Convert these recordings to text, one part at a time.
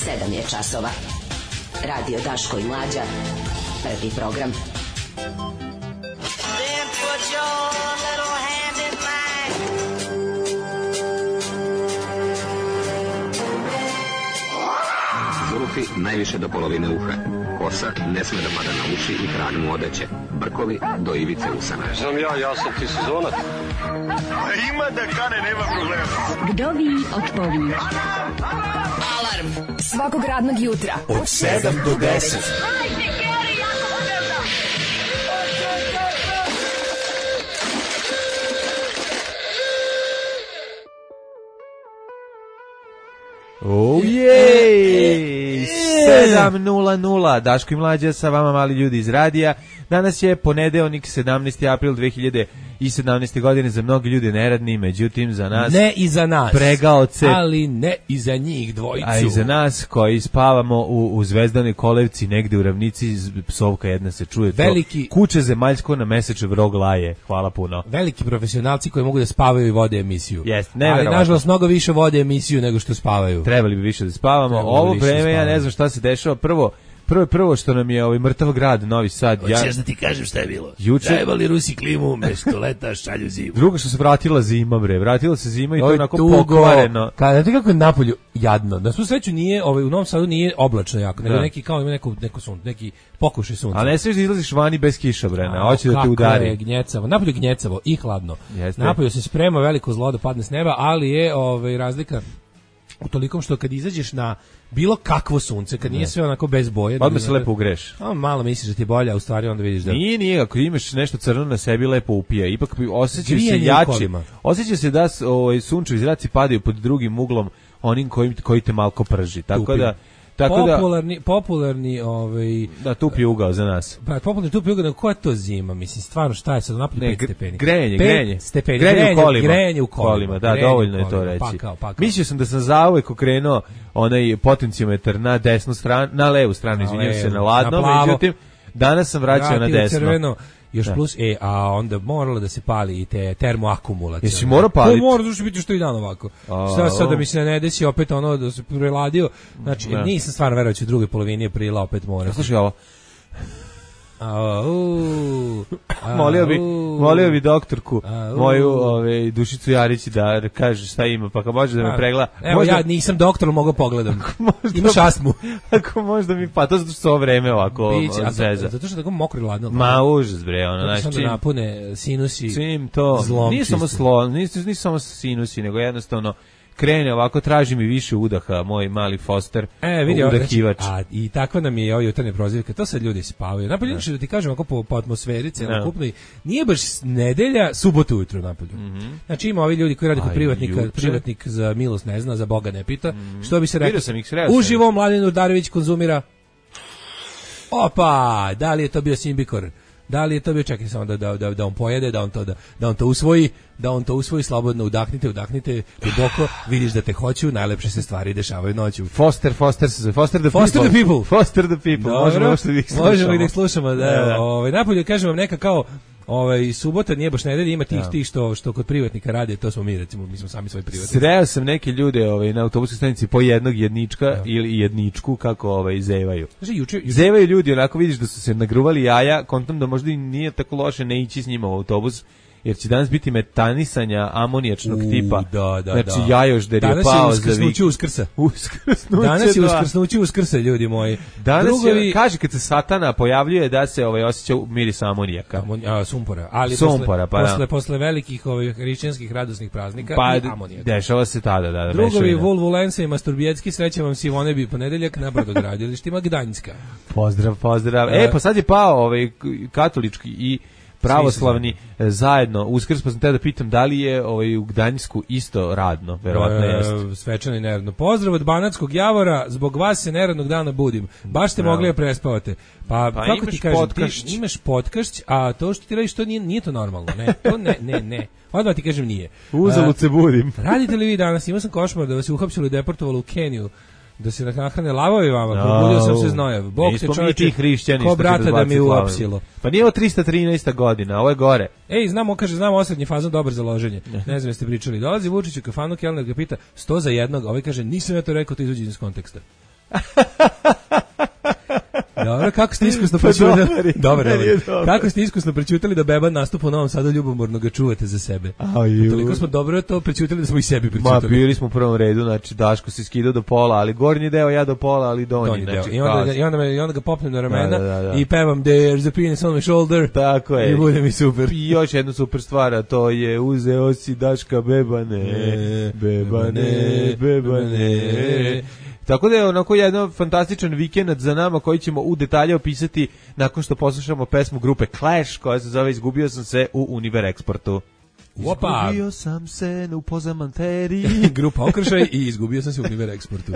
7 je časova. Radio Daško i Mlađa. Prvi program. Then put your little hand in mine. Zulufi najviše do polovine uha. Kosa ne sme da pada na uši i trag mu odeće. Brkovi do ivice usana. Znam ja sam ti sezonac. Ima da kane, nema problema. Vdovi otpovi. Alarm Svakog radnog jutra Od 7 do 10. Oh jej! 7:00 Daško i Mlađa sa vama, mali ljudi iz radija. Danas je ponedeljak 17. april 2017. godine, za mnogi ljudi neradni, međutim za nas ne i za nas pregaoce, ali ne i za njih dvojicu, a i za nas koji spavamo u Zvezdanoj kolevci negde u ravnici. Psovka jedna se čuje, veliki kuće zemaljsko na meseče vrog laje. Hvala puno. Veliki profesionalci koji mogu da spavaju i vode emisiju. Ali nažalost mnogo više vode emisiju nego što spavaju. Trebali bi više da spavamo. Ovo vreme ja ne znam šta se dešava. Prvo što nam je mrtav grad Novi Sad. Hoćeš da ti kažem šta je bilo? Najvali Rusi klimu, mesto leta šalju zimu. Drugo što se vratila zima, vratila se zima i to je onako pokvareno. Znate kako je napolju jadno. Na svu sreću nije, u Novom Sadu nije oblačno jako, nego neki kao ima neko sunce, neki pokušaj sunca. A ne smiješ da izlaziš vani bez kišobrana, hoće da te udari. Je gnjecavo, napolju je gnjecavo i hladno. Napolju se sprema veliko zlo da padne s neba, ali je razlika u tolikom što kad izađeš na bilo kakvo sunce, kad nije sve onako bez boje, odmah se lepo ugreš. Malo misliš da ti je bolje, a u stvari onda vidiš da nije, ako imaš nešto crno na sebi, lepo upija. Ipak osjećaš se jači. Osjeća se da sunčevi zraci padaju pod drugim uglom, onim koji te malko prži. Popularni da, tupi ugao za nas. Pa popularni tupi ugao, nego koja je to zima? Mislim, stvarno, šta je sad napolju 5 stepeni? Grenje u kolima. Da, dovoljno je to reći. Pakao. Mislio sam da sam zauvek okrenuo onaj potencijometar na desnu stranu, na levu stranu, izvinjavam se, na ladno, međutim, danas sam vraćao na desno. Crveno. Još plus, a onda moralo da se pali i te termoakumulacije. Jesi morao paliti? To mora, zašto biti što i dan ovako. Šta sad da mi se ne desi opet da se preladio? Znači, nisam stvarno verovao će u drugoj polovini aprila opet mora. Slušaj ovo. Molio bi doktorku moju Dušicu Jarić da kaže šta ima, pa kad može da me pregleda. Evo ja nisam doktor, ali mogu pogledam. Imaš astmu. Ako možda mi to zato što ovo vreme ovako zeza. Zato što tako mokro i ladno. Ma užas bre, znači čim napune sinusi. Čim to. Nije samo sinusi, nego jednostavno krene ovako, traži mi više udaha, moj mali Foster, udahivač. I takva nam je ova jutarnja prozivka, to sad ljudi spavaju. Napolju, da ti kažem, ako po atmosferi celokupnoj, nije baš nedelja, subota ujutro napolju. Znači ima ovi ljudi koji rade kod privatnik za milost ne zna, za Boga ne pita, što bi se rekao, uživo Mladen Urdarević konzumira. Opa, da li je to bio Simbikor? Da li je to bio, čekaj samo da on pojede, da on to usvoji, slobodno udahnite duboko, vidiš da te hoću, najlepše se stvari dešavaju noću. Foster se zove, Foster the people. Možemo ih slušamo, da. Napolje kažem vam neka kao subota nije baš nedelja, ima tih što kod privatnika rade, to smo mi, recimo, mi smo sami svoj privatnici. Sreo sam neke ljude na autobuskoj stanici po jednog jednička ili jedničku kako zevaju. Zevaju ljudi, onako vidiš da su se nagruvali jaja, kontam da možda i nije tako loše ne ići s njima u autobus, jer će danas biti metanisanja amonijačnog tipa. Znači jajožder je pao za vik. Danas je uskrsnuće Uskrsa, ljudi moji. Danas je, kaže, kad se satana pojavljuje da se osjeća miris amonijaka. Sumpora. Ali posle velikih hrišćanskih radosnih praznika i amonijaka. Dešava se tada, da. Drugovi Vulvulensa i Masturbijetski, srećem vam Sivonebi ponedeljak na brodogradilištima Gdanjska. Pozdrav. Pa sad je pao katolički i pravoslavni zajedno Uskrs, pa sam te da pitam da li je u Gdanjsku isto radno, verovatno jeste. Svečano i neradno. Pozdrav od Banatskog Javora, zbog vas se neradnog dana budim. Baš ste mogli da prespavate. Pa kako ti kažem, ti imaš potkašć, a to što ti radiš, to nije to normalno. Ne. Odmah ti kažem nije. Uzalud se budim. Radite li vi danas? Imao sam košmar da vas je uhapsilo i deportovalo u Keniju, da se nahrane lavovi vama, probudio sam se znojav. Bog te čovječe, ko brata da mi uapsilo. Pa nije ovo 313. godina, ovo je gore. Znamo osrednji fazon dobar za loženje. Ne znam jeste pričali. Dolazi Vučić u kafanu, kelner ga pita 100 za jednog, ovaj kaže nisam ja to rekao, to izvođenje iz konteksta. Dobro, kako ste iskusno prećutali? Dobro. Kako ste iskusno prećutali da Beban nastupa u Novom Sadu, ljubomorno ga čuvate za sebe. Toliko smo dobro to prećutali da smo i sebi prećutali. Ma, bili smo u prvom redu, znači Daško se skidao do pola, ali gornji deo ja do pola, ali donji deo. Znači, I onda ga popnem na ramena i pevam There's a penis on my shoulder. Tako je. I bude mi super. I još jednu super stvar, a to je uzeo si Daška Bebane. Tako da je onako jedan fantastičan vikend za nama koji ćemo u detalje opisati nakon što poslušamo pesmu grupe Clash koja se zove Izgubio sam se u Univer Eksportu. Opa. Izgubio sam se u pozamanteri. Grupa Okršaj i izgubio sam se u Univer Eksportu.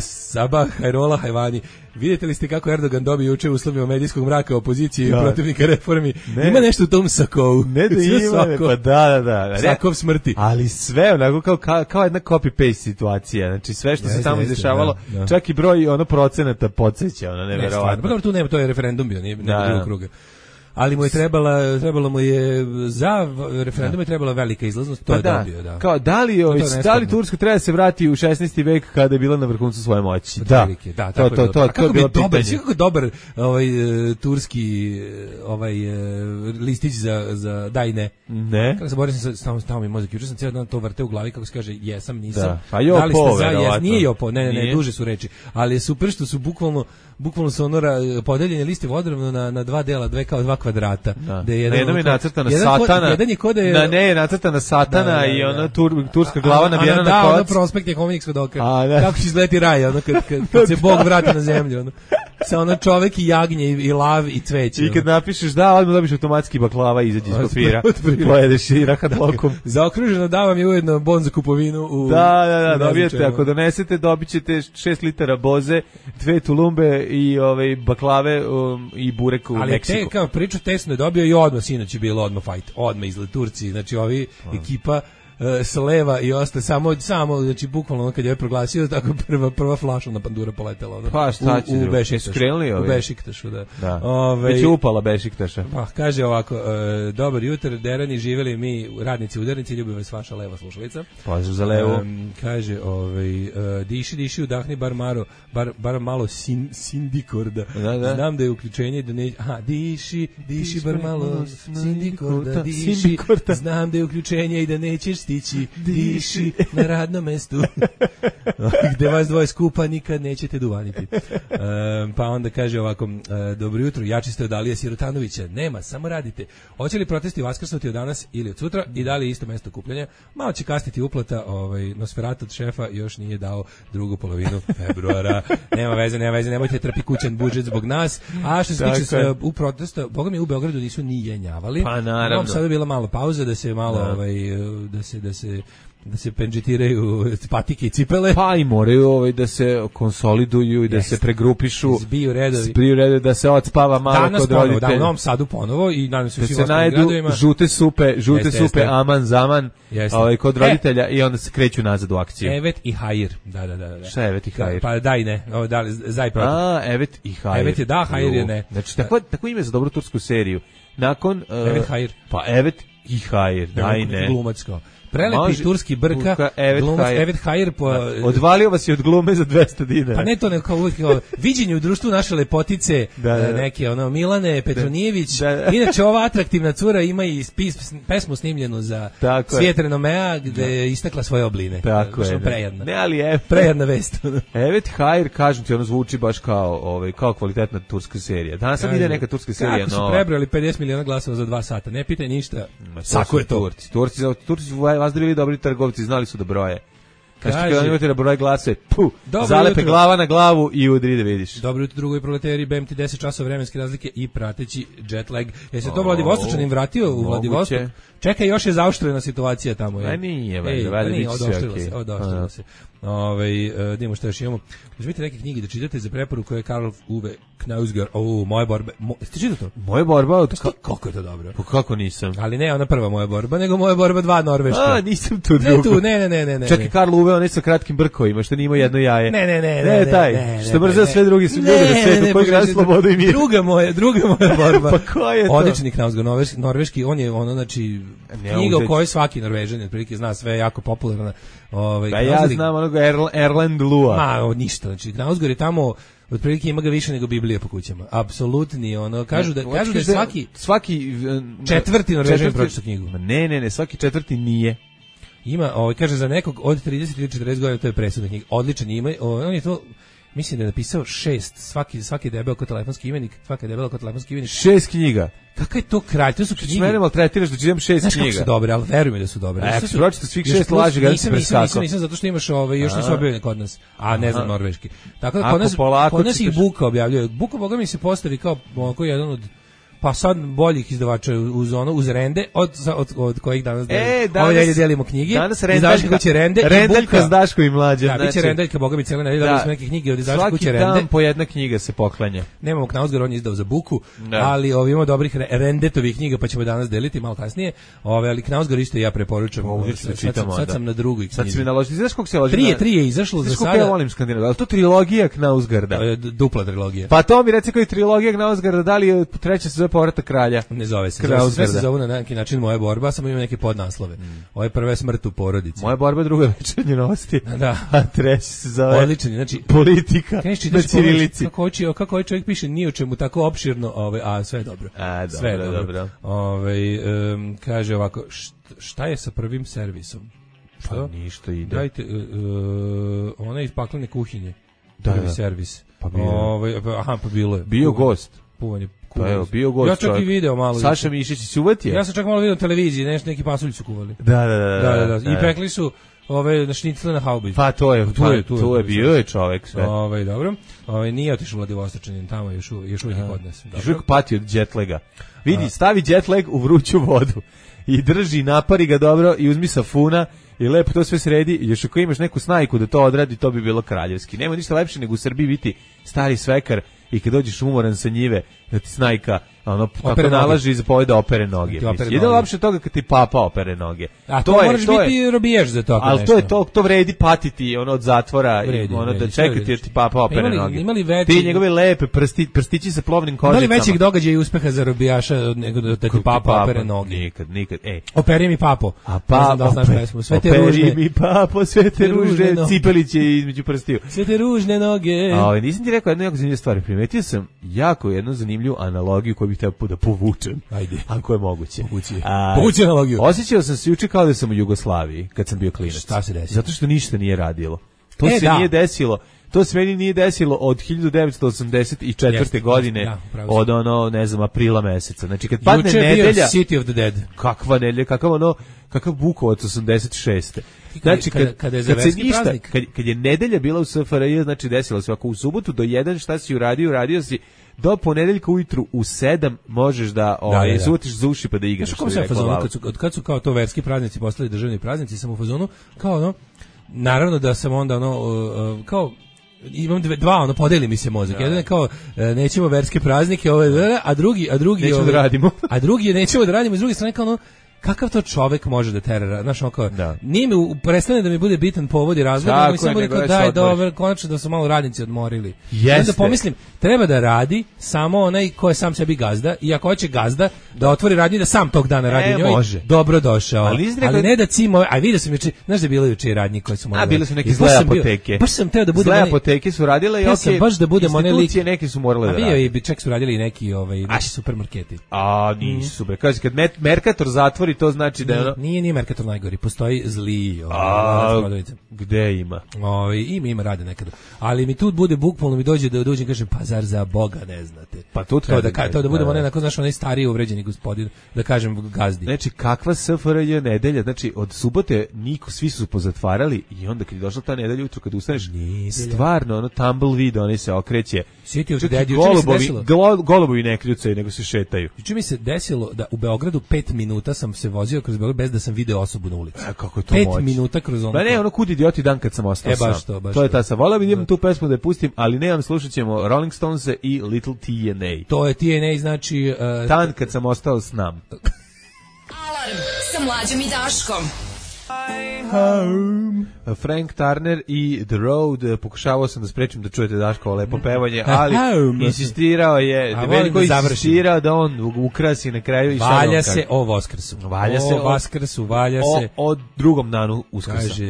Sabah, Hajrola, Hajvani. Vidite li ste kako Erdogan dobio juče uslovima medijskog mraka opozicije i protivnika reformi? Ne. Ima nešto u tom Sakovu. Ne da ima, pa da. Sakov smrti. Ali sve onako kao jedna copy-paste situacija. Znači sve što se tamo izdešavalo, čak i broj procenata podsjeća, neverovatno. Pa dobro, tu nema, to je referendum bio, nije drugog kruga. Ali mu je trebalo mu je za referendum je trebala velika izlaznost, to je dobio, da. Kao da li Turska treba da se vrati u 16. vek kada je bila na vrhuncu svoje moći? Da, to je bilo pitanje. Kako dobar turski listić za da i ne. Ne. Kako se borim se tamo mi mozak, juče sam cijeli dan to vrteo u glavi kako se kaže jesam, nisam. Da. Pa jopo, nije jopo, ne, duže su reči, ali je super što su bukvalno su podeljene liste vodoravno na dva dela, dva kvadrata. Na jednom je nacrtana satana. Jedan je kod je je nacrtana satana i ona turska glava nabijena na koc. Da, prospekt je Kominik Svedoka. Kako će izgledati raj, kad se Bog vrati na zemlju. Sa čovek i jagnje i lav i cveće. I kad napišeš odmah dobiš automatski baklava izađe iz papira. Pojedeš i rahat bokom. Zaokruženo da vam je ujedno bon za kupovinu. Da, dobijete. Ako donesete, dobit ćete 6 litara boze, 2 tulumbe i baklave i burek u Meksiku. Ali kao priču tesno je dobio i odmah sinoć je bilo odmah fight. Odmah izgled Turci. Znači ekipa s leva i ostaje samo znači bukvalno kad je proglasio tako prva flaša na pandura poletela pa šta će u Bešiktašu da. Već je upala Bešiktaša. Pa kaže ovako dobar jutro derani živeli mi radnici udarnici ljubi vas vaša leva slušalica. Pozdrav za levu. Kaže diši udahni bar malo sindikorda. Znam da je uključenje da ne diši bar malo sindikorda diši. Znam da je uključenje i da nećeš stići, diši na radnom mestu gde vas dvoje skupa nikad nećete duvaniti. Pa onda kaže ovako dobro jutro, jači ste od Alije Sirotanovića. Nema, samo radite. Hoće li protesti vaskrsnuti od danas ili od sutra i da li je isto mesto okupljanja? Malo će kasniti uplata, Nosferatu od šefa još nije dao drugu polovinu februara. Nema veze, nemojte trpi kućan budžet zbog nas. A što se tiče u protesta, boga mi u Beogradu nisu ni jenjavali. Pa naravno. Sada je bila malo pauza da se malo da se pendžetiraju patike i cipele. Pa i moraju da se konsoliduju i da se pregrupišu. Zbiju redovi. Da se odspava malo kod roditelja. Da, u Novom Sadu ponovo i nadam se u svim ostalim gradovima. Žute supe, aman, zaman, kod roditelja i onda se kreću nazad u akciju. Evet i Hajir. Da. Šta je Evet i Hajir? Pa da i ne. Za i protiv. Evet i Hajir. Evet je da, Hajir je ne. Znači, tako ime za dobru tursku seriju. Nakon... Evet Hajir. Pa Evet i Hajir, da i ne. Glumacko. Prelepi turski brka, glumac Evet Hajir odvalio vas je od glume za 200 dinara. Pa ne to neko viđenje u društvu naše lepotice, neke Milane Petronijević. Inače ova atraktivna cura ima i pesmu snimljenu za Svijet renomea gde je istakla svoje obline. Tako je. Prejedna. Ne, ali prejedna vest. Evet Hajir, kažem ti, ono zvuči baš kao kvalitetna turska serija. Danas sam ide neka turska serija nova. Kako su prebrali 50 miliona glasova za 2 sata? Ne pitaj ništa. Sako je to. Turci vas da bili dobri trgovci, znali su da broje. Znači, kada imate da broj glase, zalepe glava na glavu i udri da vidiš. Dobro jutro, drugoj proleteri, BM ti 10 časova vremenske razlike i prateći jet lag. Jesi to Vladivostočanin vratio u Vladivostok? Čekaj, još je zaoštrena situacija tamo. Nije, valjda bit će sve odoštrila se. Dimo što još imamo. Uzmite neke knjige da čitate za preporuku koje je Karl Uwe Knausgård. Moje borbe. Ste čitali to? Moje borba? Kako je to dobro? Pa kako nisam? Ali ne ona prva Moja borba, nego Moja borba 2 Norveška. Nisam tu drugo. Ne. Čekaj, Karl Uwe, on je sa kratkim brkovima, što nije imao jedno jaje. Ne, taj, što mrzeo sve drugi su ljude na svetu, koji grad slobodu i mir. Druga moja borba. Pa ko je to? Odlični Knausgård, norveški, on je znači knjiga u kojoj svaki Norvežanin otprilike zna sve, jako popularna. Ja znam onog onog Erland Lua. Ništa, znači Knausgård je tamo otprilike ima ga više nego Biblije po kućama. Apsolutni ono, kažu da je svaki četvrti Norvežanin pročitao knjigu. Ne, svaki četvrti nije. Ima, kaže za nekog od 30 ili 40 godina to je presudna knjiga. Odličan ima, on je to mislim da je napisao 6, svaki debel kao telefonski imenik, svaka je debela kao telefonski imenik. 6 knjiga. Kakva je to kraj? To su knjige. Mene maltretiraš da čitam 6 knjiga. Znaš kako su dobre, ali veruj mi da su dobre. Ako su pročitao svih 6 laži, ga se preskako. Nisam, zato što imaš još nisu objavljene kod nas, a ne znam norveški. Tako da kod nas ih Buka objavljuje. Buka, boga mi se postavi kao jedan od pa sad boljih izdavača uz Rende od kojih danas delimo knjige. Danas Rendeljka s Daško i Mlađe. Da, biće Rendeljka, boga mi cijele nedelje, smo neke knjige od izdavača kuće Rende. Svaki dan po jedna knjiga se poklanja. Nemamo Knausgård, on je izdao za Buku, ali ima dobrih Rendetovih knjiga, pa ćemo danas deliti malo kasnije. Ali Knausgård isto ja preporučujem. Sad sam na drugoj knjizi. Sad si mi naložiti, znaš kako se loži? 3 je izašlo za sada. Ja volim Skandinaviju, ali to trilogija Knausgårda. Dupla trilogija. Pa to mi reci koji trilogija Knausgårda, da li je treća se zove Povratak kralja? Ne zove se. Sve se zove na neki način Moja borba, samo ima neke podnaslove. Ovo je prva Smrt u porodici. Moja borba, druga Večernje novosti. Da. A treći se zove odličan, znači politika na ćirilici. Kako ovaj čovjek piše ni o čemu tako opširno, a sve je dobro. Sve je dobro. Kaže ovako, šta je sa prvim servisom? Što? Pa ništa ide. Dajte, ona je iz paklene kuhinje. Prvi servis. Pa bilo je. Bio gost. Puvanje. Pa evo, bio gost. Ja čak i video malo. Saša Mišić se uvatio. Ja sam čak malo video na televiziji, neki pasulj su kuvali. Da. I pekli su na šnicle na haubić. Pa to je bio je čovek sve. Dobro. Nije otišao Vladivostočanin tamo, još uvijek je kod nas. Još uvijek pati od jetlaga. Vidi, stavi jetlag u vruću vodu i drži, napari ga dobro i uzmi safuna i lepo to sve sredi. Još ako imaš neku snajku da to odradi, to bi bilo kraljevski. Nema ništa lepše nego u Srbiji biti stari svekar i kad dođeš umoran sa njive, da ti snajka kako nalaži i zapoveda opere noge. Ide uopšte toga kad ti papa opere noge. A to moraš biti robijež za to. Ali to vredi patiti od zatvora i da čekati jer ti papa opere noge. Ti njegove lepe prstići sa plovnim kožicama. Imali većih događaja i uspeha za robijaša nego da ti papa opere noge. Nikad. Operi mi papo. Operi mi papo, sve te ružne cipeliće između prstiju. Sve te ružne noge. Nisam ti rekao jednu jako zanimljivu stvar. Primetio sam jako jednu zanimljivu analogiju koju bih trebao da povučem. Ajde. Ako je moguće. Povući analogiju. Osjećao sam se juče kao da sam u Jugoslaviji kad sam bio klinac. Šta se desilo? Zato što ništa nije radilo. To se nije desilo. To se meni nije desilo od 1984. godine, od aprila meseca. Znači kad padne nedelja... Juče bio City of the Dead. Kakva nedelja, kakav Bukovac 86. Znači kada je za verski praznik. Kad je nedelja bila u SFRJ, znači desilo se, ako u subotu do 1 šta si uradio si do ponedeljka ujutru u 7 možeš da zutiš za uši pa da igraš. Znaš kako sam kad su kao to verski praznici postali državni praznici, sam u fazonu kao naravno da sam onda kao imam dva, podeli mi se mozak. Jedan je kao nećemo verske praznike, a drugi nećemo da radimo. A drugi je nećemo da radimo, s druge strane kao kakav to čovek može da tera, znaš, kao nije mi prestane da mi bude bitan povod i razlog, nego mi samo rekao daj dobro, konačno da su malo radnici odmorili. Onda pomislim, treba da radi samo onaj ko je sam sebi gazda, i ako hoće gazda da otvori radnju da sam tog dana radi njoj, može. Dobro došao. Ali ne da cimo, a vidio sam juče, znaš da je bilo juče radnji koji su morali. Bile su neke zle apoteke. Baš sam teo da budem. Zle apoteke su radile i okej. Baš da budem onaj lik. Institucije neki su morale da. A bio i čak su radili i neki supermarketi. A nisu bre. Kaže kad Mercator zatvori to znači da je nije Mercator najgori, postoji zli gde ima? Ima rade nekada. Ali mi tu bude bukvalno mi dođe da dođem kažem pa zar za Boga ne znate. Pa tu treba to da budemo onako znaš onaj stariji uvređeni gospodin da kažem gazdi. Znači kakva SFRJ nedelja, znači od subote svi su pozatvarali i onda kad je došla ta nedelja ujutro kad ustaneš stvarno tumbleweed oni se okreće. Golubovi ne kljucaju nego se šetaju. Juče mi se desilo da u Beogradu 5 minuta sam se vozio kroz Beograd bez da sam video osobu na ulici. Kako je to 5 minuta kroz ono. Pa ne, kud idioti dan kad sam ostao sam. To je ta sa. Voleo bih da imam tu pesmu da je pustim, ali nemam, slušat ćemo Rolling Stones i Little TNA. To je TNA, znači... Dan kad sam ostao s nam. Alarm sa Mlađom i Daškom. home. Frank Turner i The Road. Pokušavao sam da sprečim da čujete Daškovo lepo pevanje, ali insistirao je, veliko insistirao da on ukrasi na kraju i valja se o Vaskrsu. Valja se o Vaskrsu, valja se o drugom danu Uskrsa. Kaže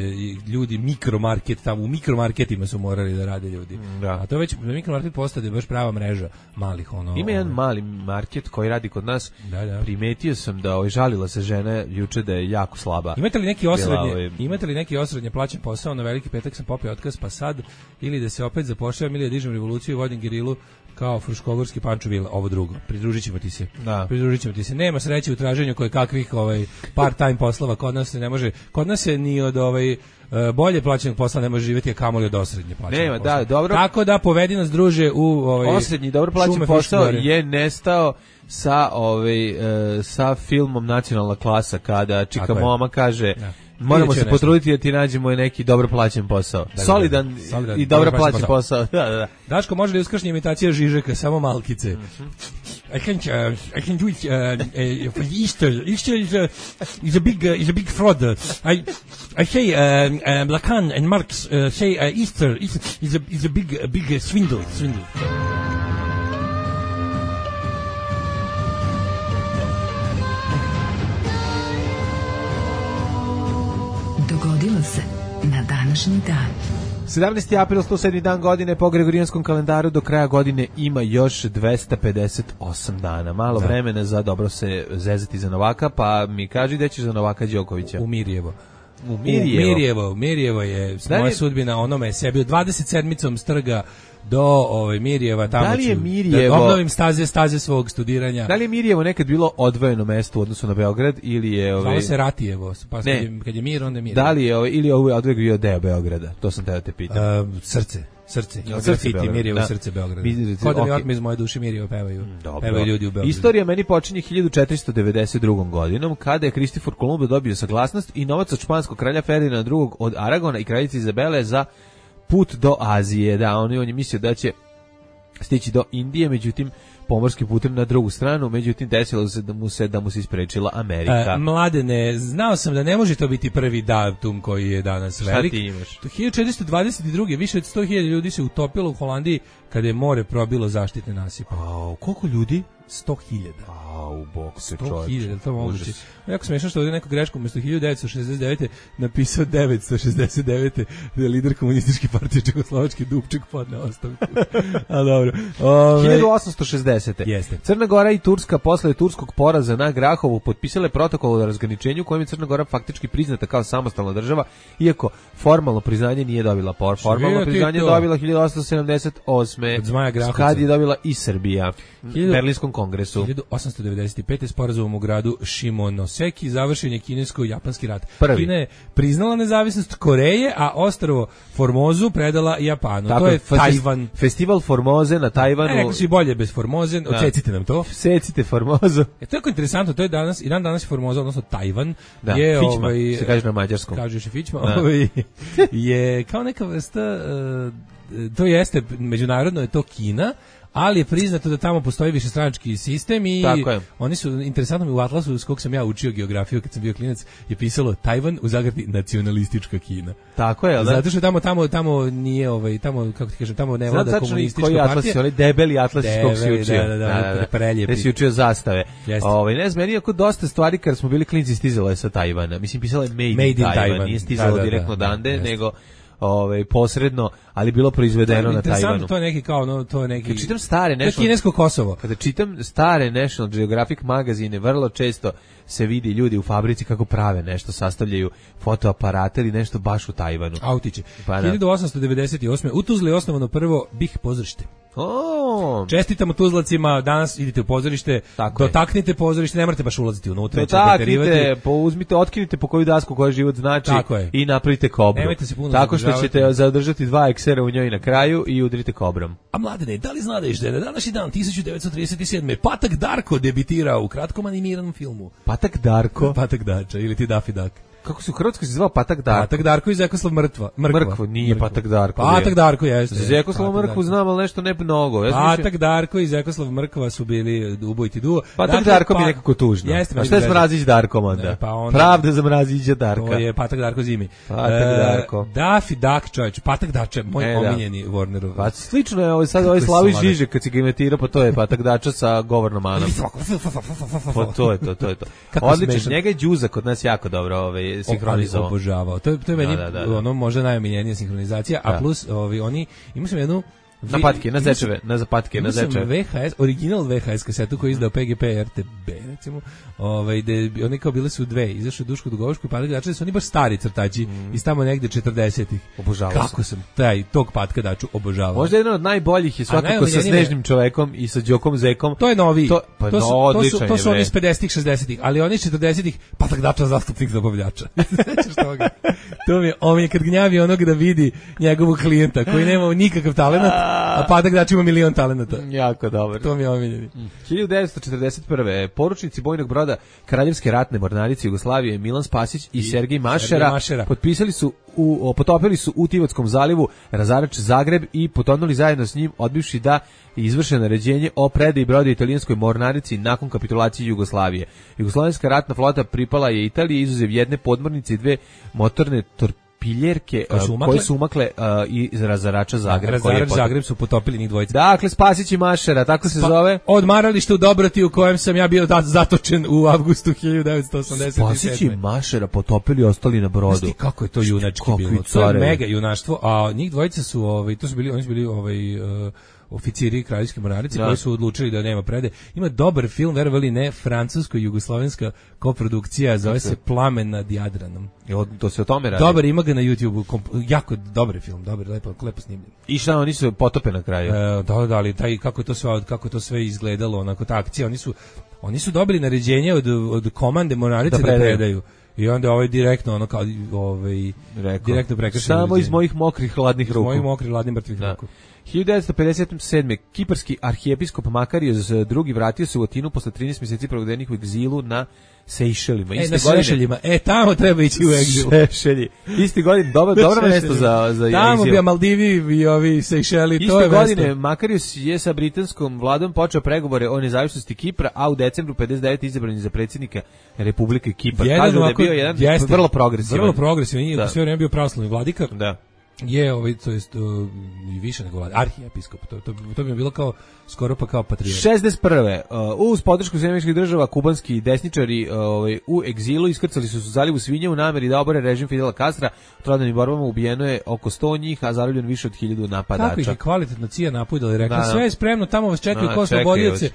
ljudi mikromarket, tamo u mikromarketima su morali da rade ljudi. Da. A to već mikromarket postade baš prava mreža malih ono. Ima jedan mali market koji radi kod nas. Da. Primetio sam da žalila se žena juče da je jako slaba. Imate li neki osrednje plaćen posao? Na Veliki petak sam popio otkaz, pa sad ili da se opet zapošljavam ili da dižem revoluciju i vodim gerilu kao Fruškogorski Pančo Vila, ovo drugo. Pridružit ćemo ti se. Nema sreće u traženju koje kakvih part-time poslova. Kod nas se ne može, kod nas se ni od bolje plaćenog posla ne može živjeti, a kamoli od osrednje plaćenog posla. Da, dobro. Tako da povedi nas druže u osrednji dobro plaćen posao je nestao sa filmom Nacionalna klasa, kada Čika Moma kaže moramo se potruditi da ti nađemo neki dobro plaćen posao. Solidan i dobro plaćen posao. Da. Daško, može li uskršnja imitacija Žižeka, samo malkice? I can do it for Easter. Easter is a big fraud. I say Lacan and Marx say Easter is a big swindle. Dogodilo se na današnji dan. 17. april, 107. dan godine po Gregorijanskom kalendaru, do kraja godine ima još 258 dana. Malo vremena za dobro se zezati za Novaka, pa mi kaži da ćeš za Novaka Đokovića. U Mirjevo je moja sudbina, onome sebi od 27. strga do Mirjeva, tamo da li je da obnovim staze svog studiranja. Da li je Mirjevo nekad bilo odvojeno mesto u odnosu na Beograd ili je Zvalo se Ratijevo, pa kad je Mir, onda je Mirjevo. Da li je ili ovo je odvojeno bio deo Beograda? To sam te da te pitam. Srce, grafiti Mirjevo, srce Beograda. Kod da mi otme iz moje duše Mirjevo pevaju ljudi u Beogradu. Istorija meni počinje 1492. godinom, kada je Kristofor Kolumbo dobio saglasnost i novac od španskog kralja Ferdinanda II od Aragona i kraljice Izabele za put do Azije. Da, on je mislio da će stići do Indije, međutim pomorskim putem na drugu stranu, međutim desilo se da mu se isprečila Amerika. Mladene, znao sam da ne može to biti prvi datum koji je danas velik. Šta ti imaš? 1422. više od 100.000 ljudi se utopilo u Holandiji kada je more probilo zaštitne nasipe. Koliko ljudi? 100.000. U bok se 100.000, to moguće. Jako smiješno što ovdje neku grešku umjesto 1969. napisao 969. da je lider komunističke partije Čehoslovačke Dubček podne ostavku. A dobro. 1860. Jeste. Crna Gora i Turska posle turskog poraza na Grahovu potpisale protokol o razgraničenju kojim je Crna Gora faktički priznata kao samostalna država, iako formalno priznanje nije dobila. Formalno priznanje dobila 1878. Kad je dobila i Srbija. Berlinskom kongresu. 1895. sporazumom u gradu Shimonoseki završen je kinesko-japanski rat. Kina je priznala nezavisnost Koreje, a ostrvo Formozu predala Japanu. Tako, to je Tajvan. Festival Formoze na Tajvanu. Rekli su i bolje bez Formoze, odsecite nam to. Secite Formozu. To je interesantno, to je danas, i danas je Formoza, odnosno Tajvan. Da, je, Fićma, se kaže na mađarskom. Kaže se Fićma, je kao neka vrsta, to jeste, međunarodno je to Kina, ali je priznato da tamo postoji višestranački sistem i oni su, interesantno mi u Atlasu s kog sam ja učio geografiju kad sam bio klinac, je pisalo Tajvan u zagradi nacionalistička Kina. Tako je, da? Zato što tamo nije, tamo, kako ti kažem, tamo ne vlada komunistička partija. Koji atlas je, onaj debeli atlas iz kog si učio. Preljepi. Gde si učio zastave. Ne znam, meni jako dosta stvari kad smo bili klinci stizalo je sa Tajvana. Mislim, pisalo je Made in Taiwan, nije stizalo direktno odande, nego posredno, ali bilo proizvedeno na Tajvanu. To je neki kao, to je neki. Kad čitam stare National, kinesko Kosovo. Kada čitam stare National Geographic magazine, vrlo često se vidi ljudi u fabrici kako prave nešto, sastavljaju fotoaparate ili nešto baš u Tajvanu. Autiće. 1898. u Tuzli je osnovano prvo BiH pozorište. Čestitamo Tuzlacima, danas idite u pozorište, dotaknite pozorište, ne morate baš ulaziti unutra. Dotaknite, uzmite, otkinite po koju dasku koja život znači i napravite kobru. Tako što ćete zadržati 2 eksera u njoj na kraju i udrite kobrom. A mladene, da li znadeš da je na današnji dan 1937. Patak Darko debitirao u kratkom animiranom filmu? Patak Darko? Patak Dača ili ti Daffy Duck. kako se u Hrvatskoj se zvao Patak Darko? Patak Darko i Zekoslav Mrkva, nije Patak Darko. Patak Darko jeste. Zekoslav Mrkvu znam, ali nešto ne mnogo. Patak Darko i Zekoslav Mrkva su bili ubojiti duo. Patak Darko mi je nekako tužno. A šta je s Mrazić Darkom onda? Pravda za Mrazića Darka. To je Patak Darko zimi. Patak Darko. Daffy Duck, čovječ. Patak Dače, moj omiljeni Warnerov. Pa slično je sad ovaj Slavić Žižek kad se ga imitira, pa to je Patak Dača sa govornom Anom. Pa to je to. Odlično, njega je Đuza kod nas jako dobro sinhronizovao. Obožavao. To je meni ono možda najomiljenija sinhronizacija, a plus oni imao sam jednu na patke, na zečeve, na zapatke, na zečeve. VHS, original VHS kasetu koju je izdao PGP RTB, recimo, gde oni kao bile su dve, izašao Duško Dugovoško i Patak Dača, su oni baš stari crtači, iz tamo negde 40-ih. Obožavao kako sam tog Patka Daču obožavao. Možda jedan od najboljih je svakako sa Snežnim čovekom i sa Đokom Zekom. To je novi. To su oni iz 50-ih, 60-ih, ali oni iz 40-ih Patak Dača zastupnik zabavljača. To mi je, on je kad gnjavi onog da vidi njegovog klijenta koji nema nikakav talenat, a Patak Dača ima milion talenata. Jako dobro. To mi je omiljeni. 1941. Poručnici bojnog broda Kraljevske ratne mornarice Jugoslavije Milan Spasić i Sergej Mašera potopili su u Tivotskom zalivu razarač Zagreb i potonuli zajedno s njim, odbivši da izvrše naređenje o predaji broda italijanskoj mornarici nakon kapitulacije Jugoslavije. Jugoslovenska ratna flota pripala je Italiji, izuzev jedne podmornice i dve motorne piljerke koje su umakle iz razarača Zagreb. Razarač Zagreb su potopili njih dvojica. Dakle, Spasić i Mašera, tako se zove. Odmaralište u Dobroti u kojem sam ja bio zatočen u avgustu 1987. Spasić i Mašera potopili, ostali na brodu. Znaš ti kako je to junački bilo? To je mega junaštvo, a njih dvojica su, oni su bili oficiri Kraljevske mornarice koji su odlučili da nema prede. Ima dobar film, verovali ne, francusko-jugoslovenska koprodukcija, zove se Plamen nad Jadranom. To se o tome radi. Dobar, ima ga na YouTubeu, jako dobar film, dobar, lepo snimljen. I šta, oni su potope na kraju? Da, ali kako to sve izgledalo, onako ta akcija, oni su dobili naređenje od komande mornarice da predaju. I onda direktno ono kao direktno prekršeno. Samo iz mojih mokrih hladnih ruku. Iz mojih mokrih hladnih mrtvih ruku. 1957. kiparski arhijepiskop Makarios II vratio se u Atinu posle 13 mjeseci provedenih u egzilu na Sejšelima. Na Sejšeljima. Tamo treba ići u egzilu. Sejšelji. Isti godine, dobro mesto za egzil. Tamo bi Maldivi i ovi Sejšeli, to je mesto. Iste godine Makarios je sa britanskom vladom počeo pregovore o nezavisnosti Kipra, a u decembru 59 izabran za predsjednika Republike Kipar. Kažu da je bio jedan vrlo progresivan. Vrlo progresivan, sve vreme bio pravoslavni vladika. Da. Je, to jest i više nego arhijepiskop, to bi bilo kao skoro pa kao patrijarh. 61. Uz podršku Sjedinjenih Država kubanski desničari u egzilu iskrcali su zalivu Svinje u nameri da obore režim Fidela Castra. U trajnim borbama ubijeno je oko 100 njih, a zarobljeno više od 1000 napadača. Kako ih je kvalitetno CIA napujdali, rekli sve je spremno, tamo vas čekaju ko oslobodioce.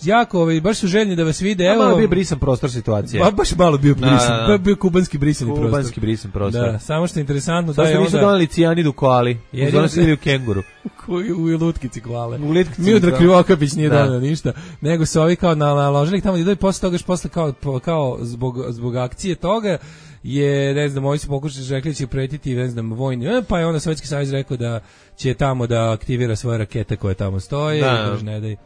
Jako, baš su željni da vas vide. Evo, malo bio brisan prostor situacije. Baš malo bio brisan, bio kubanski brisani prostor. Kubanski brisan prostor. Da, samo što je interesantno da je onda doneli cijanidu koali. Uzeli u kenguru. U lutkici kvale. Miodrag Krivokapić nije donio ništa, nego su ovi kao naložili tamo i posle toga posle kao zbog akcije toga je, ne znam, ovi su pokušali rekli će pretiti, ne znam, vojni, pa je onda Sovjetski savez rekao da će tamo da aktivira svoje rakete koje tamo stoje i ne daj.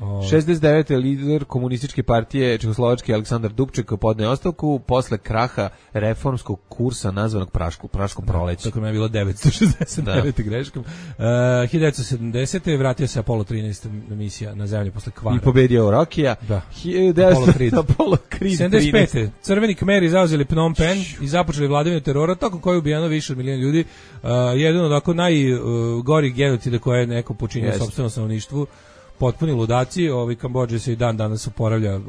69. lider komunističke partije Čehoslovačke Aleksandar Dubček podneo ostavku posle kraha reformskog kursa nazvanog Praškom proleće. Tako je bilo 969. greškom. 1970. vratio se Apollo 13 misija na zemlju posle kvara. I pobedio Rokija. Da. Apollo Creed 75. Crveni Kmeri zauzeli Phnom Penh i započeli vladavinu terora, tokom koje je ubijeno više od miliona ljudi. Jedan od najgorih genocida koje je neko počinio sopstveno stanovništvu. Potpuni ludaci, Kambodža se i dan danas oporavlja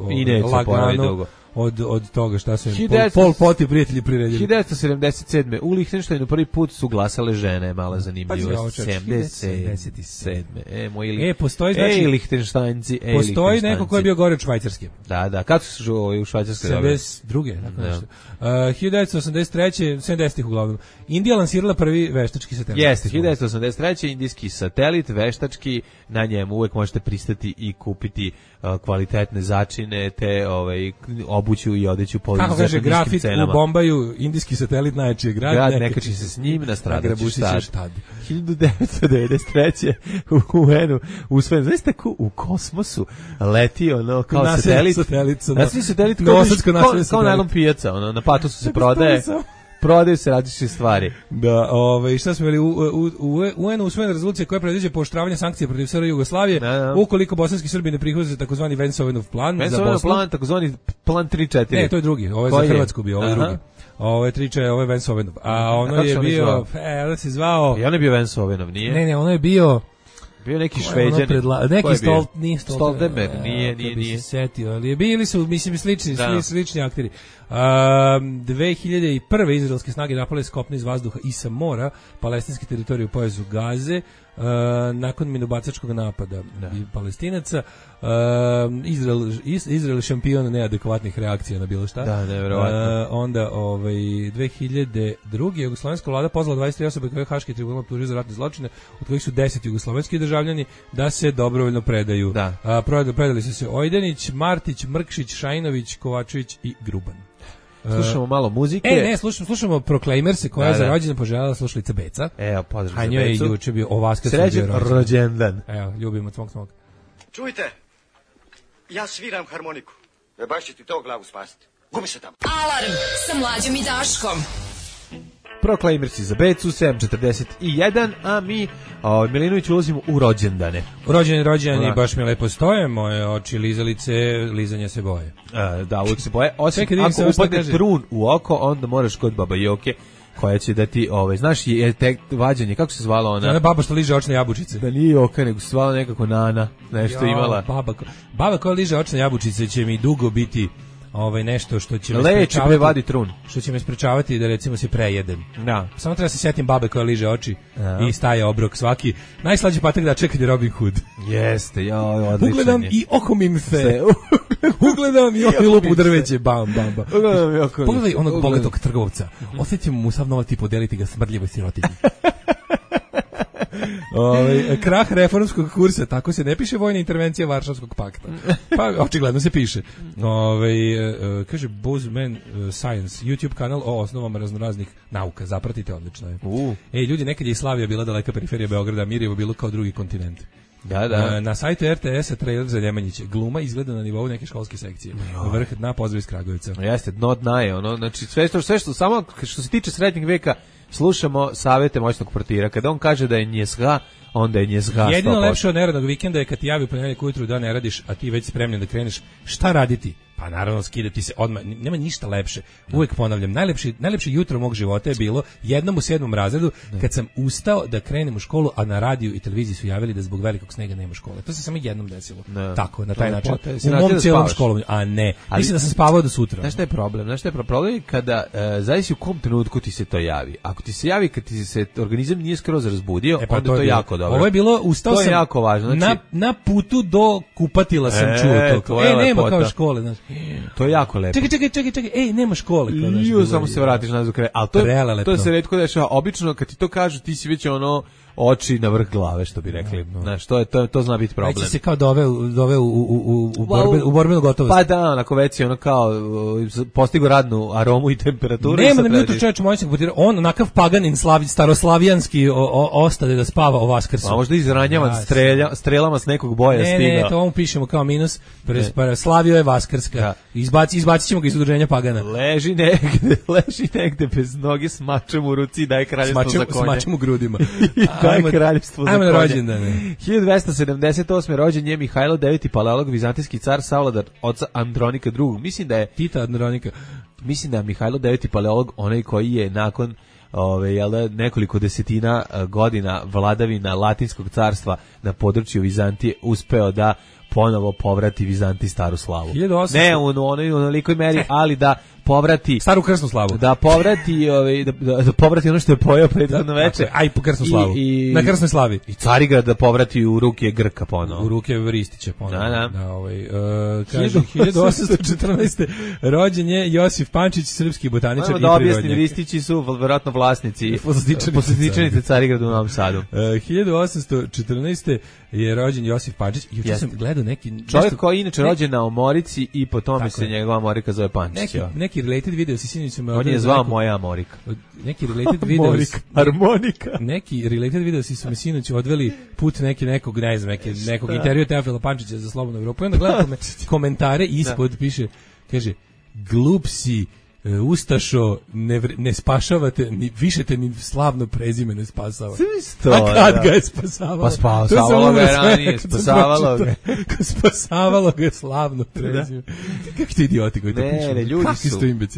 lagano od toga šta se Pol Pot i prijatelji priredili. 1977. U Lihtenštajnu prvi put su glasale žene, mala zanimljivost. 77. Moji postoji Lihtenštajnci, postoji neko ko je bio gore od Švajcarske. Da, kako su u Švajcarskoj? 72. 1983. 70-ih uglavnom. Indija lansirala prvi veštački satelit. Jeste, 1983. indijski satelit, veštački, na njemu uvek možete pristati i kupiti kvalitetne začine, te obuću i odeću po kako kaže grafit cenama. U Bombaju, indijski satelit najjači grad ne kači se s njim, nastradaće štad. 1993. u UN-u usvojen, znaš tako u kosmosu leti ono kao satelit. Nasvi satelit kao najlon pijaca, ono, na Patosu se prodaju se različite stvari. Da, šta smo imali u UN-u usvojena rezolucija koja predviđa pooštravanje sankcija protiv SR Jugoslavije ukoliko bosanski Srbi ne prihvate takozvani Vence-Ovenov plan za Bosnu. Plan, takozvani plan 3-4. Ne, to je drugi, ovo je za Hrvatsku bio, ovo je drugi. Ovo je ovo je Vence-Ovenov. A ono je bio, da se zvao... Ja ne bio Vence-Ovenov, nije? Ne, ono je bio neki Šveđanin. Neki Stoltenberg, nije. Setio, ali bili su, mislim, slični akteri. 2001. izraelske snage napale s kopna iz vazduha i sa mora palestinske teritorije u pojasu Gaze nakon minobacačkog napada Palestinaca. Izrael šampion neadekvatnih reakcija na bilo šta. Da, nevjerovatno. Onda 2002. jugoslovenska vlada pozvala 23 osobe koje je Haški tribunal optužio za ratne zločine, od kojih su 10 jugoslovenski državljani, da se dobrovoljno predaju. Predali su se Ojdanić, Martić, Mrkšić, Šajnović, Kovačević i Gruban. Slušamo malo muzike. Ne, slušamo Proclaimerse koja je za rođendan poželjela slušalica Beca. Evo, pozdrav za Becu. A njoj je juče bio Srećan rođendan. Evo, ljubimo tvog. Čujte, ja sviram harmoniku. Baš će ti to glavu spasiti. Gubi se tamo. Alarm sa Mlađom i Daškom. Proclaimersi za Becu, 7:41, a mi, Milinović, ulazimo u rođendane. Rođendani baš mi lepo stoje, moje oči lizalice, lizanja se boje. Da, uvijek se boje, osim ako upadne trun u oko, onda moraš kod baba Joke, koja će da ti, znaš, je tek vađanje, kako se zvala ona? Ona baba što liže očne jabučice. Da nije Joka, nego se zvala nekako Nana, nešto imala. Baba koja liže očne jabučice će mi dugo biti nešto što će me sprečavati, vadi trun. Što će me sprečavati da recimo se prejedem. Da. Samo treba se setim babe koja liže oči i staje obrok svaki. Najslađi patak da čeka je Robin Hood. Jeste, odličan. Ugledam i okomim se. Ugledam i lupu u drveće. Bam. Ugledam i okomim. Pogledaj onog bogatog trgovca. Osjetimo mu sav novac i podeliti ga smrdljivoj sirotinji. Krah reformskog kursa, tako se ne piše vojna intervencija Varšavskog pakta. Pa očigledno se piše. Kaže Bozeman Science, YouTube kanal o osnovama raznoraznih nauka. Zapratite, odlično je. Ljudi, nekad je i Slavija bila daleka periferija Beograda, a Mirjevo bilo kao drugi kontinent. Da. Na sajtu RTS-a trailer za Ljemanjića. Gluma izgleda na nivou neke školske sekcije. Vrh dna, pozdrav iz Kragujevca. Jeste, dno dna je. Znači, sve što samo što se tiče srednjeg veka, slušamo savete moćnog portira. Kada on kaže da je njezga, onda je njezga 100%. Jedino lepše od neradnog vikenda je kad ti javi u ponedjeljak ujutru da ne radiš, a ti već spremljen da kreneš. Šta raditi? Pa naravno skidati se odmah, nema ništa lepše. Uvijek ponavljam, najlepše jutro mog života je bilo jednom u 7. razredu kad sam ustao da krenem u školu, a na radiju i televiziji su javili da zbog velikog snega nema škole. To se samo jednom desilo. Tako, na taj način. U mom cijelom školom, a ne. Mislim da sam spavao do sutra. Znaš šta je problem? Problem je kada zavisi u kom trenutku ti se to javi. Ako ti se javi kad ti se organizam nije skroz razbudio, onda to je jako dobro. Ovo je bilo, ustao sam jako važno. Znači, na putu do kupatila sam čuo to. Nema kao škole, znaš. To je jako lepo. Čekaj, nema škole. Samo se vratiš nazad u kraj. Ali to se retko dešava. Obično kad ti to kažu, ti si već oči na vrh glave, što bi rekli. Znaš, to zna biti problem. Neće se kao dove u borbenu gotovost. Pa da, onako već je kao postigo radnu aromu i temperaturu. Nema nam jutro čovječ moćnog portira. On onakav paganin staroslavijanski ostade da spava o Vaskrsu. A možda izranjavan strelama s nekog boja stigao. Ne, to ovom pišemo kao minus. Slavio je Vaskrska. Izbacit ćemo ga iz udruženja pagana. Leži negde bez noge s mačem u ruci i daje kraljevstvo za konje. S mačem u grudima. Ajmo na rođendane. 1278. rođen je Mihajlo IX. Paleolog, vizantijski car, savladar oca Andronika II. Mislim da je Tita Andronika. Mislim da je Mihajlo IX. Paleolog onaj koji je nakon nekoliko desetina godina vladavina Latinskog carstva na području Vizantije uspeo da ponovo povrati Vizantiji staru slavu. 1800. Ne u onolikoj meri, ali da povrati staru krsnu slavu. Da povrati, da povrati ono što je pojeo prethodno veče. Aj po krsnu slavu. Na krsnoj slavi. I Carigrad da povrati u ruke Grka ponovo. U ruke Ristića ponovo. Da. Kaže 1814. rođen je Josif Pančić, srpski botaničar i prirodnjak. Da objasnim, Ristići su verovatno vlasnici Posljedničanice Carigradu u Novom Sadu. 1814. je rođen Josif Pančić. Juče sam gledao neki čovjek koji inače rođen na Omorici i po tome se njegova Amorika zove Pančić. Neki related video si sinoć me on je zvao moja Amorika. Neki related video harmonika. Neki related video su mi sinoć odveli put nekog ne znam, nekog intervjua Teofila Pančića za Slobodnu Evropu. I onda gledam komentare ispod piše, kaže, glup si, Ustašo, ne spašavate, više te ni slavno prezime ne spasava. A kad ga je spasavalo? Pa spasavalo ga je ranije, spasavalo ga je slavno prezime. Kakvi ti idioti koji to pišu? Ne,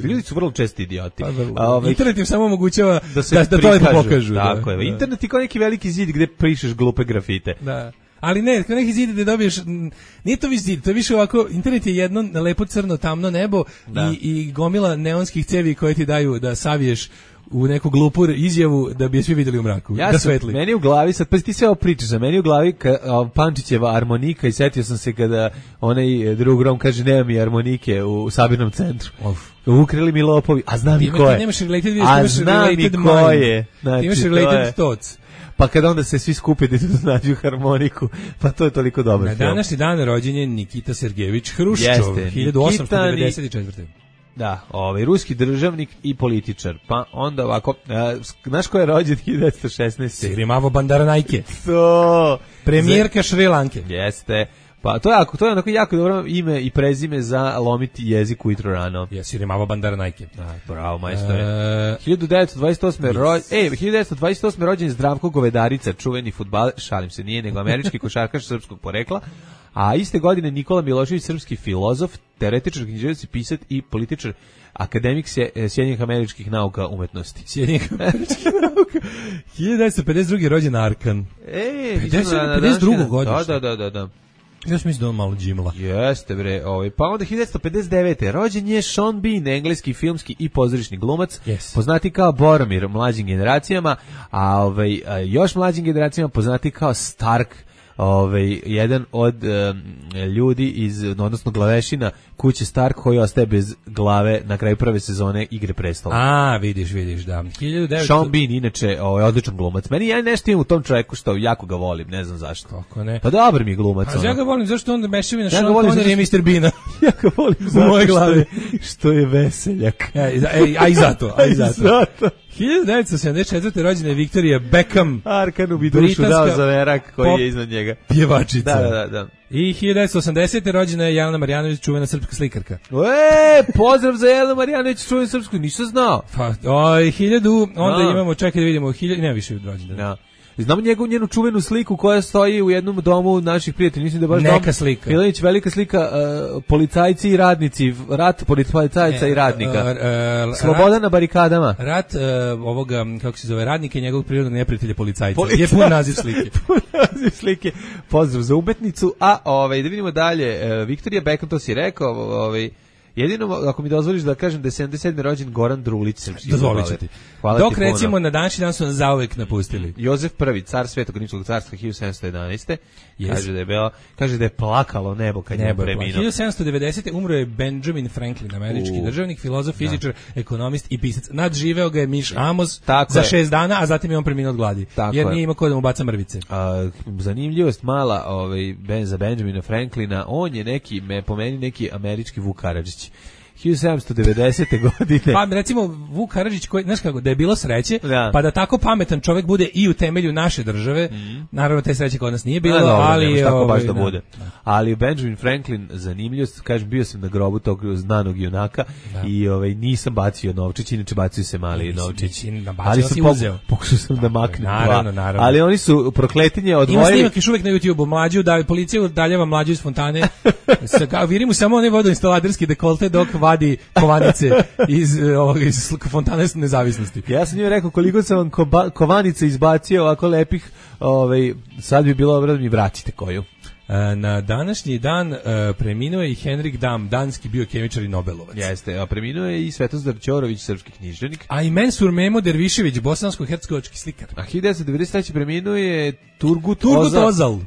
ljudi su vrlo česti idioti. Internet im samo omogućava da to lepo pokažu. Tako je, internet je kao neki veliki zid gde pišeš glupe grafite. Da. Ali ne, kao neki zid da dobiješ, nije to više zid, to je više ovako, internet je jedno lepo crno tamno nebo i gomila neonskih cevi koje ti daju da saviješ u neku glupu izjavu da bi je svi vidjeli u mraku, da svetli. Meni u glavi, sad pa ti sve ovo pričaš, a meni u glavi Pančićeva harmonika i setio sam se kada onaj drug Rom kaže nema mi harmonike u sabirnom centru. Ukrali mi lopovi, a znam i ko je. Ti nemaš related video, ti imaš related mind. Ti imaš related thoughts. Pa kada onda se svi skupe da nađu harmoniku, pa to je toliko dobro. Na današnji dan rođen je Nikita Sergejević Hruščov, 1894. Da, ruski državnik i političar. Pa onda ovako, znaš ko je rođen 1916? Sirimavo Bandaranaike. To! Premijerka Šri Lanke. Jeste. Pa to je onako jako dobro ime i prezime za lomiti jezik ujutro rano. Sirimavo Bandaranaike. Bravo, majstore. 1928. rođen Zdravko Govedarica, čuveni fudbaler, šalim se, nije nego američki košarkaš srpskog porekla. A iste godine Nikola Milošević, srpski filozof, teoretičar, književnik, pisac i političar, akademik Sjedinjenih američkih nauka umetnosti. Sjedinjenih američkih nauka. 1952. rođen Arkan. 52. godišnje. Da. Ja sam mislim da on malo džimla. Jeste bre, pa onda 1959. rođen je Sean Bean, engleski filmski i pozorišni glumac, poznati kao Boromir mlađim generacijama, a još mlađim generacijama poznati kao Stark, jedan od ljudi odnosno glavešina kuće Stark koji ostaje bez glave na kraju prve sezone Igre prestola. A, vidiš, da. Sean Bean, inače, odličan glumac. Meni ja nešto imam u tom čovjeku što jako ga volim, ne znam zašto. Kako ne? Pa dobar mi je glumac. Ja ga volim, zašto onda mešavi na Sean Connery i Mr. Beana? Ja ga volim što je veseljak. A i zato. 1974. rođena je Victoria Beckham. Arkanu bi dušu dao za verak koji je iznad njega. Pjevačica. Da. I 1980. rođena je Jelena Marjanović, čuvena srpska slikarka. Pozdrav za Jelenu Marjanović, čuvenu srpsku, nisam znao. Pa, 1000, onda imamo, čekaj da vidimo, nema više rođena. Znamo njenu čuvenu sliku koja stoji u jednom domu naših prijatelja. Mislim da baš neka slika. Milanić, velika slika, policajci i radnici, rat policajca i radnika. Sloboda na barikadama. Rat ovoga, kako se zove, radnika i njegovog prirodnog neprijatelja policajca. Je pun naziv slike. Pozdrav za umetnicu. A da vidimo dalje, Victoria Beckham, to si rekao, jedino, ako mi dozvoliš da kažem da je 77. rođen Goran Drulić. Dozvolit ću ti. Dok recimo na današnji dan su nas zauvek napustili. Jozef I, car Svetog Rimskog carstva 1711. Kaže da je plakalo nebo kad je preminuo. 1790. umro je Benjamin Franklin, američki državnik, filozof, fizičar, ekonomist i pisac. Nadživeo ga je Miš Amos za 6 dana, a zatim je on preminuo od gladi. Jer nije imao ko da mu baca mrvice. Zanimljivost mala za Benjamina Franklina, on je po meni neki američki Vuk Karadžić. 1790. godine. Pa recimo Vuk Karadžić koji, znaš kako, da je bilo sreće, pa da tako pametan čovjek bude i u temelju naše države, naravno te sreće kod nas nije bilo, ali tako baš da bude. Ali Benjamin Franklin, zanimljivo, kažem, bio sam na grobu tog znanog junaka i nisam bacio novčić, inače bacio se mali novčić. Ali sam pokušao sam da maknem. Naravno. Ali oni su prokletinje odvojili. Ima snimak još uvijek na YouTube-u, mlađu, da policija udaljava mlađu iz fontane, vidi mu samo onaj vodoinstalaterski dekolte dok vadi kovanice iz fontane nezavisnosti. Ja sam njoj rekao koliko sam vam kovanice izbacio ovako lepih, sad bi bilo dobro da mi vratite koju. Na današnji dan preminuo je i Henrik Dam, danski biokemičar i Nobelovac. Jeste, a preminuo je i Svetozar Ćorović, srpski književnik. A i Mensur Memo Dervišević, bosansko-hercegovački slikar. A 1993. preminuo je Turgut Ozal,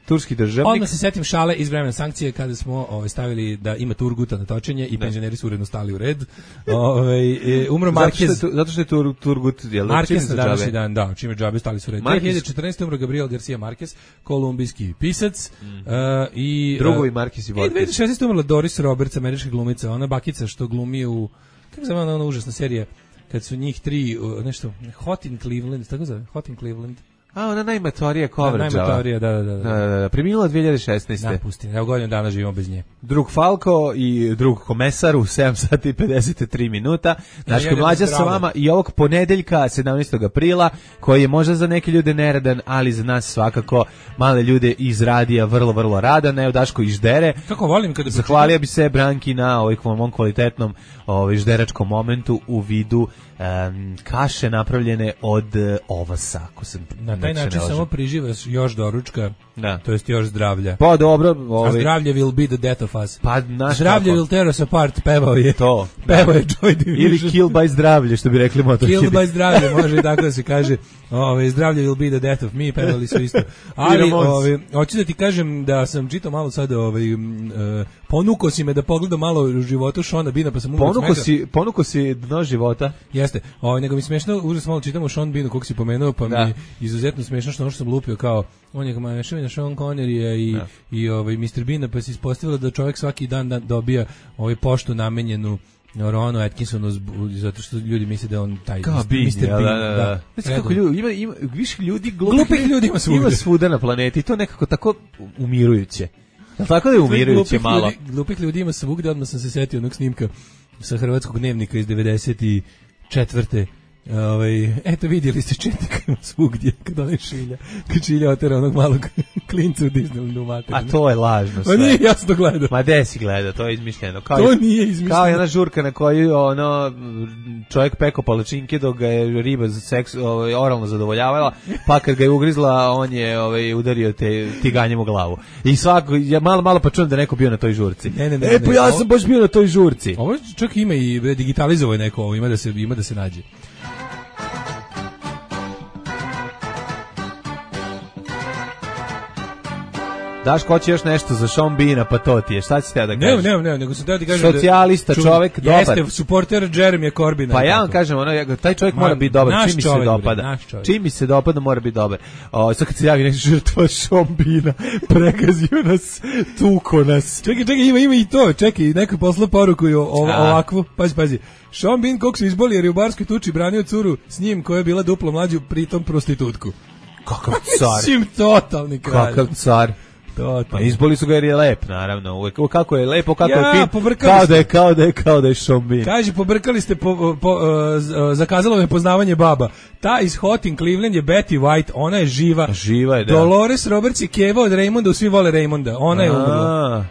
turski državnik. Odmah se setim šale iz vremena sankcije kada smo stavili da ima Turguta na točenje i penzioneri su uredno stali u red. Umro Marquez. Zato što je Turgut, jel da? Marquez na današnji dan, da, čime džabe stali su u red. 2014. umro Gabriel Garcia Marquez, kolumbijski pisac. I drugovi Marquez i Borges. 2016. umrla Doris Roberts, američka glumica, ona bakica što glumi u, kako zove ona užasna serija, kad su njih tri, nešto, Hot in Cleveland, tako zove, Hot in Cleveland. A, ona najmatorija Coverage. Najmatorija, da. Preminula 2016. Napustina, evo godinu dana živimo bez nje. Drug Falko i drug Komesar u 7 sati i 53 minuta. Daško Mlađa sa vama i ovog ponedeljka, 17. aprila, koji je možda za neke ljude neradan, ali za nas svakako male ljude iz radija vrlo, vrlo radan. Evo Daško iždere. Kako volim kada zahvalio bi se Branki na ovom kvalitetnom žderačkom momentu u vidu kaše napravljene od ovasa. Na taj način samo priživaš još doručka, to jest još zdravlja. Pa dobro. A zdravlje will be the death of us. Pa, zdravlje will tear us apart, pevao je. To. Pevao je Joy Division. Ili kill by zdravlje, što bi rekli Motorhead. Kill by zdravlje, može i tako da se kaže. Zdravlje will be the death of me, pevali su isto. Ali, hoću da ti kažem da sam čitao malo sad, ponuko si me da pogledam malo u životu Šona Bina, pa sam Ponuko si dno života? Jeste, nego mi smešno, užasno malo čitamo o Sean Beanu, kog si pomenuo, pa mi izuzetno smešno što ono što sam lupio kao, on je mešavina Sean Connery i Mr. Beana, pa se ispostavilo da čovjek svaki dan dobija poštu namenjenu Ronu Atkinsonu, zato što ljudi misle da on taj Mr. Bean. Da. Kako ima više ljudi, glupih ljudi ima svuda na planeti i to nekako tako umirujuće. Tako da je umirujuće malo. Glupih ljudi ima svugde, odmah sam se setio onog snimka sa hrvatskog dnevnika iz 94. Eto vidjeli ste Četnika ima svugdje kad onaj Šilja otera onog malog klinca u Disneylandu materinu. A to je lažno sve. Ma nije jasno gledao. Ma gde si gledao, to je izmišljeno. To nije izmišljeno. Kao jedna žurka na koju čovjek peko palačinke dok ga je riba za seks oralno zadovoljavala, pa kad ga je ugrizla on je udario tiganjem u glavu. I svako, ja malo pa čujem da neko bio na toj žurci. Ne, pa ja sam baš bio na toj žurci. Ovo čak ima i digitalizovao neko, ima da se nađe. Daško, hoće još nešto za Sean Beana, pa to ti je. Šta ćete da kažeš? Ne, nego sam teo ti kažem socijalista, čovek dobar. Jeste supporter Jeremija Corbina. Pa ja vam kažem, taj čovjek mora biti dobar, čim mi se dopada. Čim mi se dopada, mora biti dobar. Sad kad se javi neki žrtva Sean Beana, pregazio nas, tuko nas. Čekaj, ima i to. Čekaj, neko posla poruku ovakvu. Pazi. Sean Bean, kog su izboli jer je u barskoj tuči branio curu s njim koja je bila duplo mlađu, pritom prostitutku. Kakav car. Sim totalni kralj. Kakav car. Pa izboli su ga jer je lep, naravno. Uvijek, kako je lepo, kako je fin. Kao da je Sean Bean. Kaže, pobrkali ste, zakazalo me poznavanje baba. Ta iz Hot in Cleveland je Betty White, ona je živa. Živa je, da. Dolores Roberts je Keva od Raymonda, svi vole Raymonda. Ona je umrla.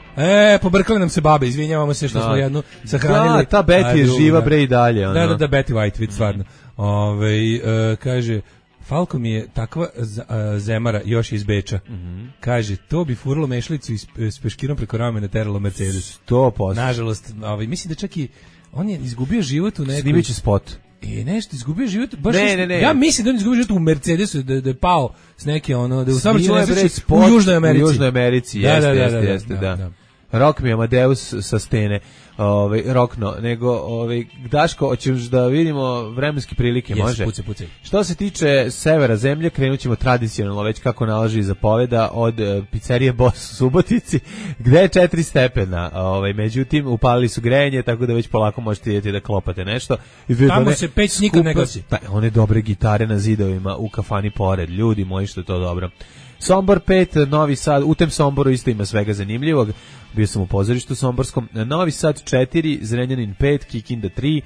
Pobrkali nam se babe, izvinjavamo se što smo jednu sahranili. Da, ta Betty je živa, bre, i dalje. Da, Betty White, vid stvarno. Kaže... Falko mi je takva zemara još iz Beča. Kaže, to bi furalo mešalicu s peškirom preko ramena teralo Mercedes. 100%. Nažalost, mislim da čak i on je izgubio život u nekoj... Snimeći spot. Nešto, izgubio život... Baš ne. Ja mislim da on izgubio život u Mercedesu, da je pao s neke da je u saobraćaju nesreći u Južnoj Americi. U Južnoj Americi, jeste, da. Rock mi Amadeus sa stene, rokno, nego, Daško, hoćeš da vidimo vremenske prilike, može? Pucaj. Što se tiče severa zemlje, krenut ćemo tradicionalno, već kako nalaži zapoveda, od pizzerije Boss u Subotici, gde je 4 stepena, međutim, upalili su grejanje, tako da već polako možete ideti da klopate nešto. Tamo se peć nikad ne gasi. One dobre gitare na zidovima u kafani pored, ljudi moji, što je to dobro. Sombor 5, Novi Sad, u tem Somboru isto ima svega zanimljivog, bio sam u pozorištu somborskom, Novi Sad 4, Zrenjanin 5, Kikinda 3,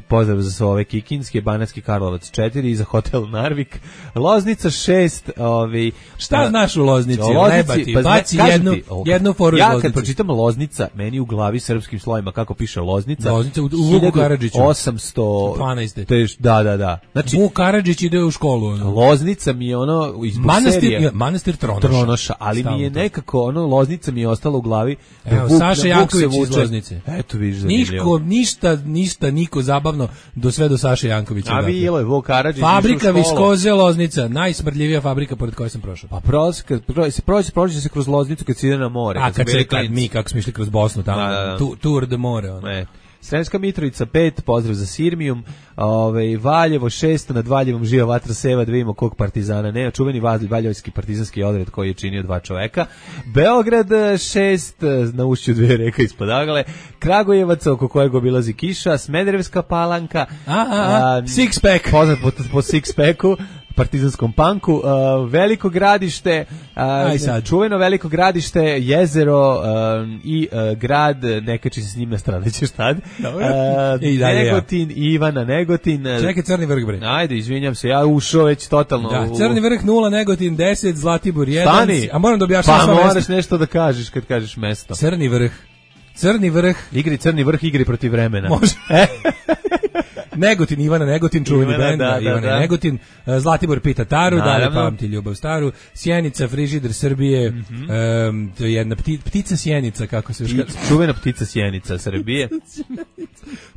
pozdrav za sve ove kikinske, Banatski Karlovac 4 i za hotel Narvik, Loznica 6, šta znaš u Loznici? Lebati, baci jednu foru iz Loznice. Ja kad pročitam Loznica, meni u glavi srpskim slovima kako piše Loznica, u Vuku Karadžiću 1812. Da. Znači, Vuk Karadžić ide u školu. Loznica mi je ono iz serije. manastir Tronoša, ali mi je nekako ono Loznica mi je ostalo u glavi. Evo, Saša Janković iz Loznice. Eto vidiš zanimljivo. Ništa niko zabavno sve do Saše Jankovića. A bilo je Vuk Karadžić. Fabrika viskoze Loznica, najsmrdljivija fabrika pored koje sam prošao. Pa prođe se kroz Loznicu kad se ide na more. A kad mi kako smo išli kroz Bosnu tamo, Tour de more. Sremska Mitrovica 5, pozdrav za Sirmijum, Valjevo 6, nad Valjevom živa vatra seva, da vidimo kog partizana nema, čuveni valjevski partizanski odred koji je činio 2 čoveka, Beograd 6, na ušću 2 reka ispod Agle, Kragujevac oko kojeg obilazi kiša, Smederevska Palanka, six pack, poznat po six packu, partizanskom panku, Veliko Gradište, čuveno Veliko Gradište, jezero i grad, nekači se s njim na straneće štad, Negotin, Ivana Negotin. Čekaj, Crni Vrh, bre. Ajde, izvinjam se, ja ušao već totalno. Da, Crni Vrh 0, Negotin 10, Zlatibor 1. Stani, a moram da objašnjam sva mesta. Pa moraš nešto da kažeš kad kažeš mesto. Crni Vrh. Igri Crni Vrh, igri protiv vremena. Može. Negotin, Ivana Negotin, čuveni bend, Ivana Negotin, Zlatibor pita Taru, dalje pamti ljubav staru, Sjenica, frižider Srbije, to je jedna ptica Sjenica, kako se još kada... Čuvena ptica Sjenica Srbije.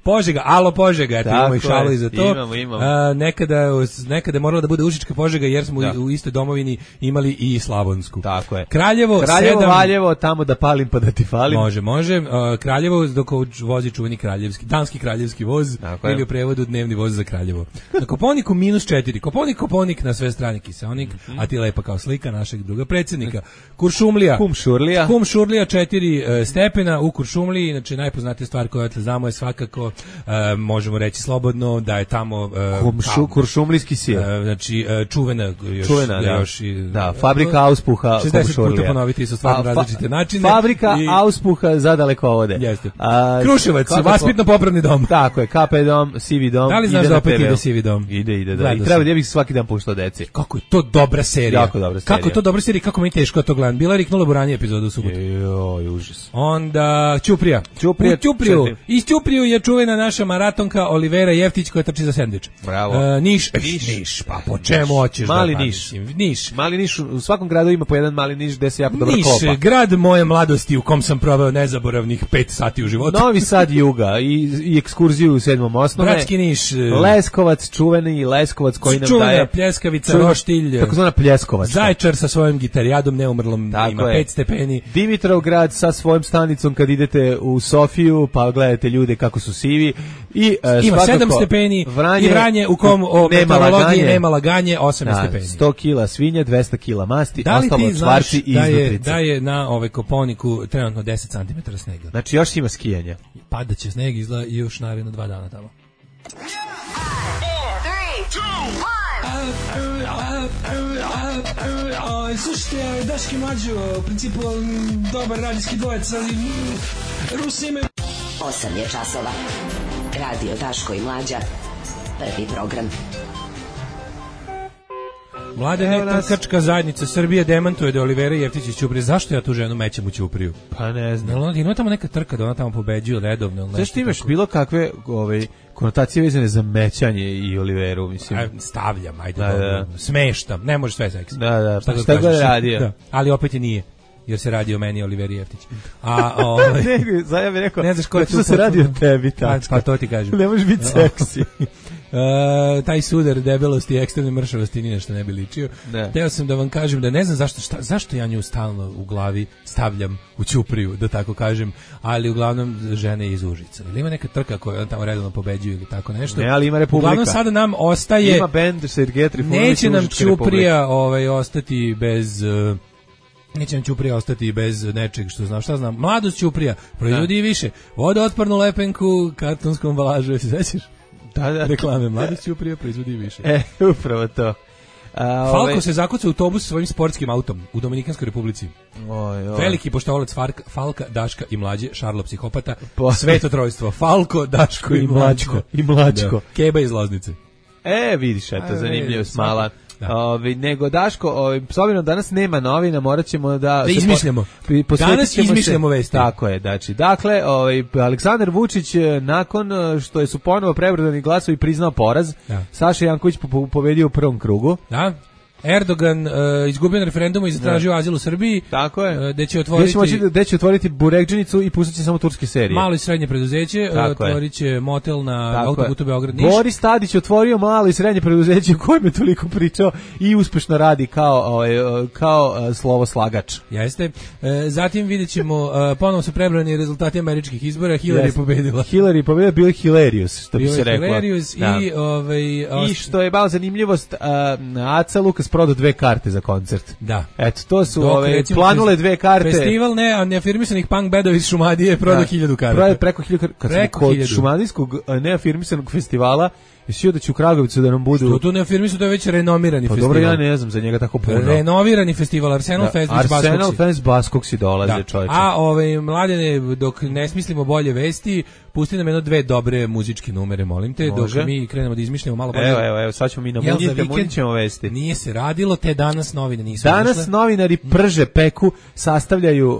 Požega, alo Požega, eto imamo i šalo i za to. Imamo. Nekada je morala da bude Užička Požega, jer smo u istoj domovini imali i Slavonsku. Tako je. Kraljevo 7... Valjevo, tamo da palim pa da ti falim. Može. Kraljevo, dok vozi čuveni danski kraljevski voz, ili u prevodu dnevni voz za Kraljevo. Na Koponiku -4. Koponik na sve strane kiseonik, a ti lepa kao slika našeg druga predsjednika. Kuršumlija. Kumšurlija 4 stepena u Kuršumliji, inače najpoznatija stvar koju znamo je svakako, možemo reći slobodno, da je tamo kuršumlijski sir. Znači čuvena još fabrika auspuha 60 puta ponoviti su stvarno različite načine. Fabrika auspuha za dalekovode. Jeste. Kruševac, vaspitno-popravni dom. Tako je, KP dom, Sivi dom. Da li znaš da opet ide Sivi dom? Ide, da. I treba da bih svaki dan puštao deci. Kako je to dobra serija. Jako dobra serija. Kako je to dobra serija, kako mi je teško to gledam. Bila je riknula Buranje epizodu u subotu. Joj, užas. Onda Ćuprija. Iz Ćupriju je čuvena naša maratonka Olivera Jeftić koja trči za sendvič. Bravo. Niš, pa po čemu hoćeš mali da Niš. Mali Niš, u svakom gradu ima po jedan mali Niš gde se jako dobro klopa. Niš, grad moje mladosti u kom sam proveo nezaboravnih 5 sati u životu. Novi Sad juga i ekskurziju u 7. osnove. Bratski Niš. Leskovac, čuveni Leskovac koji nam čuvena daje... pljeskavica, roštilj. Takozvana pljeskovac. Zaječar sa svojim gitarijadom neumrlom, tako ima 5 stepeni. Dimitrovgrad sa svojom stanicom kad idete u Sofiju, pa gledate ljude kako su sivi. I ima 7 stepeni i Vranje u kom o meteorologiji nema laganje, 18 stepeni. 100 kila svinja, 200 kila masti, da li ostalo ti znaš i da je na Koponiku trenutno 10 cm snega? Znači još ima skijanja. Pada će sneg izgleda i još naredno 2 dana tamo. 4, 3, 2, 1. Slušajte, Daški Mlađo, u principu dobar radijski dvojec, ali Rusi imaju... 8 je časova. Radio Daško i Mlađa. Prvi program. Mlade krčka zajednica Srbije demantuje da Olivera Jeftić iz Ćuprije. Zašto ja tu ženu mećem u Ćupriju? Pa ne znam. Ima tamo neka trka da ona tamo pobeđuje redovno. Zašto imaš bilo kakve konotacije vezane za mećanje i Oliveru, mislim? Stavljam, ajde. Da. Smeštam, ne može sve seksi. Da, šta god radio. Da, ali opet i nije. Jer se radi o meni Oliveri Jeftić. Ja bih rekao, ne znaš ko je tu se radi o tebi. Pa to ti kažem. Ne možeš biti seksi. Taj sudar debelosti i ekstremne mršavosti ni nešto ne bi ličio. Teo sam da vam kažem da ne znam zašto ja nju stalno u glavi stavljam u Ćupriju, da tako kažem, ali uglavnom žene iz Užica. Ili ima neka trka koja tamo redovno pobeđuju ili tako nešto. Ne, ali ima Republika. Uglavnom sada nam ostaje... Ima bend Sergej Trifunović. Neće nam Ćuprija ostati bez... Neće nam Ćuprija ostati bez nečeg što znam. Šta znam? Mladost Ćuprija proizvodi i više. Vodootpornu lepenku, kartonskom ambalažu, se sećaš? Da. Reklame, Mladost Ćuprija proizvodi i više. Upravo to. Falko se zakuca u autobus svojim sportskim autom u Dominikanskoj republici. Veliki poštovalac Falka, Daška i Mlađe, Šarlo psihopata, svetotrojstvo, Falko, Daško i Mlađko. Keba iz Loznice. Vidiš, eto, zanimljivo smala. Nego Daško, s obzirom danas nema novina, morat ćemo da izmišljamo. Danas izmišljamo vesti. Tako je, dakle, Aleksandar Vučić nakon što su ponovo prebrodani glasovi priznao poraz, Saša Janković pobedio u prvom krugu. Da. Erdogan izgubio na referendumu i zatražio azil u Srbiji. Tako je. Gde će otvoriti gde će otvoriti burekdžinicu i pustiti samo turske serije. Malo i srednje preduzeće, otvorit će motel na autoputu Beograd-Niš. Boris Tadić otvorio malo i srednje preduzeće o kojem je toliko pričao i uspešno radi kao slovo slagač. Jeste. Zatim vidjećemo ponovo su prebrani rezultati američkih izbora. Hillary je pobedila. Hillary je pobedila, bio je hilarious, što bi se reklo. Hilarious i što je malo zanimljivost, Aca Lukas prodao 2 karte za koncert. Da. Eto, to su planule 2 karte. Festival neafirmisanih punk bedova iz Šumadije prodao 1000 karata. Prodao preko 1000 karata. Kad smo kod šumadijskog neafirmisanog festivala, Mislio da će u Kragovicu da nam budu... Što tu ne afirmišu da je već renomirani festival. Dobro, ja ne znam za njega tako puno. Renovirani festival, Arsenal Fest Baskoksi. Arsenal Fest Baskoksi dolaze, čovječe. A mladene, dok ne smislimo bolje vesti, pusti nam jedno 2 dobre muzičke numere, molim te, dok mi krenemo da izmišljamo malo bolje. Evo, sad ćemo mi namunit ćemo vesti. Nije se radilo, te danas novine nisu Danas izašle. Novinari prže, peku, sastavljaju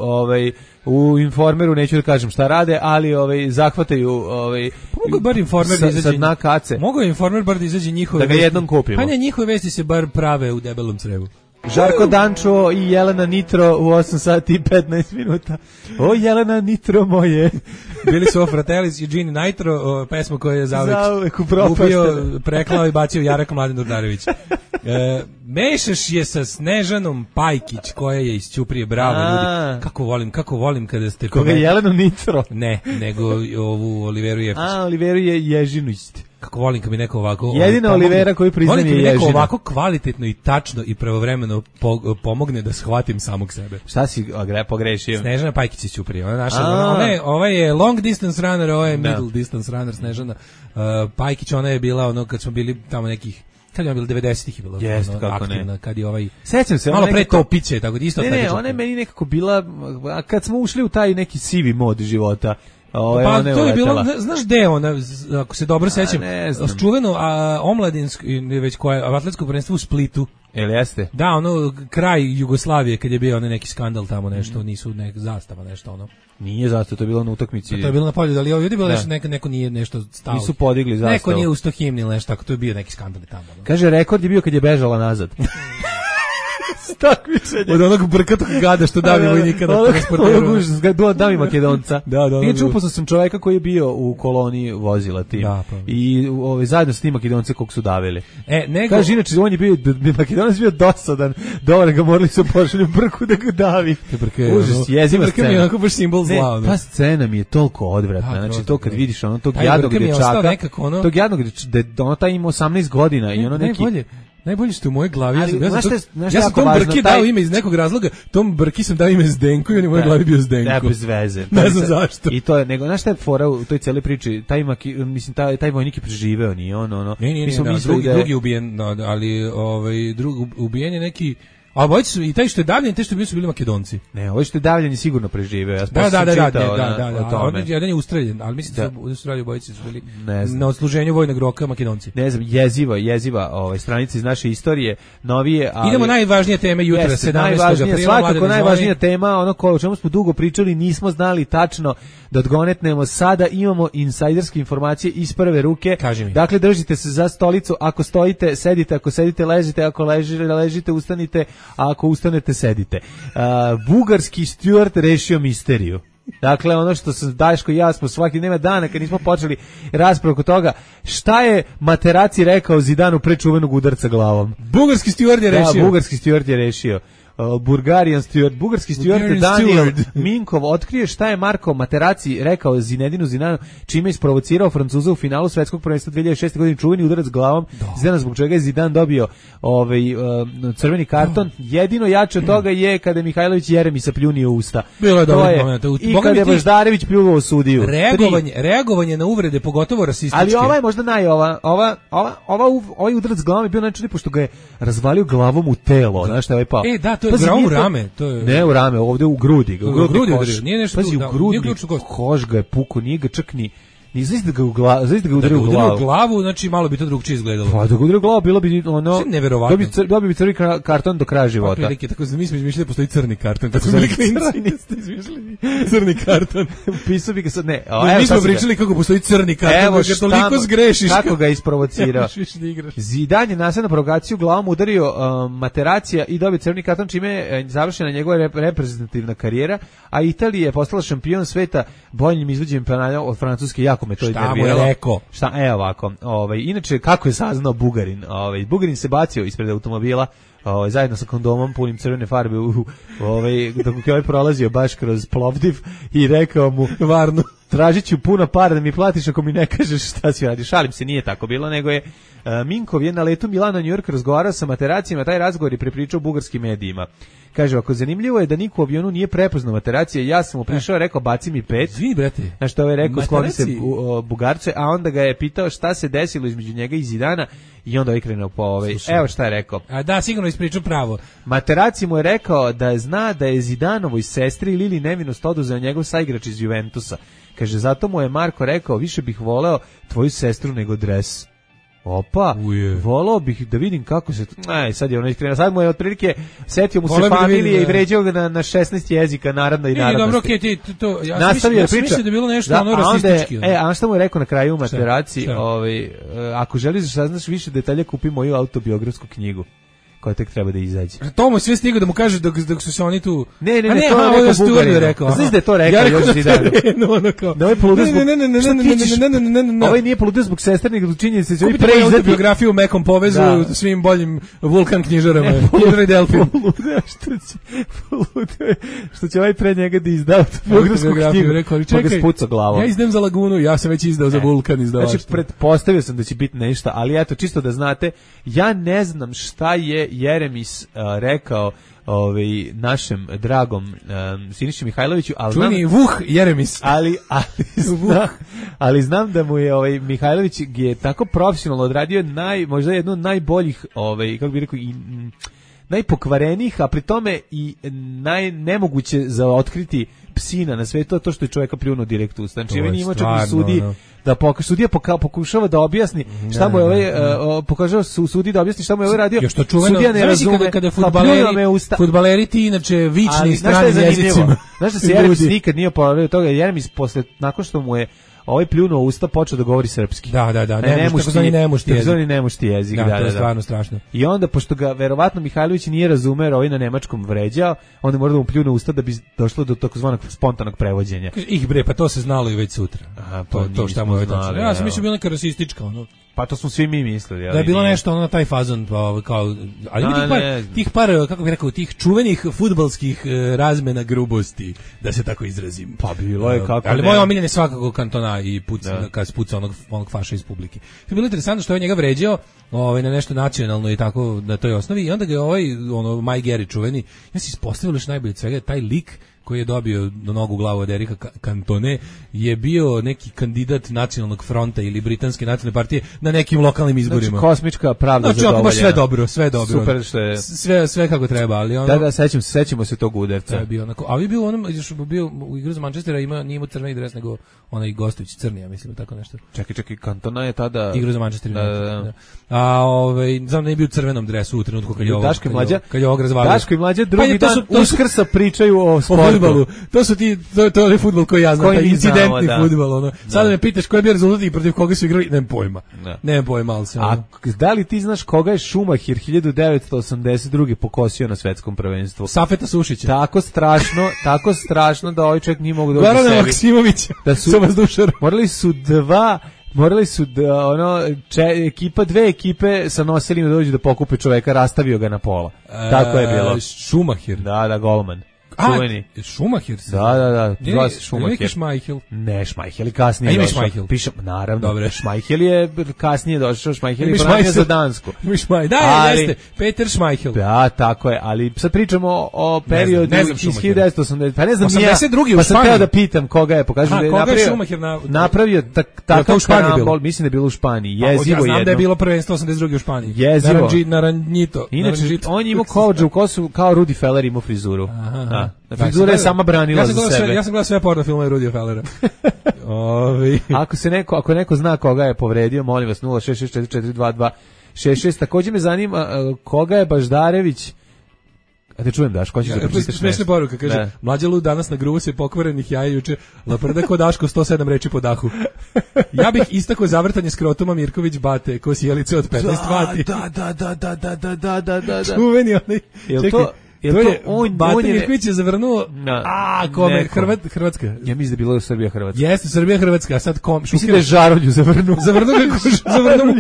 u Informeru, neću da kažem šta rade, ali zahvataju mogu bar Informer da izađe. Na kace. Mogu Informer bar da izađe njihove. Da ga jednom kupimo. Pa ne, njihove vesti se bar prave u debelom crevu. Žarko Dančo i Jelena Nitro u 8 sati i 15 minuta. O, Jelena Nitro moje. Bili su Fratellis i Eugene Nitro, pesma koja je zauvek upropaštena. Upio, preklao i bacio Jarek Mladen Dordarević. Mešaš je sa Snežanom Pajkić, koja je iz Ćuprije, bravo ljudi. Kako volim kada ste... Koga je Jelenu Nitro? Ne, nego ovu Oliveru Jeftić. Oliveru je Ježinuć. Kako volim kad mi neko ovako... Jedina Olivera koji priznaje je Ježina. Volim kad mi neko ovako kvalitetno i tačno i pravovremeno pomogne da shvatim samog sebe. Šta si pogrešio? Snežana Pajkić iz Ćuprije. Ova je long distance runner, ova je middle distance runner Snežana Pajkić. Ona je bila kad smo bili tamo nekih... Kad je bilo 90-ih je bilo aktivna, kad je sećam se, malo pre Topiće, tako da isto. Ne, ona je meni nekako bila, kad smo ušli u taj neki sivi mod života. Pa to je bilo, znaš gde ona, ako se dobro sećam, čuveno omladinsko, već koja, atletsko prvenstvo u Splitu. Jel jeste? Da, kraj Jugoslavije, kad je bio neki skandal tamo nešto, nisu zastava nešto Nije zastava, to je bilo na utakmici. To je bilo na polju, da li ovdje bilo neko nije nešto stalo. Nisu podigli zastavu. Neko nije usto himni ili nešto, tako to je bio neki skandal tamo. Kaže, rekord je bio kad je bežala nazad. Takmičenje. Od onog brkatog gada što davi vojnika na transporteru. Davi Makedonca. Da. Upoznao sam čoveka koji je bio u koloniji vozila tim. I zajedno s tim Makedonce kog su davili. Kaže, inače, on je bio, Makedonac bio dosadan. Dobro, ga morali su pošalju brku da ga davi. Užas, jeziva scena. Brka mi je onako baš simbol zla. Pa scena mi je toliko odvratna. Znači, to kad vidiš tog jadnog dečaka, tog jadnog dečaka, ono taj ima 18 godina i ono neki... Najbolje što u mojoj glavi, ja sam tom Brki dao ime iz nekog razloga, tom Brki sam dao ime Zdenko i on je u mojoj glavi bio Zdenko. Ne, bez veze. Ne znam zašto. I to je, nego, znaš šta je fora u toj cijeloj priči, taj vojnik je preživeo, nije ono. Drugi ubijen, ali drugi ubijen je neki... A obojice su, i taj što je davljen, te što su bili Makedonci. Ne, ovo što je davljen je sigurno preživeo. Ja da. Jedan je ustreljen, ali mislim da su radili obojice su bili na odsluženju vojnog roka Makedonci. Ne znam, jeziva stranica iz naše istorije, novije. Ali... Idemo najvažnije teme jutra, 17. aprila. Svakako najvažnija tema, o čemu smo dugo pričali, nismo znali tačno da odgonetnemo. Sada imamo insajderske informacije iz prve ruke. Dakle, držite se za stolicu, ako stojite, sedite, ako sedite, ležite, ako ležite, ustanite, a ako ustanete, sedite. Bugarski steward rešio misteriju. Dakle, ono što sam Daško i ja smo svaki nema dana kad nismo počeli raspravu oko toga, šta je Materazzi rekao Zidanu pre čuvenog udarca glavom? Bugarski steward je rešio. Da, bugarski steward je rešio. Bugarski steward Daniel Minkov otkrije šta je Marko Materazzi rekao Zinedinu Zidanu, čime je isprovocirao Francuza u finalu svetskog prvenstva 2006. godine, čuveni udarac glavom Zidana, zbog čega je Zidan dobio crveni karton. Jedino jače od toga je kada je Mihajlović Jeremisa pljunio usta. Bilo je dobro momenta. I kada je Baždarević pljuvao sudiju. Reagovanje na uvrede, pogotovo rasističke. Ali ova je možda ovaj udarac glavom je bio najčudniji, pošto ga je razvalio glavom u telo. Znaš šta je ovaj pao? To je glavom u rame. Ne u rame, ovde u grudi. U grudi, nije nešto u grudi, kož ga je puku, nije ga čak ni Nisi da ga udari u glavu. U glavu, znači malo bi to drugčije izgledalo. Pa da ga udari u glavu, bilo bi ono... Neverovatno. Dobio bi crni karton do kraja života. Prilike, tako mi smo izmišljali da postoji crni karton. Tako smo niste izmišljali crni karton. Pisao bi ga sad, ne. Mi smo pričali kako postoji crni karton, evo kad toliko zgrešiš. Kako ga isprovocirao. Zidane nasad na provokaciju glavom udario Materacija i dobio crni karton, čime je završena njegova reprezentativna karijera, a Italija je postala šampion sveta boljim izvođenjem penala od Francuske. Jako me to nerviralo. Šta mu je rekao? Evo ovako. Inače, kako je saznao Bugarin? Bugarin se bacio ispred automobila zajedno sa kondomom punim crvene farbe dok je prolazio baš kroz Plovdiv i rekao mu Varnu, tražit ću puno para da mi platiš ako mi ne kažeš šta si radi. Šalim se, nije tako bilo, nego je Minkov je na letu Milano New York razgovarao sa Materacijama, taj razgovor je prepričao bugarskim medijima. Kaže, ako zanimljivo je da niko u avionu nije prepoznao Materacije, ja sam mu prišao, rekao baci mi 5. Zvi, brate. Na što je rekao skloni se Bugarce, a onda ga je pitao šta se desilo između njega i Zidana i onda je krenuo po Evo šta je rekao. A da, sigurno ispričao pravo. Materaci mu je rekao da zna da je Zidanovoj sestri Lili nevinost oduzeo njegov saigrač iz Juventusa. Kaže, zato mu je Marko rekao, više bih voleo tvoju sestru nego dres. Opa, volao bih da vidim kako se... sad je ono iskreno. Sad mu je otprilike setio mu se familije i vređao ga na 16 jezika narodna i narodnosti. Dobro, okej, to... Ja sam mislio da je bilo nešto rasistički. A šta mu je rekao na kraju u Materaci? Ako želiš da saznaš više detalja, kupi moju autobiografsku knjigu koja tek treba da izađe. To mu sve stigao da mu kaže dok su se oni tu... Ne, to je rekao Bugarinu. Znaš da je to rekao još Zidanu? Da ovaj poludio zbog... Ovaj nije poludio zbog sestre, nego činjenje se... Kupite moju autobiografiju u mekom povezu svim boljim Vulkan knjižarama. Knjižara i Delfin. Što će ovaj pre njega da izda autobiografsku knjigu, pa ga spuca glavom. Ja izdem za Lagunu, ja sam već izdao za Vulkan izdavaštvo. Znači, pretpostavio sam da će biti nešto, ali eto, čisto da znate, ja ne znam šta je Jeremis rekao našem dragom Siniši Mihajloviću, ali čuveni Vuh Jeremis. Ali znam da mu je Mihajlović je tako profesionalno odradio možda jednu od najboljih, kako bih rekao, najpokvarenijih, a pri tome i najnemoguće za otkriti psina na svetu, to što je čovjeka pljunuo direkt u stan. Znači, nije imao čak sudi da sudija pokušava da objasni šta mu je pokazao sudi da objasni šta mu je radio. Što čuveno, sudija ne razume kada fudbaleri ti inače vični stranim jezicima. Znaš da se Jeremis nikad nije oporavio toga, Jeremis posle, nakon što mu je pljunuo usta, počeo da govori srpski. Da, nemušti jezik. Da, to je stvarno strašno. I onda, pošto ga verovatno Mihajlović nije razumeo, na nemačkom vređao, onda mora da mu pljune usta da bi došlo do takozvanog spontanog prevođenja. Pa to se znalo i već sutra. To šta mu je znali. Ja sam mislio bila neka rasistička, Pa to smo svi mi mislili. Da je bilo nešto na taj fazon, kao, ali tih par, kako bih rekao, tih čuvenih fudbalskih razmena grubosti, da se tako izrazim. Pa bilo je kako. Ali moj omiljen je svakako Kantona i kad spuca onog faša iz publike. To je bilo interesantno što je njega vređao na nešto nacionalno i tako na toj osnovi, i onda ga je Maj Geri čuveni, ja se ispostavilo što najbolje od svega, taj lik koji je dobio do nogu glavu od Erika Cantone je bio neki kandidat Nacionalnog fronta ili Britanske nacionalne partije na nekim lokalnim izborima. Znači, kosmička pravda zadovoljena. Sve dobro. Super što je... Sve kako treba, ali sećamo se tog udarca. Je bio onako, ali bio u igru za Manchestera, nije imao crveni dres, nego onaj Gostović crni, ja mislim, tako nešto. Čekaj, Cantona je tada... Igru za Manchester. A znam da je bio u crvenom dresu u trenutku kad je ovo razvalio. Daško i Mlađa drugi dan Uskrsa pričaju o fudbalu. To je fudbal koji ja znam, taj incidentni fudbal. Sada me pitaš koji je bio rezultat i protiv koga su igrali, nemam pojma, ali se... A da li ti znaš koga je Schumacher 1982. pokosio na svetskom prvenstvu? Safeta Sušića. Tako strašno da ovaj čovjek nije mogu doći sebi. Gorana Maksimovića, sa vazdušara. Morali su dve ekipe sa nosilima dođu da pokupe čoveka, rastavio ga na pola. Tako je bilo. Schumacher. Da, golman. Schumacher. Da. Zvala se Schumacher. Neki Schmeichel. Ne, Schmeichel je kasnije došao. Schmeichel. Piše, naravno. Dobre. Schmeichel je kasnije došao. Schmeichel je branio za Dansku. Jeste. Peter Schmeichel. Da, tako je. Ali sad pričamo o periodu iz 1980. Pa ne znam, 82. Pa sam teo da pitam koga je. Pokažu da je napravio takav karambol. Mislim da je bilo u Španiji. Jezivo jedno. Ja znam da je bilo prvenstvo 82. u Španiji. Jezivo. Naranjito. Inače, on je imao kođu u kosu kao Rudi Feller imao frizuru. Frizura je sama branila za sebe. Ja sam gledao sve porno filmove Rudija Fellera. Ako neko zna koga je povredio, molim vas 066442266. Takođe me zanima koga je Baždarević. A te čujem, Daš, ko ćeš da pročitaš? Smešna poruka, kaže, mlađa lud danas na gruvu se pokvarenih jaja juče, laprda ko Daško 107 reči po dahu. Ja bih istako zavrtanje skrotuma Mirković Bate, ko sjelice od 15 vati. Da. Čuveni onaj. Čekaj, to je Bate Mirković je zavrnuo, kome, Hrvatska. Ja mislim da je bilo Srbija-Hrvatska. Jeste, Srbija-Hrvatska, a sad mislim da je Žarulju zavrnuo. Zavrnuo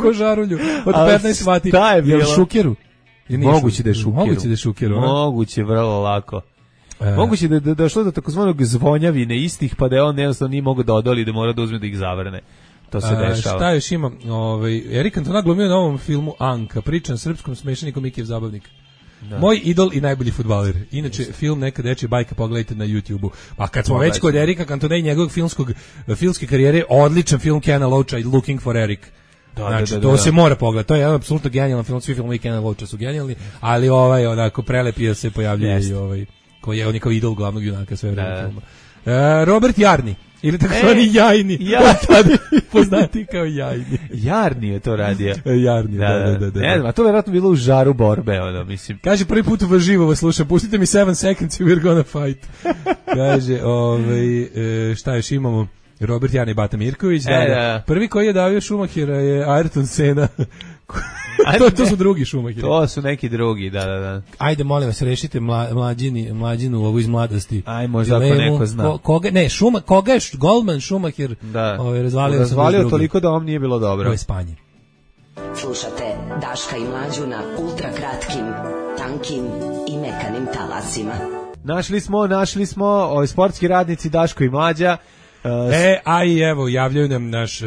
ko Žarulju od 15 vati. Šta je bilo? Jel Šukeru? Moguće da je Šukeru. Moguće da je Šukeru. Moguće, vrlo lako. Moguće da došlo do takozvanog zvonjavine istih, pa da je on jednostavno nije mogao da odoli, da mora da uzme da ih zavrne. To se dešava. Šta još ima? Erik Cantona glumio u novom filmu Anka, pričan srpskom smešanikom Mikijev zabavnik. Da. Moj idol i najbolji fudbaler. Inače, film Neka dečja bajka, pogledajte na YouTubeu. A kad smo već kod Erika Cantona i njegovog filmske karijere, odličan film Kena Loacha i Looking for Eric. To se mora pogledati. To je jedan apsolutno genijalan film, svi filmovi Kena Loacha su genijalni, ali onako prelepio se pojavljuje i koji je on kao idol glavnog junaka sve vreme filma. Robert Jarni. Ili takozvani Jajni. Poznati kao Jajni. Jarni je to radio. Jarni, da. Ne znam, a to je vjerojatno bilo u žaru borbe, mislim. Kaže, prvi put živo vas slušam, pustite mi 7 seconds and we're gonna fight. Kaže, šta još imamo? Robert Jarni, Bata Mirković. Prvi koji je davio Schumachera je Ayrton Senna. To su drugi Schumacheri. To su neki drugi, da. Ajde, molim vas, rešite mlađinu ovu iz mladosti. Aj, možda ako neko zna. Koga je Goldman Schumacher razvalio toliko da vam nije bilo dobro. U Espanji. Slušate Daška i Mlađu na ultra kratkim, tankim i mekanim talasima. Našli smo sportski radnici Daško i Mlađa. Evo, javljaju nam naš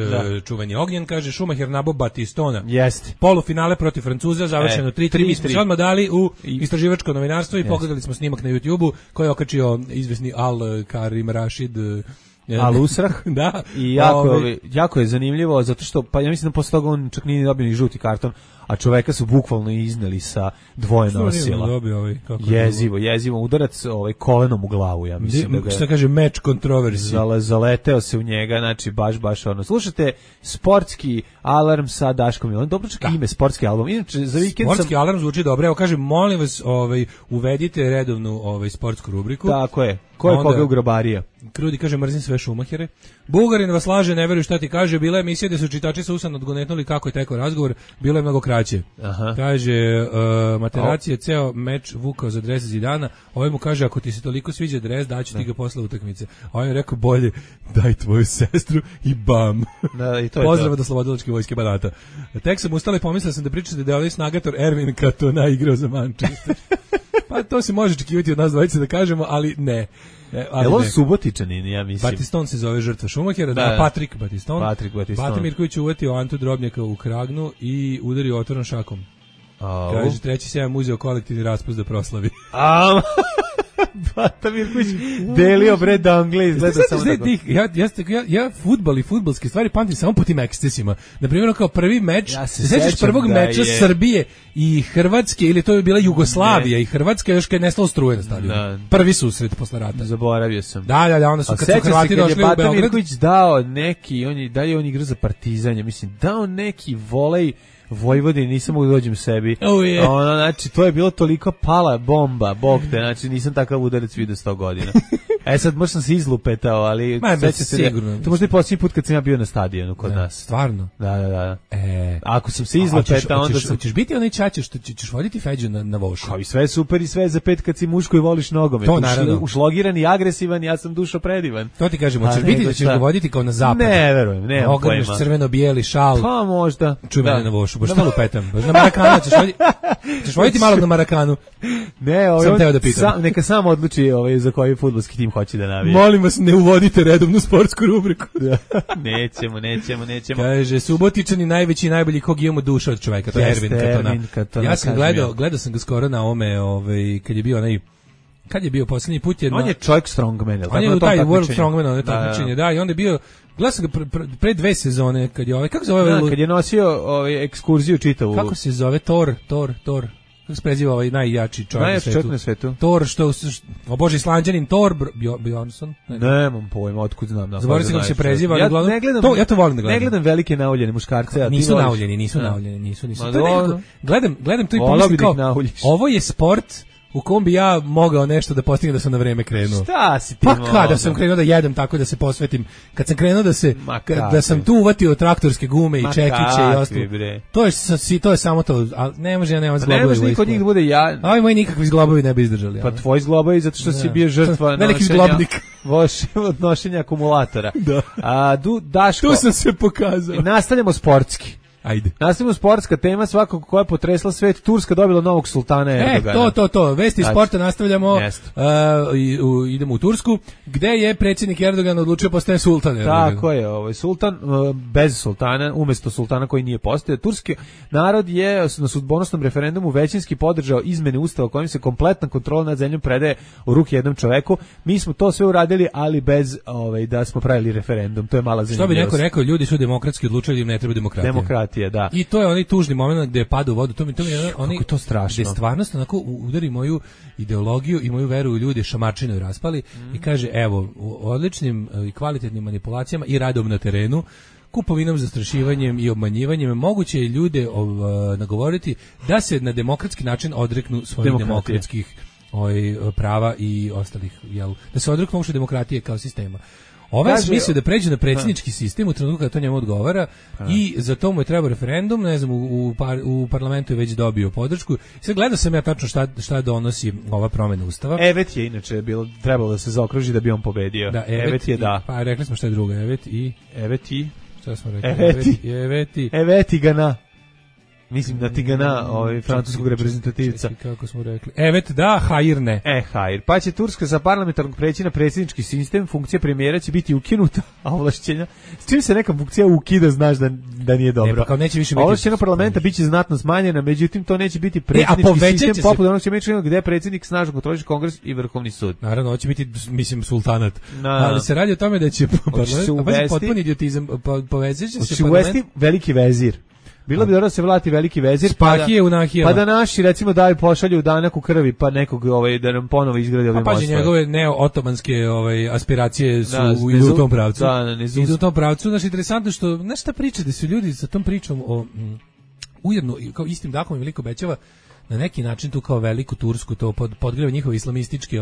čuveni Ognjen, kaže Schumacher nabo Batistona. Jeste. Polufinale protiv Francuza, završeno 3-3. Mi smo se odmah dali u istraživačko novinarstvo i pogledali smo snimak na YouTubeu koji je okačio izvesni Al-Karim Rashid Al-Usrah. Da. I jako je zanimljivo, zato što, pa ja mislim da posle toga on čak nije dobio ni žuti karton, a čoveka su bukvalno izneli sa dvoje nosila. Jezivo, udarac kolenom u glavu, ja mislim da ga... Šta kaže, match controversy. Zaleteo se u njega, znači baš ono. Slušate sportski alarm sa Daškom Milanom. Dobro, čak ime sportski album. Inače, za vikend sportski alarm zvuči dobro. Evo, kažem, molim vas, uvedite redovnu sportsku rubriku. Tako je. Ko je koga u grobarija? Krudi kaže, mrzim sve Schumachere. Bugarin vas laže, ne veruju šta ti kaže. Bila je emisija gde su čitači sa usan odgonetnuli kako je tekao razgovor. Bilo je mnogo kraće. Kaže, Materazzi je ceo meč vukao za dres Zidana. Ovaj mu kaže, ako ti se toliko sviđa dres, daću ti ga posle utakmice. Ovaj je rekao, bolje, daj tvoju sestru i bam. Pozdrav do Slobodilačke vojske Banata. Tek sam ustala i pomislila sam da pričate da je ovaj snagator Ervin Cantona igrao za Manchester. Pa to se može očekivati od nas dvojice da kažemo, ali ne. Je on Subotičanin, ja mislim. Batiston se zove žrtva Schumachera, Patrik Batiston. Bata Mirković uvetio Antu Drobnjaka u kragnu i udario otvorom šakom. Kaže, 3.7 uzeo kolektivni raspust da proslavi. Bata Mirković delio bre dangle, izgleda samo tako. Ja fudbal i fudbalske stvari pamtim samo po tim ekscesima. Na primjer, kao prvi meč, se sećaš prvog meča Srbije i Hrvatske, ili to je bila Jugoslavija i Hrvatska, još kad je nestalo struje na stadionu. Prvi susret posle rata. Zaboravio sam. Da, onda su kad su Hrvati došli u Beograd. Bata Mirković dao neki, on igra za Partizan, mislim, dao neki volej Vojvodini, nisam mogu da dođem sebi. Znači, to je bilo toliko pala bomba, bog te, znači nisam takav udarac vidio 100 godina. Sad možda sam se izlupetao, ali sigurno. To možda i posljednji put kad sam ja bio na stadionu kod nas. Stvarno? Da. Ako sam se izlupetao, onda sam... Hoćeš biti onaj čače što ćeš voditi Feđu na vošu? Kao i sve super i sve za pet kad si muško i voliš nogomet. To naravno. Ušlogiran i agresivan, ja sam dušo predivan. To ti kažem, hoćeš biti da ćeš ga voditi kao na zapad? Ne, verujem, nemam pojma. Crveno-bijeli šal. Pa možda. Čuj mene na vošu, baš to lupetam. Baš na Marakanu ćeš voditi malog na Marakanu. Ne, neka sam odluči za koji fudbalski tim hoće da navije. Molim vas, ne uvodite redovnu sportsku rubriku. Nećemo. Kaže, Subotičani najveći i najbolji kog imamo duša od čoveka, to je Ervin Cantona. Ja sam gledao sam ga skoro na ome, kad je bio posljednji put on je čovjek strongman, on je taj World Strongman, on je takmičenje, da, i onda je bio, gledao sam ga pre 2 sezone, kad je kako se zove? Kad je nosio ekskurziju čitavu. Kako se zove? Thor. kako se preziva ovaj najjači čovjek na svetu. Thor, o Bože, Islanđanin Thor Bjornsson. Nemam pojma, otkud znam. Zaboravim se kako se preziva, ja uglavnom. Ja to volim da gledam. Ne gledam velike nauljene muškarce, a nisu nauljeni. Gledam to i pomislim kao, ovo je sport u kom bi ja mogao nešto da postignem da sam na vreme krenuo. Šta si ti? Pa kada sam krenuo da jedem tako da se posvetim, kad sam krenuo da sam tu uvatio traktorske gume i čekiće i ostalo. To je samo to, a ne može zglobovi. Ne može niko od njih da bude ja. Aj moji nikakvi zglobovi ne bi izdržali. Pa tvoji zglobovi zato što si bio žrtva veliki zglobnik. Nošenja akumulatora. Da. Daško. Tu sam se pokazao. Nastavljamo sportski. Ajde. Nastavimo sportska tema, svakog koja je potresla svet. Turska dobila novog sultana Erdogana. To. Vesti iz sporta nastavljamo. Idemo u Tursku, gde je predsjednik Erdogan odlučio postane sultan Erdogan. Tako je, sultan bez sultana, umjesto sultana koji nije postojao. Turski narod je na sudbonosnom referendumu većinski podržao izmene ustava kojim se kompletna kontrola nad zemljom predaje u ruke jednom čoveku. Mi smo to sve uradili, ali bez da smo pravili referendum. To je mala zanimljivost. Što bi neko rekao, ljudi su demokratski odlučili, im ne treba demokratija. Da. I to je onaj tužni moment gde je pada u vodu. To mi je to strašno. Gde stvarnost onako udari moju ideologiju i moju veru u ljude, šamarčinu raspali i kaže, evo, u odličnim i kvalitetnim manipulacijama i radom na terenu, kupovinom, zastrašivanjem i obmanjivanjem moguće je ljude nagovoriti da se na demokratski način odreknu svojih demokratskih prava i ostalih, da se odreknu uopšte demokratije kao sistema. Ovaj smisao da pređe na predsjednički sistem u trenutku kada to njemu odgovara i za to mu je trebao referendum, ne znam, u parlamentu je već dobio podršku. Sad gledao sam ja tačno šta donosi ova promjena ustava. Evet je inače trebalo da se zaokruži da bi on pobedio. Da, Evet je da. Pa rekli smo šta je drugo, Evet i... Šta smo rekli? Evet i Gana. Mislim da Tigana, francuskog reprezentativca. Kako smo rekli. Evet da, Hair ne. Hair. Pa će Turska sa parlamentarnog preći na predsjednički sistem, funkcija premijera će biti ukinuta, a ovlašćenja. S čim se neka funkcija ukida, znaš da nije dobro. Pa kao neće više biti. Ovlašćenja parlamenta biće znatno smanjena, međutim to neće biti predsjednički sistem, poput onog će biti gde predsjednik snažno kontroliše Kongres i Vrhovni sud. Naravno, hoće biti, mislim, sultanat. Ali se radi o tome da će parlament, potpuni idiotizam, povezat će se parlament. Veliki vezir. Bilo bi dobro da se vrati veliki vezir, pa da naši recimo daju pošalju danak u krvi, pa nekog da nam ponovo izgradi ove mostove. Pa njegove neo-otomanske aspiracije su idu u tom pravcu. Idu u tom pravcu. Znači, interesantno što, znaš šta priča, da su ljudi sa tom pričom ujedno, kao istim dakom i veliko obećava, na neki način tu kao veliku Tursku to podgreva njihove islamističke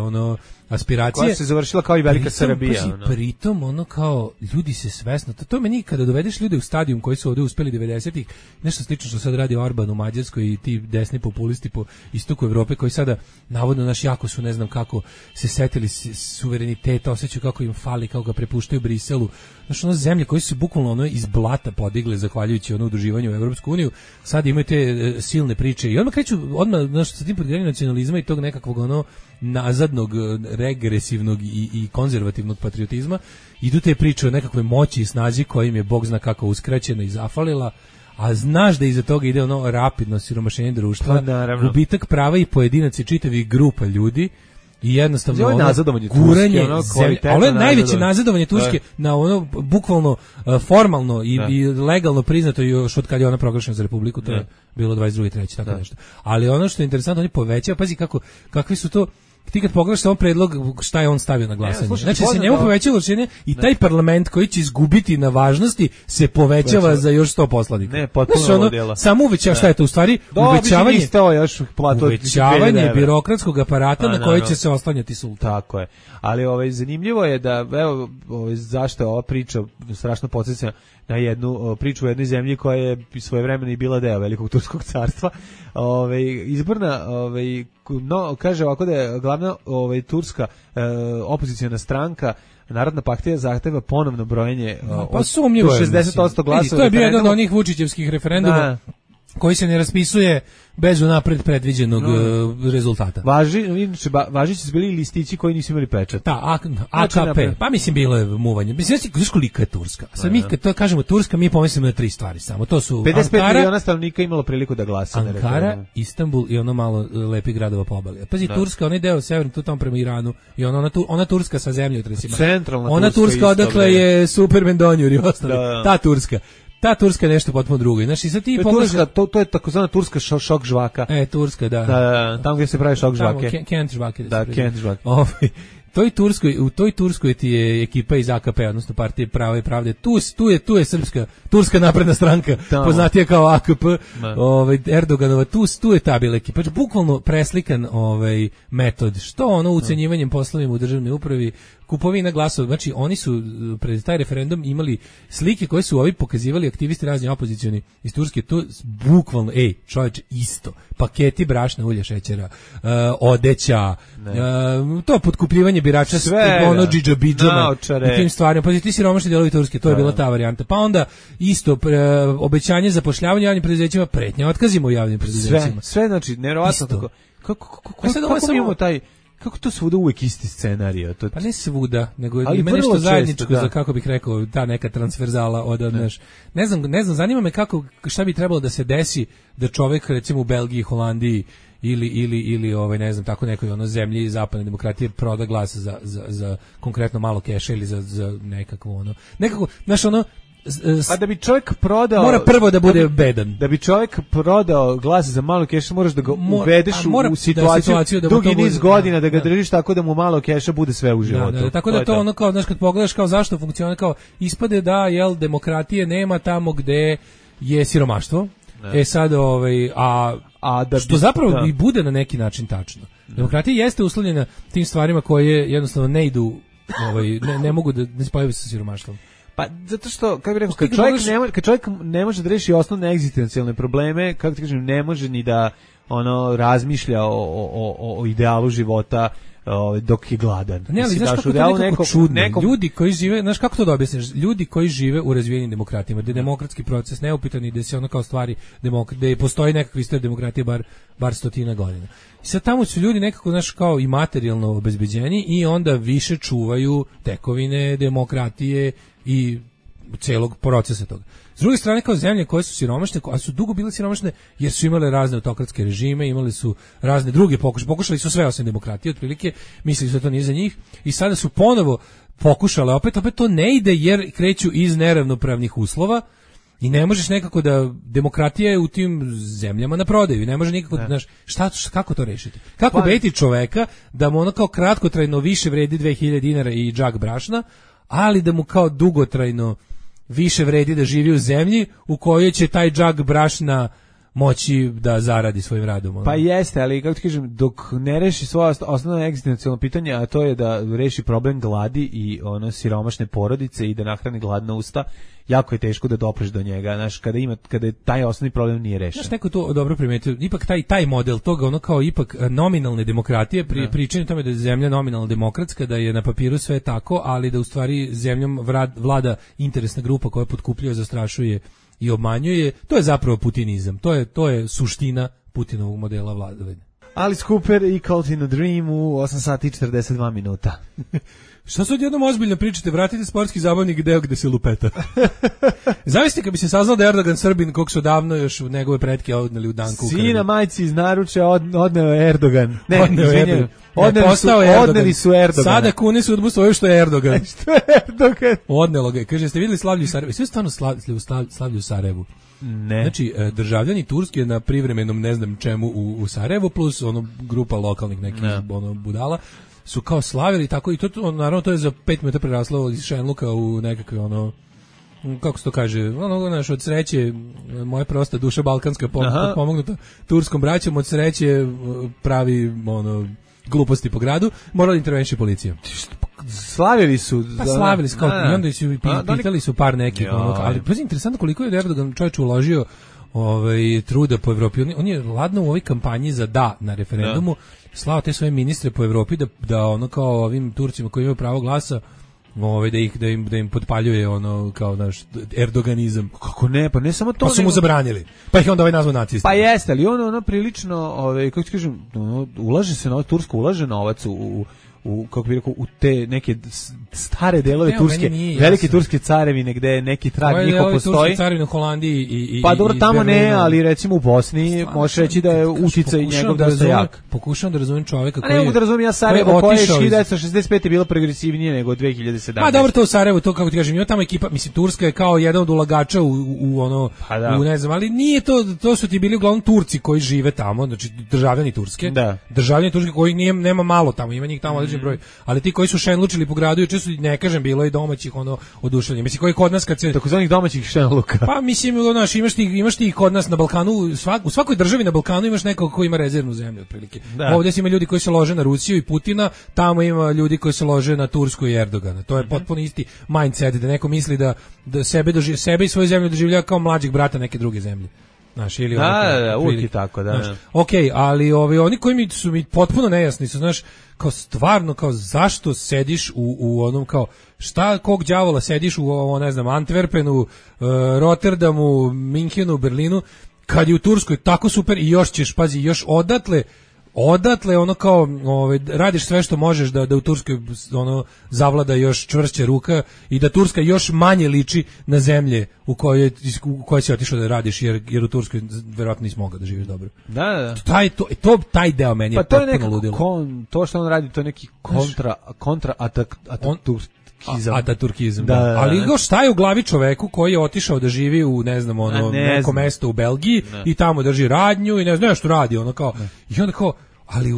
aspiracije. Koja se završila kao i velika Srbija. Pritom kao ljudi se svesno, to meni kada dovedeš ljude u stadijum koji su ovdje uspeli 90-ih, nešto slično što sad radi Orban u Mađarskoj i ti desni populisti po istoku Evrope koji sada navodno jako su ne znam kako se setili suvereniteta, osjećaju kako im fali, kako ga prepuštaju Briselu. Znači zemlje koje su bukvalno iz blata podigle zahvaljujući udruživanju u Evropsku uniju, sad imaju te silne priče i odmah kreću sa tim podgranjem nacionalizma i tog nekakvog nazadnog, regresivnog i konzervativnog patriotizma, idu te priče o nekakvoj moći i snazi koja im je Bog zna kako uskraćena i zafalila, a znaš da iza toga ide rapidno siromašenje društva, gubitak prava i pojedinaca i čitavih grupa ljudi i jednostavno guranje zemlje. Ovo je najveće nazadovanje Turske na bukvalno formalno i legalno priznato još od kad je ona proglašena za republiku, to je bilo 22.3. tako nešto. Ali ono što je interesantno, oni povećaju, pazi kakvi su to. Ti kad pogledaš samo predlog šta je on stavio na glasanje. Znači se njemu povećava určenje i taj parlament koji će izgubiti na važnosti se povećava za još 100 poslanika. Ne, potpuno odjela. Samo uvećava, šta je to u stvari? Uvećavanje birokratskog aparata na koji će se oslanjati sultan. Tako je. Ali zanimljivo je da zašto je ova priča strašno podsjeća na jednu priču u jednoj zemlji koja je svojevremeno i bila deo Velikog Turskog carstva. Izborna kaže ovako da je glavna turska opozicijona stranka Narodna partija zahteva ponovno brojenje pa sumnjivo 60% glasova. To je bio jedan od onih Vučićevskih referenduma koji se ne raspisuje bez unapred predviđenog rezultata. Važići su bili listići koji nisu imali pečat. AKP, pa mislim bilo je muvanje. Mislim, znaš koliko je Turska? Sad mi kad to kažemo Turska, mi pomislimo na 3 stvari samo. To su 55 miliona stanovnika imalo priliku da glasa. Ankara, Istanbul i ono malo lepi gradova po obali. Pazi, Turska, onaj deo severno, tu tamo prema Iranu i ona Turska sa zemljotresima. Centralna ona Turska odakle je Superman Donjur i ostali. Ta Turska. Ta Turska je nešto potpuno drugo. Znači, sad ti to je takozvana turska šok žvaka. Turska, da. Tamo gdje se pravi šok žvake. Tamo, Kent žvake. Da, Kent žvake. U toj Turskoj ti je ekipa iz AKP, odnosno partije Prava i pravde. Tu je srpska, Turska napredna stranka, poznatija kao AKP, Erdoganova, tu je ta bila ekipa. Bukvalno preslikan metod. Što ono ucenjivanjem poslovima u državnoj upravi, kupovina glasova, znači oni su pred taj referendum imali slike koje su ovi pokazivali aktivisti razni opozicioni iz Turske, to bukvalno, čovječe, isto, paketi brašna, ulja, šećera, odeća, to potkupljivanje birača, ono džidžabidžama i tim stvarima, pa ti siromašni delovi Turske, to je bila ta varijanta, pa onda isto, obećanje zapošljavanja javnim preduzećima, pretnja otkazima u javnim preduzećima. Sve, znači, nevjerovatno tako. Kako imamo taj... Kako to svuda uvek isti scenarij? Pa ne svuda, nego ima nešto zajedničko za, kako bih rekao, ta neka transverzala od naš. Ne znam, zanima me šta bi trebalo da se desi da čovjek recimo u Belgiji, Holandiji ili ne znam, tako nekoj zemlji zapadne demokratije proda glas za konkretno malo keša ili za nekako znaš a da bi čovjek prodao... Mora prvo da bude bedan. Da bi čovjek prodao glas za malo keša, moraš da ga uvedeš u situaciju dugi niz godina, da ga držiš tako da mu malo keša bude sve u životu. Tako da to ono kao, znaš, kad pogledaš kao zašto funkcionira, kao ispade da, demokratije nema tamo gde je siromaštvo. Sad, što zapravo i bude na neki način tačno. Demokratija jeste uslovljena tim stvarima koje jednostavno ne idu, ne mogu da ne spojavi sa siromaštvom. Pa zato što, kako bih rekao, kad čovjek ne može da reši osnovne egzistencijalne probleme, kako ti kažem, ne može ni da razmišlja o idealu života dok je gladan. Ne, ali znaš kako to nekako čudno. Ljudi koji žive, znaš kako to da objasniš, ljudi koji žive u razvijenim demokratijama, gde je demokratski proces neupitan i gde se kao stvari, gde postoji nekakvi isto demokratije bar 100 godina. I sad tamo su ljudi nekako, znaš, kao i materijalno obezbeđeni i onda više čuvaju tekovine demokratije i celog procesa toga. S druge strane, kao zemlje koje su siromašne, a su dugo bile siromašne jer su imale razne autokratske režime, imali su razne druge pokušali su sve osim demokratije, otprilike, mislili su da to nije za njih i sada su ponovo pokušale, opet to ne ide jer kreću iz neravnopravnih uslova i ne možeš nekako da demokratija je u tim zemljama na prodaju i ne može nikako da, znaš, kako to rešiti? Kako ubediti čoveka da mu ono kao kratkotrajno više vredi 2000 dinara i džak brašna, ali da mu kao dugotrajno više vredi da živi u zemlji u kojoj će taj džak brašna moći da zaradi svojim radom. Pa jeste, ali kako ti kažem, dok ne reši svoje osnovno egzistencijalno pitanje, a to je da reši problem gladi i siromašne porodice i da nahrani gladna usta, jako je teško da dopreš do njega, znaš, kada je taj osnovni problem nije rešen. Znaš, neko to dobro primetio, ipak taj model toga, kao ipak nominalne demokratije, pričanje tome da je zemlja nominalno demokratska, da je na papiru sve tako, ali da u stvari zemljom vlada interesna grupa koja potkupljuje, zastrašuje i obmanjuje, to je zapravo putinizam. To je suština Putinovog modela vladavine. Alice Cooper i Caught in a Dream u 8 sati i 42 minuta. Šta se odjednom ozbiljno pričate? Vratite sportski zabavnik deo gde se lupeta. Zamislite kad bi se saznalo da je Erdogan Srbin, kog su davno još njegove pretke odneli u Danku. Sina majci iz naručja odneo Erdogan. Odneli su Erdogana. Sada kune sudbu svoju što je Erdogan. Što je Erdogan? Odnelo ga. Kaže, ste vidjeli slavlju u Sarajevu? Sve stvarno slavlju u Sarajevu. Ne. Znači, državljani Turske na privremenom ne znam čemu u Sarajevu, plus grupa lokalnih nekih budala, su kao slavili tako i to naravno to je za 5 minuta preraslo iz šenluka u nekakve kako se to kaže, od sreće moja prosta duša balkanska pomognuta turskom braćom, od sreće pravi gluposti po gradu, morala intervenši policija. Slavili su. Pa slavili su, i onda su pitali su par nekih, ali pa je interesantno koliko je Erdogan čovjek uložio truda po Evropi. On je ladno u ovoj kampanji za da na referendumu slao te svoje ministre po Evropi da kao ovim Turcima koji imaju pravo glasa da im potpaljuje kao naš erdoganizam. Kako ne, pa ne samo to. Pa su mu zabranili. Pa ih onda nazvao nacistima. Pa jeste, ali ono prilično, kako ti kažem, Turska ulaže novac kako bih rekao, u te neke stare delove Turske, velike turske carevine gde neki trag njihov postoji. Turske carevine u Holandiji i pa dobro, tamo ne, ali recimo u Bosni možeš reći da je uticaj njegov dosta jak. Pokušavam da razumem čoveka koji... Ne mogu da razumem ja Sarajevo koje je 1965. bilo progresivnije nego 2017. Pa dobro, to u Sarajevo, to kako ti kažem, ima tamo ekipa, mislim, Turska je kao jedan od ulagača u ono, u ne znam, ali nije to su ti bili uglavnom Turci koji žive tamo, znači državljani Turske, državljani Turske koji nema malo tamo, ima njih tamo određen broj, ali ti koji su šenlučili po gradu, juče su, ne kažem, bilo i domaćih ono oduševljenih, mislim, koji kod nas kad se... Takozvanih domaćih šenluka. Pa mislim, znaš, imaš ti kod nas na Balkanu, u svakoj državi na Balkanu imaš nekog ko ima rezervnu zemlju, otprilike. Ovdje ima ljudi koji se lože na Rusiju i Putina, tamo ima ljudi koji se lože na Tursku i Erdogana. To je potpuno isti mindset, da neko misli da sebe i svoju zemlju doživljava kao mlađeg brata neke druge zemlje. Znaš, ili uvijek je tako, da. Znaš, ali oni koji su mi potpuno nejasni su, znaš, kao stvarno, kao zašto sediš u onom, kao kog đavola sediš u, ne znam, Antwerpenu, Rotterdamu, Minhenu, Berlinu, kad je u Turskoj tako super i još ćeš, pazi, još odatle ono kao radiš sve što možeš da u Turskoj ono zavlada još čvršća ruka i da Turska još manje liči na zemlje u kojoj si otišao da radiš jer u Turskoj verovatno nisi mogao da živiš dobro. Da. Taj deo meni je potpuno ludilo. To što on radi, to je neki Ataturkizam, da. Ali šta je u glavi čoveku koji je otišao da živi u, ne znam, neko mesto u Belgiji i tamo drži radnju i ne znam što radi, ono kao, i onda kao, ali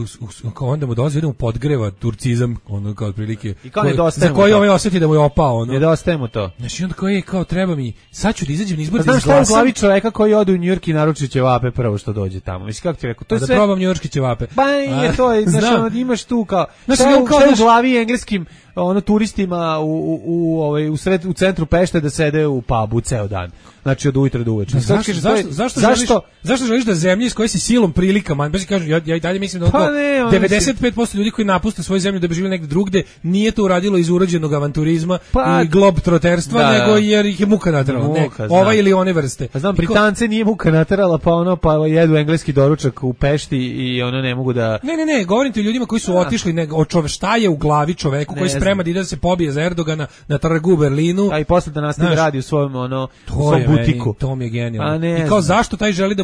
kao onda mu dolazi, mu podgreva turcizam, ono kao otprilike, za koji ovaj osjeti da mu je opao, ono. Nedostaje mu to. Znači onda koji je kao, treba mi, sad ću da izađem na izbor, znaš šta je u glavi čoveka koji ode u Njujork i naruči ćevape prvo što dođe tamo, mislim kako ti rekao, to je sve... Da probam njujorške ćevape. Pa je to, znači imaš tu kao, šta je u glavi engleskim turistima u centru Pešte da sede u pubu ceo dan. Znači od ujutro do uveče. Zašto želiš da zemlje iz koje si silom prilikama, baš kažem, ja i dalje mislim da 95% ljudi koji napuste svoju zemlju da bi živjeli negde drugde nije to uradilo iz urođenog avanturizma i globtroterstva, nego jer ih je muka naterala. Ova ili one vrste. A znam, Britance nije muka naterala, pa jedu engleski doručak u Pešti i ono ne mogu da... Ne, govorim ti o ljudima koji su otišli, šta je u glavi čoveku koji sprema da ide da se pobije za Erdogana na trgu u Berlinu. A i posle da nastavi radi u svojom butiku. To mi je genijalno. I kao zašto taj želi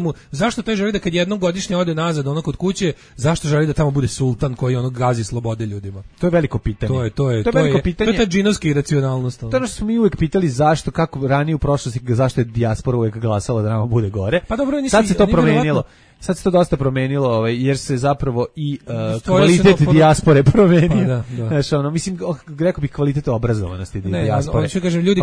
da kad jednom godišnje ode nazad ono kod kuće, zašto želi da tamo bude sultan koji ono gazi slobode ljudima? To je veliko pitanje. To je ta džinovska iracionalnost. To je ono što smo mi uvijek pitali zašto, kako ranije u prošlosti, zašto je dijaspora uvijek glasala da nama bude gore. Pa dobro, sad se to promenilo. Sad se to dosta promenilo, jer se zapravo i kvalitet dijaspore promenio. Znaš, mislim, rekao bih kvalitet obrazovanosti dijaspore. Ne, kažem, ljudi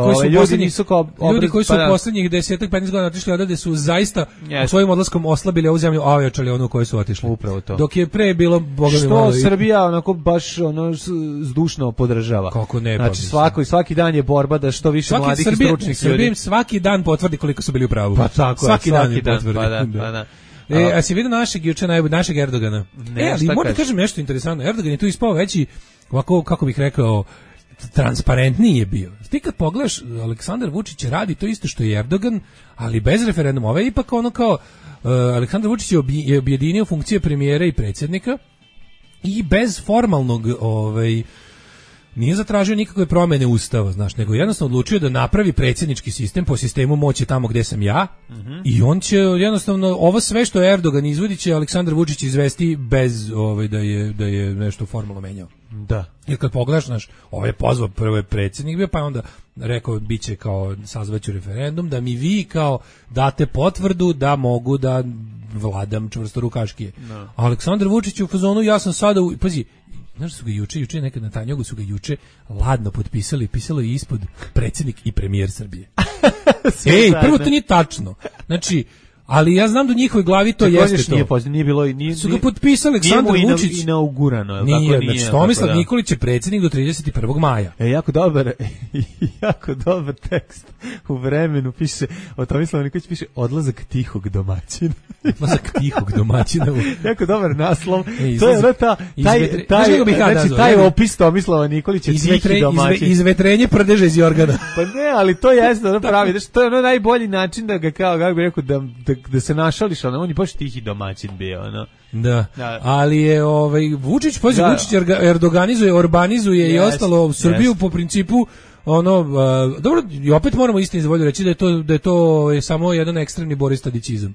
koji su u posljednjih 10-15 godina otišli odavde su zaista svojim odlaskom oslabili ovu zemlju, a ojačali onu koju su otišli. Upravo to. Dok je pre bilo što Srbija onako baš zdušno podržava. Kako ne? Znači svaki dan je borba da što više mladih i stručnih ljudi. Srbija svaki dan potvrdi koliko su bili u pravu. Pa tako, svaki dan potvrdi. A si vidio našeg Erdogana? Ali moram kažem nešto interesantno. Erdogan je tu ispao veći, ovako, kako bih rekao, transparentniji je bio. Ti kad pogledaš, Aleksandar Vučić radi to isto što je Erdogan, ali bez referenduma. Ovo je ipak ono kao, Aleksandar Vučić je objedinio funkcije premijera i predsjednika i bez formalnog, nije zatražio nikakve promjene ustava, znaš, nego jednostavno odlučio da napravi predsjednički sistem po sistemu moći tamo gdje sam ja i on će jednostavno, ovo sve što Erdogan izvodi će Aleksandar Vučić izvesti bez da je nešto formalno menjao. Da. Jer kad pogledaš, znaš, je pozvao prvo je predsjednik bio, pa je onda rekao bit će kao sazvaću referendum, da mi vi kao date potvrdu da mogu da vladam čvrstorukaškije. No. Aleksandar Vučić u fazonu, ja sam sada, pazi, znaš su ga juče nekad na Tanjogu su ga juče ladno potpisali, pisalo je ispod predsjednik i premijer Srbije. Prvo to nije tačno. Znači, ali ja znam da u njihovoj glavi to jeste to. Nije bilo i nije. Su ga potpisali Aleksandar Vučić. Inaugurano, nije, znači Tomislav Nikolić je predsjednik do 31. maja. Jako dobar tekst u Vremenu piše, o Tomislavu Nikolić piše odlazak tihog domaćina. Odlazak tihog domaćina. Jako dobar naslov. To je taj opis Tomislava Nikolića, tihi domaćin. Izvetrenje prdeža iz jorgana. Pa ne, ali to jeste ono pravi. To je ono najbolji način da ga, kao bih rekao, da da se našališ, ali on je baš tihi domaćin bio, ono. Da. Ali je Vučić urbanizuje i ostalo Srbiju po principu dobro, i opet moramo istini za volju reći da je to samo jedan ekstremni Boris Tadićizam.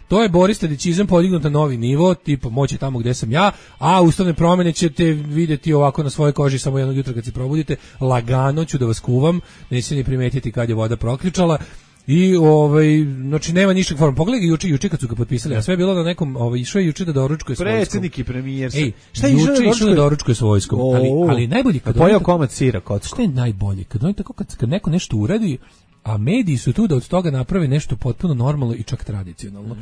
To je Boris Tadićizam podignut na novi nivo, tipa moći tamo gde sam ja, a ustavne promjene ćete vidjeti ovako na svojoj koži samo jednog jutra kad se probudite, lagano ću da vas kuvam, nećete ni primetiti kad je voda proključala. I znači nema ništa forma. Pogledaj juče kad su ga potpisali, a sve je bilo na nekom išao je juče da doručkuje s vojskom. Predsjednik i premijer. Šta je išao da doručkuje s vojskom? Ali najbolje kad pojeo komad sira kocko. Šta je najbolje? Kad oni tako kad neko nešto uradi, a mediji su tu da od toga naprave nešto potpuno normalno i čak tradicionalno.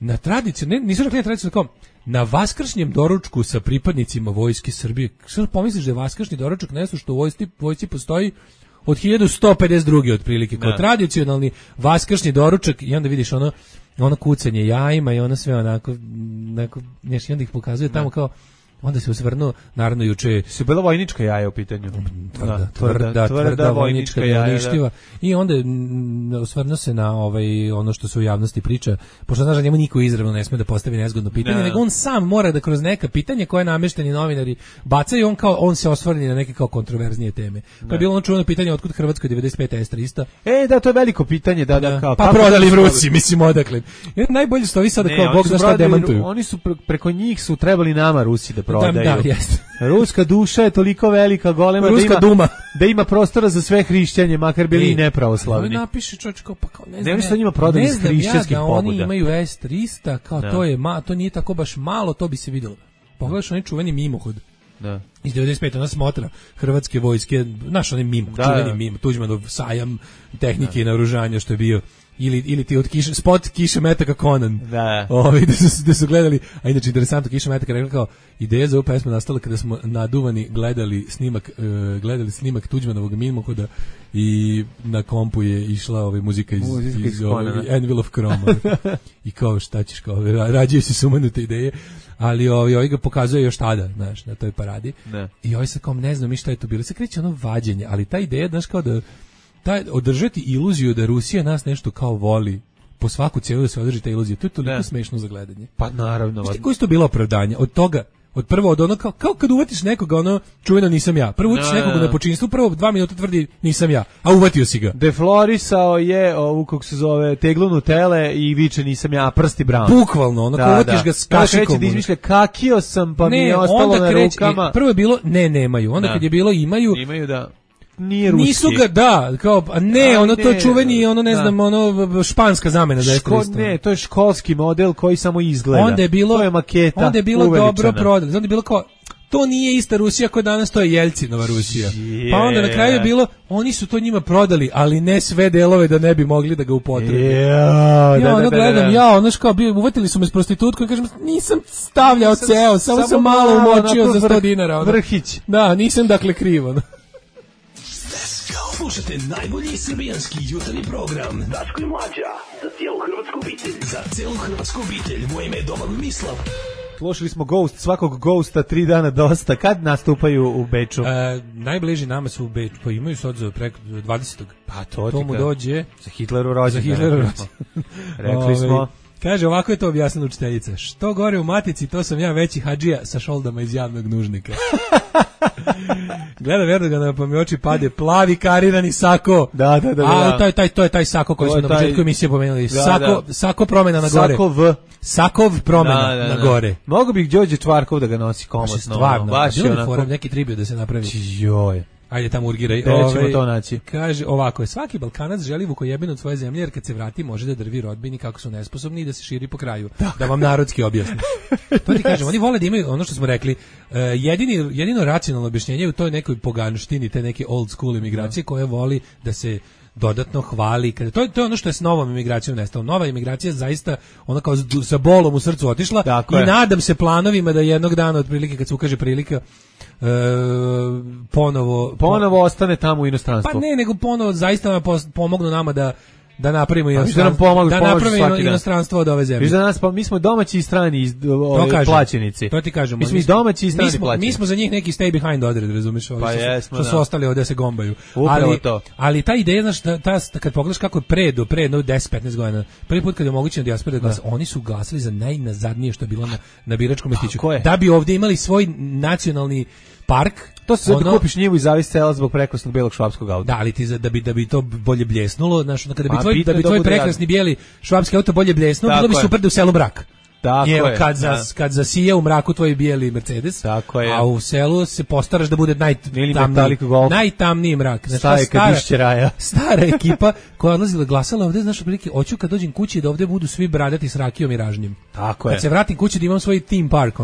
Na tradicionalno, nisu rekli tradicionalno, na vaskršnjem doručku sa pripadnicima Vojske Srbije. Što pomisliš da je vaskršnji doručak nešto što u vojsci postoji od 1152. otprilike, kao tradicionalni vaskršnji doručak, i onda vidiš ono kucanje jajima i ono sve onako i onda ih pokazuje tamo kao, onda se osvrnuo, naravno juče su bila vojnička jaja u pitanju. Tvrda vojnička jaja. I onda osvrnuo se na ono što se u javnosti priča, pošto znaš da njemu niko izravno ne sme da postavi nezgodno pitanje, nego on sam mora da kroz neka pitanja koje namešteni novinari bacaju, on se osvrni na neke kao kontroverznije teme. Pa je bilo ono čuveno pitanje otkud Hrvatskoj 95 S300. Da, to je veliko pitanje, kao pa prodali Rusi, mislim odakle. Najbolje što vi sada kao Bog zna šta demantuju. Oni su preko njih su trebali nama Rusi da prodaju. Da, jeste. Ruska duša je toliko velika, golema, da ima prostora za sve hrišćanje, makar bili i nepravoslavni. Napiše čovjek kao, pa kao ne znam. Što njima prodali iz hrišćanskih pobuda. Oni imaju S300, kao to nije tako baš malo, to bi se vidjelo. Pogledaš onaj čuveni mimohod. Da. Iz 95. ona smotra Hrvatske vojske, naš onaj čuveni mimo, Tuđmanov sajam tehnike i naoružanja što je bio. Ili ti od spot Kiše Metaka Conan. Da. Da su gledali, a inače interesantno, Kiša Metaka rekla kao, ideja za ovu pesmu nastala kada smo naduvani gledali snimak Tuđmanovog mimohoda i na kompu je išla muzika iz Anvil of Chrome. I kao šta ćeš, kao rađaju se sumanute ideje, ali ovaj ga pokazuje još tada, znaš, na toj paradi. Ne. I ovaj se kao, ne znam šta je to bilo, se kreće ono vađenje, ali ta ideja, znaš, kao da održati iluziju da Rusija nas nešto kao voli, po svaku cijelu da se održi ta iluzija, to je toliko smešno za gledanje. Pa naravno. Znaš ti koji su to bilo opravdanje? Od toga, od ono kao kad uvatiš nekoga, čuveno nisam ja. Prvo uvatiš nekoga na počinstvu, prvo 2 minuta tvrdi nisam ja, a uvatio si ga. Deflorisao je ovu, kako se zove, teglu Nutele i viče nisam ja, prsti Brown. Bukvalno, uvatiš ga s kašikom. Kreće da izmišlja, kakio sam, pa mi je ostalo na rukama. Prvo je bilo, nemaju. Onda kad je bilo imaju da. Nije ruski. Nisu ga, kao, to je čuveni, španska zamena da je isto. Ne, to je školski model koji samo izgleda. To je maketa. Onda je bilo dobro prodano. Onda je bilo kao, to nije ista Rusija koja danas, to je Jelcinova Rusija. Pa onda na kraju je bilo, oni su to njima prodali, ali ne sve delove da ne bi mogli da ga upotrebe. Gledam, uvatili su me s prostitutkom i kažem, nisam stavljao ceo, samo sam malo umočio za 100 dinara. Vrhić. Da, nisam dakle krivo. Slušajte najbolji srbijanski jutarnji program Daško i Mlađa, za cijelu hrvatsku obitelj. Za cijelu hrvatsku obitelj, moje ime je Domagoj Mislav. Slušali smo Ghost, svakog Ghosta 3 dana dosta. Kad nastupaju u Beču? Najbliži nama su u Beču, pa imaju sad za preko 20. Pa to mu dođe. Za Hitleru rođendan. Rekli smo. Kaže, ovako je to objasnila učiteljica. Što gore u matici, to sam ja veći hadžija sa šoldama iz javnog nužnika. Gleda Erdogana, pa mi oči pade, plavi karirani sako. Da. To je taj sako koji smo na početku emisije pomenuli. Sako promjena na gore. Sakov promjena na gore. Mogu bih Đorđe Čvarkov da ga nosi komotno. Stvarno, bilo bi forum neki tribut da se napravi. Joj. Ajde tamo urgiraj. Ćemo to naći. Kaže ovako, svaki Balkanac želi vukojebinu od svoje zemlje, jer kad se vrati može da drvi rodbini kako su nesposobni i da se širi po kraju. Da vam narodski objasnim. To ti kažem, oni vole da imaju ono što smo rekli, jedino racionalno objašnjenje u toj nekoj poganštini, te neke old school imigracije koje voli da se dodatno hvali. To je ono što je s novom imigracijom nestalo. Nova imigracija zaista ona kao sa bolom u srcu otišla i nadam se planovima da jednog dana otprilike kad se ukaže prilika ponovo ostane tamo u inostranstvu. Pa ne, nego ponovo zaista pomognu nama da napravimo inostranstvo od ove zemlje. Za nas, pa mi smo domaći i strani plaćenici. To ti kažemo. Mi smo i domaći i strani plaćenici. Mi smo za njih neki stay behind odred, razumiješ? Što su ostali ovdje se gombaju. Ali ta ideja, znaš, kad pogledaš kako je pre 10-15 godina, prvi put kad je omogućeno dijaspora da glas, oni su glasali za najnazadnije što je bilo na biračkom mestiću. Da bi ovdje imali svoj nacionalni park. To se da kupiš njivu i zavisi cela zbog prekrasnog belog švapskog auta. Da, ali ti da bi to bolje bljesnulo, znaš, da bi tvoj prekrasni bijeli švapski auto bolje bljesnuo, bilo bi super da u selu mrak. Tako je. Kad zasije u mraku tvoj bijeli Mercedes, tako je. A u selu se postaraš da bude najtamniji mrak. Znači, stara ekipa koja odlazila glasala ovdje, znaš, otprilike, hoću kad dođem kući da ovdje budu svi bradati s rakijom i ražnjem. Tako je. Kad se vratim kući da imam svoj theme park,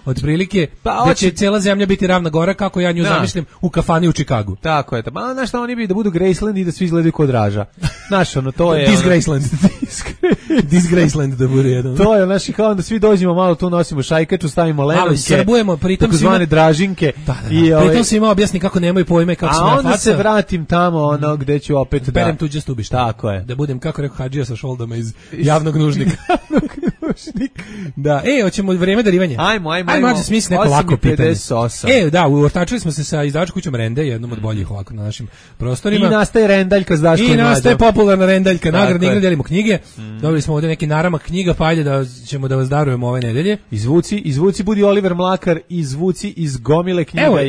otprilike, da će cijela zemlja biti ravna gora, kako ja nju zamišljam u kafani u Čikagu. Tako je. Ma, znaš šta, oni bi da budu Graceland i da svi izgledaju kod Raža. Znaš, to je... Disgraceland da bude jedan. To je, znaš, kao da svi dođemo malo, tu nosimo šajkaču, stavimo lenomke, ali srbujemo, pritom takozvane dražinke. Pritom se ima objasni kako nemaju pojme, kako se a onda se vratim tamo, gde ću opet da... Berem tuđe stubište. Tako je. Da budem, kako rekao Hadžija sa šoldama iz javnog nužnika. Da, hoćemo vreme darivanja. Ajmo. Mađe smisli neko lako pitanje. 58. Da, uortačili smo se sa izdavačkom kućom Rende, jednom od boljih ovako na našim prostorima. I nastaje rendaljka s Daškom i Mlađom. I nastaje popularna rendaljka, nagradni igre, delimo knjige. Dobili smo ovdje neki naramak knjiga, pa ajde da ćemo da vas darujemo ove nedelje. Izvuci budi Oliver Mlakar, izvuci iz gomile knjiga. Evo,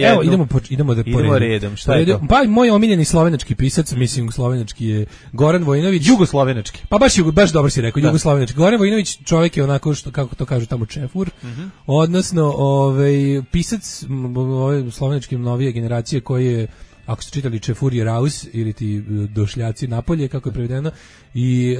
idemo redom. Šta je to? Pa moj omiljeni slovenački pisac, mislim slovenački je Goran Vojinović. Jugoslovenački. Pa baš dobro si rekao, jugoslovenački. Goran Vojinović, čovjek je onako što, kako to kažu tamo, čefur. Odnosno, pisac slovenački novije generacije koji je, ako ste čitali Čefurije Raus ili ti Došljaci Napolje, kako je prevedeno, i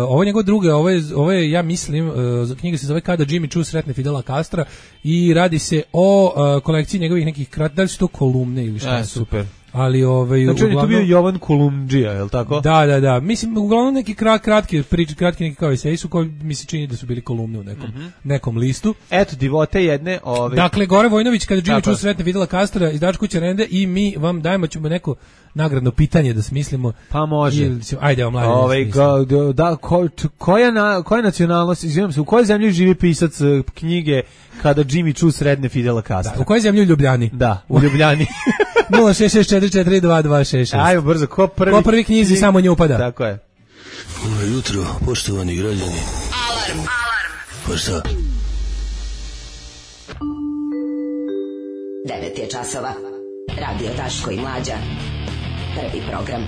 ovo je njegov druga, ovo je ja mislim, knjiga se zove Kada Jimmy Choo sretne Fidela Castra i radi se o kolekciji njegovih nekih da li su to kolumne ili šta su. Super. Ali znači on je to bio Jovan Kolumdžija, je li tako? Da. Mislim, uglavnom neki kratki neki kao eseji su koji mi se čini da su bili kolumne u nekom listu. Eto, divote jedne. Dakle, Goran Vojinović, Kada Jimmy Choo sretne Fidela Castra, izdavačka kuća Rende, i mi vam ćemo neko nagradno pitanje da smislimo. Pa može. Ajde, evo mladi. Koja nacionalnost, izvijem se, u kojoj zemlji živi pisac knjige Kada Jimmy Choo sretne Fidela Castra? Da, u kojoj zemlji? U Ljubljani. Da, u Ljubljani. 066442266. Ajmo brzo, ko prvi knjizi samo nju upada. Tako je. Dobro jutro, poštovani građani. Alarm. Pa šta? 9 je časova. Radio Daško i Mlađa. Prvi program.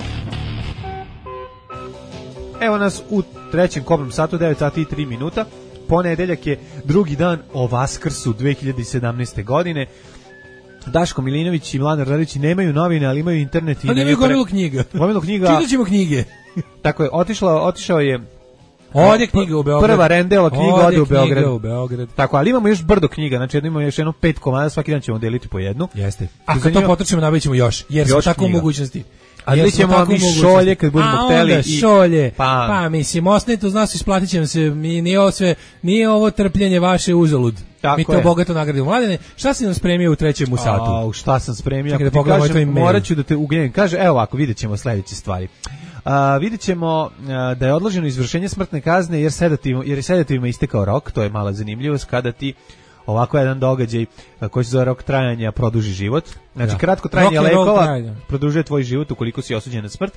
Evo nas u trećem kobnom satu, 9 sati i 3 minuta. Ponedeljak je drugi dan o Vaskrsu 2017. godine. Daško Milinović i Mladen Radić nemaju novine, ali imaju internet. A nemaju gomilu knjiga. Čitat ćemo knjige. Tako je, otišao je... Ode knjiga u Beograd. Prva Rendeova knjiga ode u Beograd. Tako, ali imamo još brdo knjiga, znači imamo još 5 komada, svaki dan ćemo deliti po jednu. Jeste. A kad to potrčimo, nabavit ćemo još, jer smo tako u mogućnosti. A li ćemo mi šolje kad budemo hteli. A onda šolje, pa mislim, osnovite uz nas, isplatit ćemo se, nije ovo trpljenje vaše uzalud. Mi to bogato nagradimo. Mladene, šta si nam spremio u trećem satu? Šta sam spremio? Ako ti kažem, morat ću da te ugnjevim. Kaže, evo ovako, vidjet ćemo sljedeće stvari. Vidjet ćemo da je odloženo izvršenje smrtne kazne jer je sedativima istekao rok, to je mala zanimljivost, kada ti ovako jedan događaj koji se zove rok trajanja produži život. Znači, kratko trajanje lekova produžuje tvoj život ukoliko si osuđen na smrt.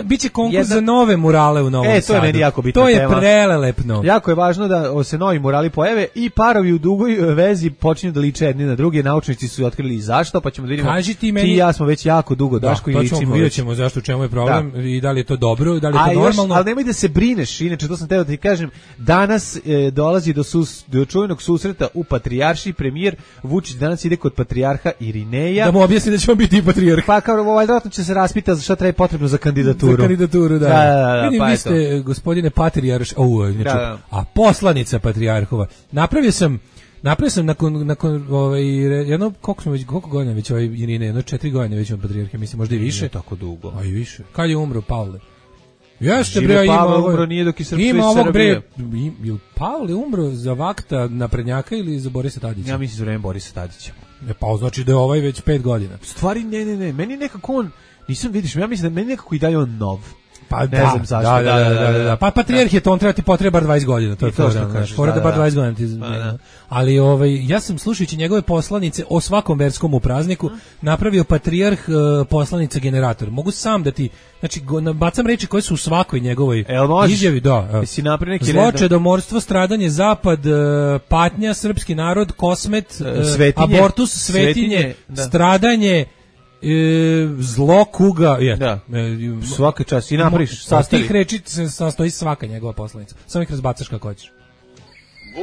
Biće konkurs za nove murale u Novom Sadu. To je meni jako bitna tema. To je prelelepno. Jako je važno da se novi murali pojave i parovi u dugoj vezi počinju da liče jedni na druge. Naučnici su otkrili i zašto, pa ćemo da vidimo. Ti i ja smo već jako dugo, Daško, i ličimo. Vidjet ćemo zašto, u čemu je problem i da li je to dobro, da li je to normalno. Ali nemoj da se brineš, inače to sam teo da ti kažem. Danas dolazi do čuvenog susreta u Patrijaršiji. Premijer Vučić danas ide kod patrijarha Irineja. Da mu objasni da ćemo biti patrijarh. Pa kao vjerojatno će se raspita šta treba potrebno za kandidaturu. Za kandidaturu, da. Vidim, pa vi ste, gospodine patrijarh, a poslanica patrijarhova. Napravio sam nakon koliko godina već ovaj Irine, 4 godine već on patrijarh, mislim možda i više. Nije tako dugo. A i više. Kad je umro Pavle? Jeste, bre, umro nije dok je Srbije. Pavle umro za vakta naprednjaka ili za Borisa Tadića? Ja mislim za vreme Borisa Tadića. Pa znači da je ovaj već 5 godina. Stvari, ne, meni nekako on, nisam vidiš, ja mislim da meni nekako i dalje on nov. Pa ne znam zašto. Da. Pa patrijarh je to, on treba ti potreba bar 20 godina, to je to što kažeš. Pored da bar 20 godina ti. Ali ja sam slušajući njegove poslanice o svakom verskom prazniku napravio patrijarh poslanica generator. Mogu sam da ti, znači bacam reči koje su u svakoj njegovoj izjavi, zlo, čedomorstvo, stradanje, zapad, patnja, srpski narod, kosmet, svetinje, abortus, svetinje, stradanje, zlo, kuga, svaka čast i napraviš sastavi. Od tih reči se sastoji svaka njegova poslanica. Samo ih razbacaš kako hoćeš.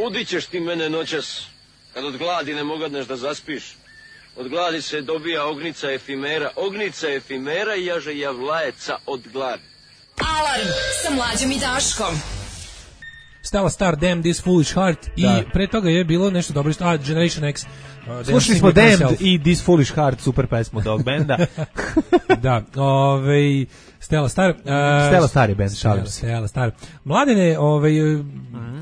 Budit ćeš ti mene noćas, kad od gladi ne mogadneš da zaspiš. Od gladi se dobija ognica efimera i jaže javlajeca od gladi. Alarm sa Mlađom i Daškom. Stella Star, Damn This Foolish Heart i pre toga je bilo nešto dobro, Generation X. Slušali smo Damned i This Foolish Heart, super pesmu dog benda. Da, Stella Star. Stella Star je band, šalim se. Stella Star. Mladene,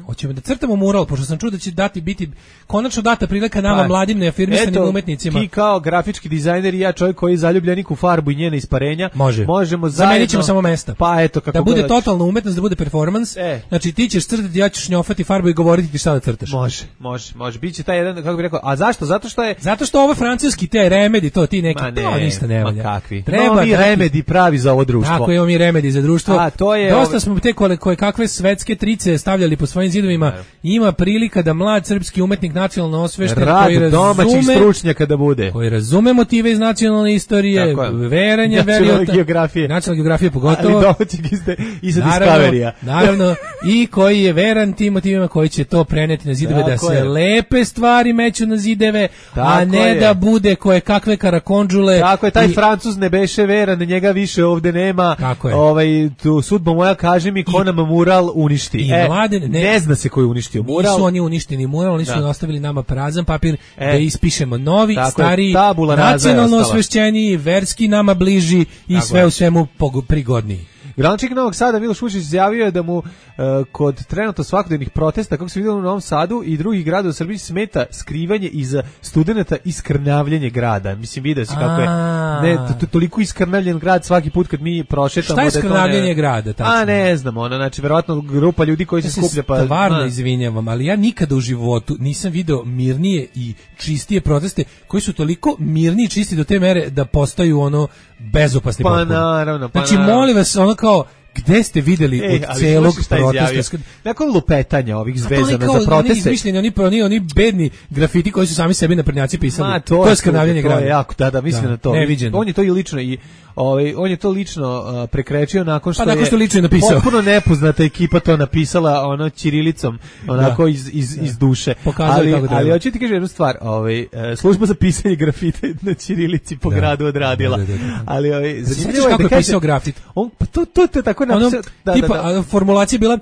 hoćemo da crtamo mural, pošto sam čuo da će biti konačno data prilika nama mladim neafirmisanim umetnicima. Ti kao grafički dizajner i ja, čovjek koji je zaljubljenik u farbu i njene isparenja, možemo zajedno. Zamenit ćemo samo mesta. Pa eto, kako da bude totalna umetnost, da bude performance. Znači ti ćeš crtati, ja ću šnjofati farbu i govoriti ti šta da crtaš. Može. Biće taj jedan, kako bih rekao, a zašto? Zato što ovo francuski te remedi, to ti neki, to ništa ne valja. Kakvi? Treba mi remedi pravi za ovo društvo. Tako imamo mi remedi za društvo. Dosta smo te koje kakve svetske trice stavljali po svojim zidovima. Ima prilika da mlad srpski umetnik nacionalno osvešten koji domaćih stručnjaka da bude. Koji razume motive iz nacionalne istorije, verenja, nacionalne geografije pogotovo. Ali domaćih iz Discoverija. Naravno, i koji je veran tim motivima koji će to preneti na zidove, da se lepe stvari meću na zideve, a ne da bude koje kakve karakondžule. Tako je, taj Francuz ne beše veran, njega više ovde nema. Tu sudba moja, kaže mi ko nam mural uništi. I mladen, ne zna se ko je uništio mural. Nisu oni uništeni mural, oni su ostavili nama prazan papir da ispišemo novi, stariji, nacionalno osvešćeniji, verski nama bliži i sve u svemu prigodniji. Gradonačelnik Novog Sada Miloš Vučić izjavio je da mu kod trenutno svakodnevnih protesta, kako se vidjelo u Novom Sadu i drugih gradova u Srbiji, smeta skrivanje iza studenata i skrnavljenje grada. Mislim, vidio si kako je toliko iskrnavljen grad svaki put kad mi prošetamo. Šta je skrnavljenje grada? A ne znam, znači verovatno grupa ljudi koji se skuplja pa... Stvarno izvinjavam, ali ja nikada u životu nisam video mirnije i čistije proteste koji su toliko mirni i čisti do te mere da postaju bezopasni potpuno. Naravno. Znači, molim vas, kao, gde ste videli od celog protesta? Nakon lupetanja ovih zvezana za proteste. Oni bedni grafiti koji su sami sebi naprednjaci pisali. To je skrnavljanje grada. To je jako, da, mislim na to. Neviđeno. On je to i lično on je to lično prekrečio nakon što je lično napisao. Potpuno nepoznata ekipa to napisala ćirilicom, onako iz duše. Ali hoću ti kažem jednu stvar, služba za pisanje grafita na ćirilici po gradu odradila. Ali zanimljivo je kako je pisao grafit. On to je tako napisao. Tipa formulacija je bila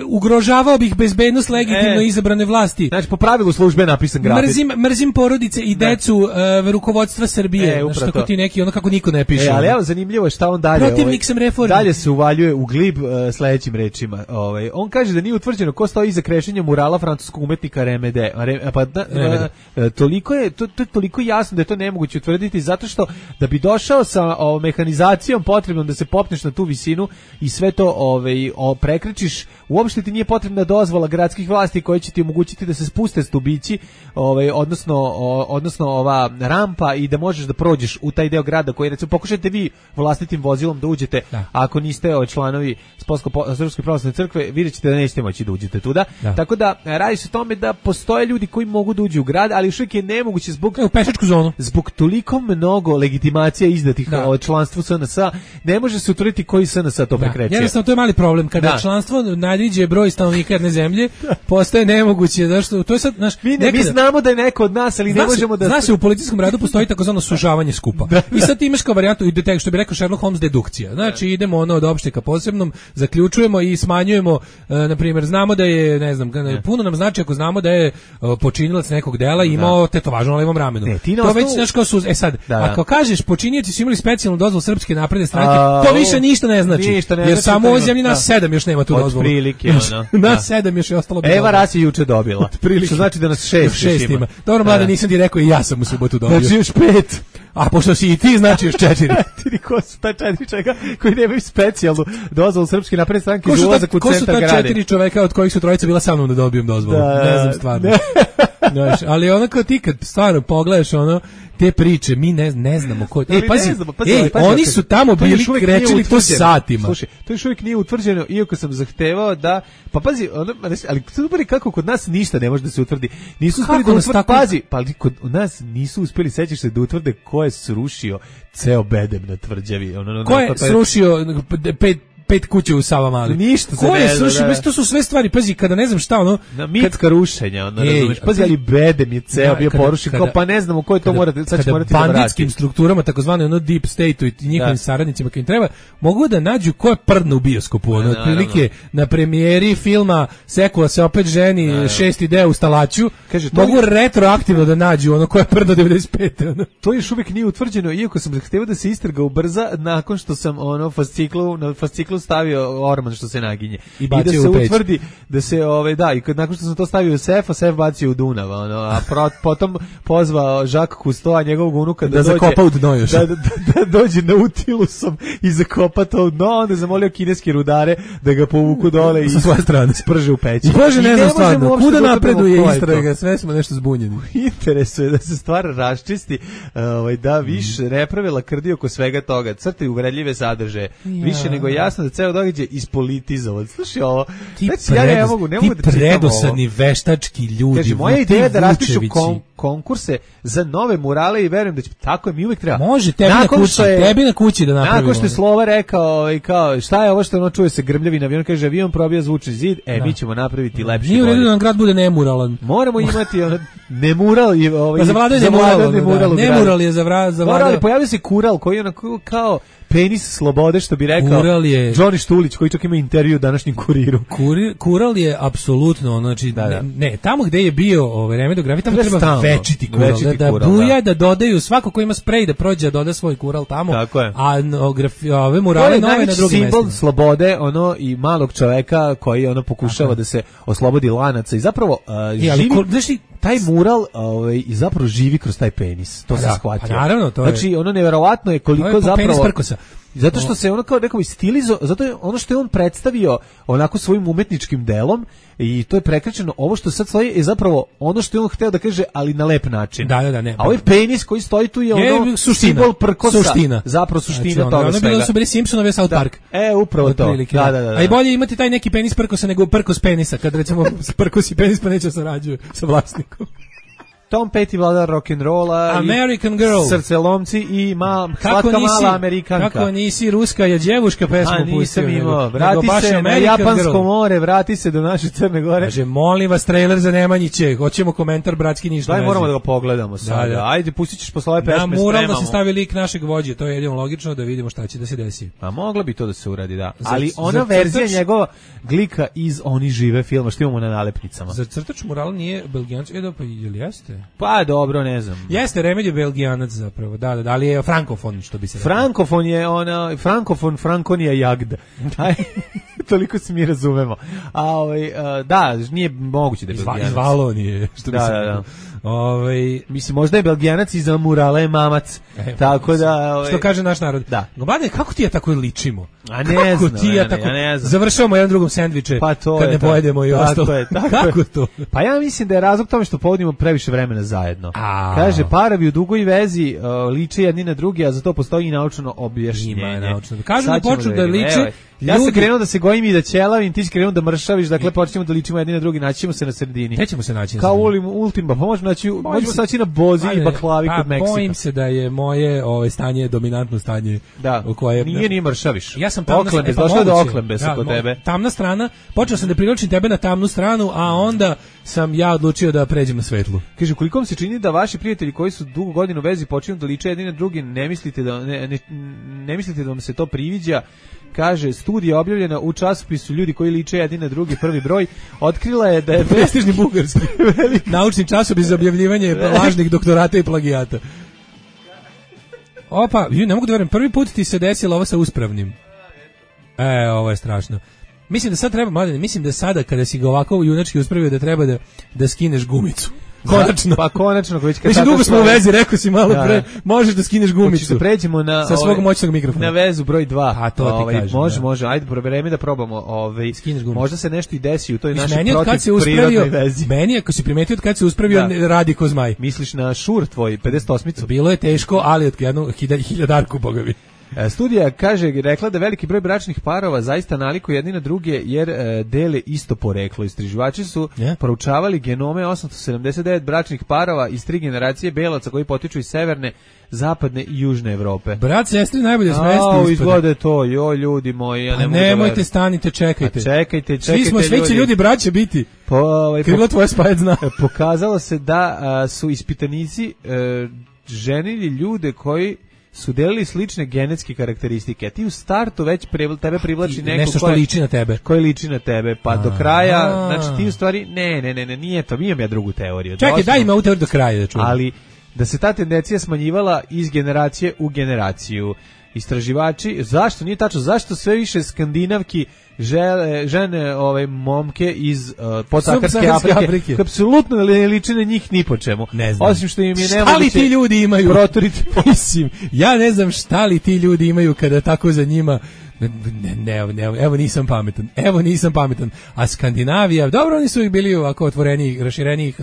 ugrožavao bih bezbednost legitimno izabrane vlasti. Znači po pravilu službe je napisan grafit. Mrzim porodice i decu rukovodstva Srbije. Znači tako ti neki kako niko ne piše. Ali evo, zanimljivo je šta on dalje. Protivnik sam reformi. Dalje se uvaljuje u glib sledećim rečima. On kaže da nije utvrđeno ko stoji iza krešenja murala francuskog umetnika Remede. To je toliko jasno da je to nemoguće utvrditi, zato što da bi došao sa mehanizacijom potrebno da se popneš na tu visinu i sve to prekrečiš, uopšte ti nije potrebna dozvola gradskih vlasti koje će ti omogućiti da se spuste stubići, odnosno ova rampa i da možeš da prođeš u taj deo grada koji, recimo, pokušajte vi vlastitim vozilom da uđete, ako niste članovi Srpske pravoslavne crkve, vidjet ćete da nećete moći da uđete tuda. Tako da radi se o tome da postoje ljudi koji mogu da uđu u grad, ali još uvijek je nemoguće u pešačku zonu. Zbog toliko mnogo legitimacija izdatih članstvu SNS, ne može se utvrditi koji SNS to prekreće. Jednostavno, to je mali problem. Kada članstvo nadiđe broj stanovnika jedne zemlje, postaje nemoguće. To je sad, mi znamo da je neko od nas, ali ne možemo da... Zna se, u policijskom radu postoji takozvano sužavanje skupa. I sad ti imaš kao varijantu, što bi rekao Sherlock Holmes, dedukcija. Znači, idemo od opšte ka posebnom, zaključujemo i smanjujemo, na primjer, znamo da je, ne znam, puno nam znači ako znamo da je počinilac nekog dela imao tetovažu na levom ramenu. To već znaš kao su... ako kažeš počinioci su imali specijalnu dozvolu Srpske napredne stranke, to više ništa ne znači. Jer samo u ovoj zemlji nas 7 još nema tu dozvolu. Otprilike, nas 7 još je ostalo bez. Eva Ras je juče dobila. Što znači da nas 6 ima. Dobro, mlade, nisam ti rekao i ja sam u subotu dobio. Znači još 5. A pošto si i ti, znači još 4. 4, ko su ta 4 čoveka koji nemaju specijalnu dozvolu Srpske napredne stranke za ulazak u centar grada? Ko su ta 4 čoveka od kojih su trojica bila sa mnom da dobijem dozvolu? Ne znam stvarno. Znaš, ali ono kao ti kad stvarno pogledaš ono te priče, mi ne znamo ko. Pazi, oni su tamo bili krečili to satima. Slušaj, to još uvijek nije utvrđeno, iako sam zahtevao da, pa pazi, ali super kako kod nas ništa ne može da se utvrdi. Nisu uspeli da utvrde, pazi, pa kod nas nisu uspeli, sećaš se, da utvrde ko je srušio ceo bedem na Tvrđavi. Ko je srušio 5 kuća u Savamali. Ništa se ne zna. To su sve stvari, pazi, kada ne znam šta, mitska rušenja, razumeš. Pazi, ali bedem je ceo bio porušen, kao pa ne znamo ko je to morate, sad će morati da vrati. Banditskim strukturama, takozvane deep state-u i njihovim saradnicima kad im treba, mogu da nađu ko je prdno u bioskopu. Otprilike na premijeri filma Sekula se opet ženi, 6. deo u Stalaću, mogu retroaktivno da nađu ko je prdno 95. To još uvijek nije utvrđeno, iako sam zahtevao da se istraga ubrza nakon što sam na fasciklu stavio orman što se naginje i da se utvrdi da se i nakon što sam to stavio u sef bacio u Dunav, a potom pozvao Žak Kustoa, njegovog unuka da zakopa u dno još. Da dođe na Utilusom i zakopa to u dno, onda zamolio kineske rudare da ga povuku dole i sa svoje strane sprže u peći. I Bože, ne znam stvarno, kuda napreduje istraga, sve smo nešto zbunjeni. Interesuje da se stvar raščisti, da više reprave lakrdi oko svega toga, crte uvredljive sadržaje, više nego jasno da ceo događaj ispolitizovan. Slušaj ovo, ti predosani veštački ljudi. Kaže, moja ideja je da raspišu konkurse za nove murale i verujem da će, tako je, mi uvijek treba. Može, tebi na kući da napravimo. Nakon što je Slova rekao i kao, šta je ovo što ono čuje se grmljavi na avion, kaže, avion probija zvučni zid, mi ćemo napraviti lepši. Nije u redu da nam grad bude nemuralan. Moramo imati nemural i nemural je za vlade. Pojavio se kural koji je onako kao penis slobode, što bi rekao Johnny Štulić, koji čak ima intervju u današnjem Kuriru. Kural je apsolutno, znači, ne, tamo gde je bio Remedo Grafi, tamo treba večiti kural, da buja, da dodaju, svako ko ima sprej da prođe, da doda svoj kural tamo, a ove murale nove na drugim mestima. Simbol slobode, i malog čoveka koji pokušava da se oslobodi lanaca i zapravo živi, taj mural i zapravo živi kroz taj penis, to se shvatio. Pa naravno, to je. Znači, neverovatno je koliko zapravo... Penis prkosa. Zato što se kao rekao stilizo, zato je ono što je on predstavio onako svojim umetničkim delom i to je prekrečeno, ovo što sad stoji je zapravo ono što je on hteo da kaže, ali na lep način. Da, ne. A ovaj penis koji stoji tu je simbol prkosa. Zapravo suština toga svega. Bilo su bili Simpsonovi South Park. Upravo to. Da. A i bolje imati taj neki penis prkosa nego prkos penisa, kad recimo prkos i penis pa neće sarađuju sa vlasnikom. Tom Petty, vladar rock'n'rolla, American Girl, Srcelomci i slatka mala Amerikanka. Kako nisi ruska je djevuška pesmu pustio? Nisam imao. Vrati se na Japansko more, vrati se do naše Crne Gore. Kaže, molim vas, trailer za Nemanjiće, hoćemo komentar bratski ništa. Daj, moramo da ga pogledamo sad. Ajde, pustit ćeš posle ove pesme, spremamo. Na mural da se stavi lik našeg vođe, to je jedino logično da vidimo šta će da se desi. A mogla bi to da se uradi, da. Ali ona verzija njegova glika iz Oni žive filma, što imamo na nalepnicama. Zar crtač mural nije Belgijanac? Pa ili jeste? Pa dobro, ne znam. Jeste, Remedi je Belgijanac zapravo, da, ali je frankofon, što bi se rekao. Frankofon je Frankonija Jagda. Toliko se mi razumemo. Da, nije moguće da je Belgijanac. Iz Valonije, što bi se rekao. Mislim, možda je Belgijanac iza murala je mamac. Tako da... Što kaže naš narod. Da. Mlade, kako ti ja tako ličimo? A ne znam. Završavamo jedan drugom sendviče kad ne pojedemo i ostalo. Kako to? Pa ja mislim da je razlog tome što povodimo previše vremena zajedno. Kaže, parovi u dugoj vezi liče jedni na drugi, a za to postoji i naučno objašnjenje. Kažu da počnu da liče. Ja sam krenuo da se gojim i da ćelavim, ti si krenuo da mršaviš, dakle počnemo da ličimo jedni na drugi, naćemo se na sredini. Gde ćemo se naći? Kao Ultima, pa možemo se naći na bozi i baklavi kod Meksika. Bojim se da je moje stanje dominantno stanje. Da, nije mršaviš. Ja sam tamna strana, došlo do oklembe se kod tebe. Tamna strana, počeo sam da privlačim tebe na tamnu stranu, a onda sam ja odlučio da pređem na svetlu. Kaže, koliko vam se čini da vaši prijatelji koji su dugo godina u vezi počinju da liče jedni na drugi, ne mislite da vam se to priviđa? Kaže, studija objavljena u časopisu Ljudi koji liče jedni na drugi, prvi broj, otkrila je da je prestižni bugarski naučni časopis za objavljivanje lažnih doktorata i plagijata. Opa, ne mogu da verujem, prvi put ti se desilo ovo sa uspravnim. Ovo je strašno. Mislim da sad treba, mladen, mislim da sada kada si ga ovako junački uspravio da treba da skineš gumicu. Konačno. Pa konačno, već kad Mislim, dugo smo u vezi, rekao si malo pre, možeš da skineš gumicu. Da pređemo na sa svog moćnog mikrofona. Na vezu broj 2. A to ti kažem. Može, ajde vreme da probamo. Skineš gumicu. Možda se nešto i desi u toj našoj protivprirodnoj vezi. Meni ako si primetio od kad se uspravio radi ko zmaj. Misliš na šur tvoj 58-icu? Bilo je teško, ali od jednu hiljadarku bogovi. Studija rekla da veliki broj bračnih parova zaista naliku jedni na druge jer dele isto poreklo. Istraživači su proučavali genome 879 bračnih parova iz 3 generacije belaca koji potiču iz severne, zapadne i južne Evrope. Brat, sestri najbolje smesti. Izgleda to, ljudi moji, ja ne mogu. Nemojte, stanite, čekajte. Čekajte Svi će ljudi braće biti. Krilo tvoje spajet zna. Pokazalo se da su ispitanici ženili ljude koji su delili slične genetske karakteristike. Ti u startu već tebe privlači neko nešto što liči na tebe. Koji liči na tebe, pa do kraja, znači ti u stvari, ne, nije to, imam ja drugu teoriju. Čekaj, daj ima u teoriju do kraja da čujem. Ali da se ta tendencija smanjivala iz generacije u generaciju. Istraživači, zašto nije tačno, zašto sve više skandinavki žene momke iz podsaharske Afrike koji apsolutno ne liče na njih ni po čemu. Ne znam. Osim što im je nemoguće. Šta li ti ljudi imaju? Mislim, ja ne znam šta li ti ljudi imaju kada tako za njima. Ne, evo nisam pametan. A Skandinavija, dobro, oni su ih bili ovako otvorenijih, raširenijih,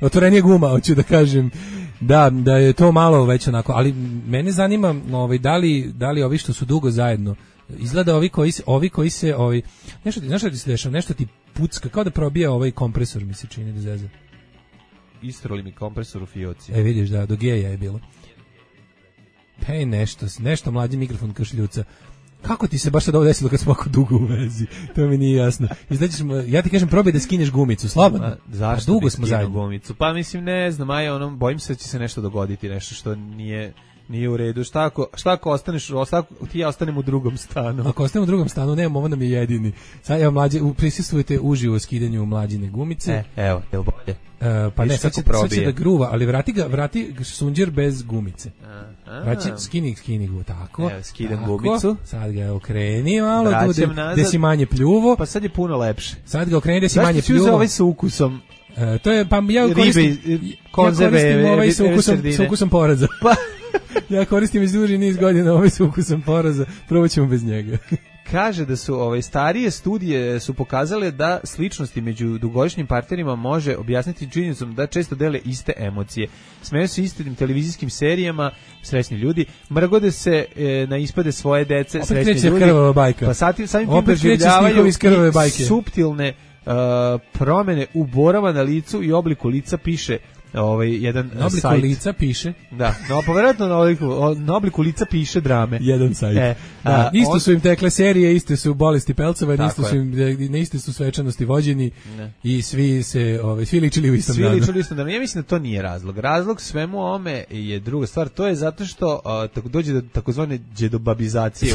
otvorenije guma, hoću da kažem. Da je to malo već onako, ali mene zanima da li ovi što su dugo zajedno, izgleda ovi koji se nešto ti se dešava, nešto ti pucka, kao da probija ovaj kompresor, mi se čini da zeza. Istrali mi kompresor u fioci. Vidiš, da, do geja je bilo. Hej, nešto mlađi mikrofon kašljuca. Kako ti se baš sad ovo desilo kad smo ako dugo u vezi? To mi nije jasno. Ja ti kažem, probaj da skineš gumicu, slobodno. Zašto dugo smo zajedno gumicu? Pa mislim, ne znam, bojim se da će se nešto dogoditi, nešto što nije u redu. Šta ako ostaneš, ti ja ostanem u drugom stanu? Ako ostanem u drugom stanu, nemam, ovo nam je jedini. Sad, evo, prisustvujete uživo skidanju mlađine gumice. Evo, je li bolje? Pa ne, sad će da gruva, ali vrati sunđer bez gumice. Skini go, tako. Evo, skidam gumicu. Sad ga okreni malo, gde si manje pljuvo. Pa sad je puno lepše. Sad ga okreni gde si manje pljuvo. Zašto ti ovaj sa ukusom? To je, pa ja koristim ovaj sa ukusom poraza. Ja koristim iz duži niz godina ovaj sa ukusom poraza, probat ćemo bez njega. Kaže da su starije studije su pokazale da sličnosti među dugogodišnjim partnerima može objasniti činjenicom da često dele iste emocije. Smeju se istim televizijskim serijama, srećni ljudi, mrgode se na ispade svoje dece, srećni ljudi. Pa samim tim doživljavaju suptilne promene u borama na licu i obliku lica, piše jedan na obliku sajt. Lica piše. Da, povjerojatno na obliku lica piše drame. Jedan sajt. Isto su im tekle serije, iste su bolesti pelcova, iste su svečanosti vođeni i svi ličili u istom danu. Ja mislim da to nije razlog. Razlog svemu ome je druga stvar. To je zato što dođe do takozvane džedobabizacije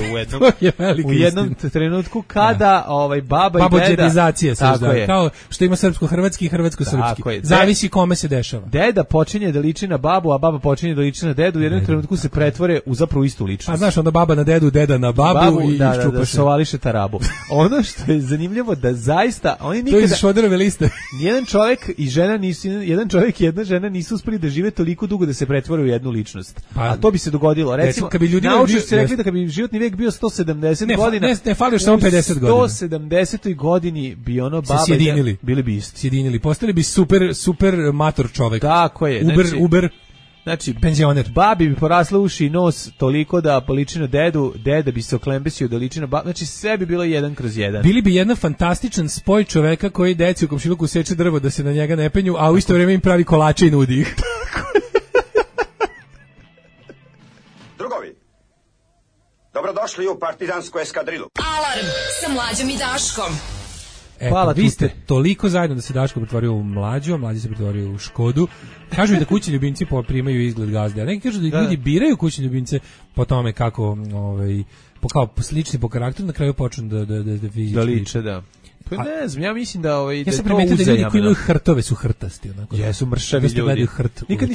u jednom trenutku kada baba i deda... Babodžedizacija se zove. Kao što ima srpsko-hrvatski i hrvatsko-srpski. Zavisi kome se dešava. Deda počinje da liči na babu, a baba počinje da liči na dedu, u jednom trenutku se pretvore u zapravo istu ličnost. A znaš, onda baba na dedu, deda na babu i iščupaše. Da sovališe tarabu. Ono što je zanimljivo da zaista oni nikada... To je iz Šoderove liste. Jedan čovjek i jedna žena nisu uspeli da žive toliko dugo da se pretvore u jednu ličnost. A to bi se dogodilo. Recimo, naučnici su rekli da kad bi životni vek bio 170 godina... Ne fali još samo 50 godina. U 170. godini bi ono baba i deda bili bi isti. Sjedinili. Postali bi super mator čovjek. Tako je. Uber, znači, penzioner. Babi bi porasla uši i nos toliko da poliči na dedu, deda bi se oklembesio da liči na babu, znači sve bi bilo 1/1. Bili bi jedan fantastičan spoj čoveka koji deci u komšiluku seče drvo da se na njega ne penju, a u isto vrijeme im pravi kolače i nudi ih. Drugovi, dobrodošli u partizansku eskadrilu. Alarm sa Mlađom i Daškom. Hvala, vi ste toliko zajedno da se Daško pretvorio u Mlađu, a Mlađi se pretvorio u Škodu. Kažu da kućni ljubimci primaju izgled gazde, a neki kažu da ljudi biraju kućne ljubimce. po tome kako kao slični po karakteru, na kraju počnu da fizički liče, da. Pa ne znam, ja mislim da ja sam primetio da ljudi koji imaju hrtove su hrtasti, onako. Jesu mršavi ljudi. Nikad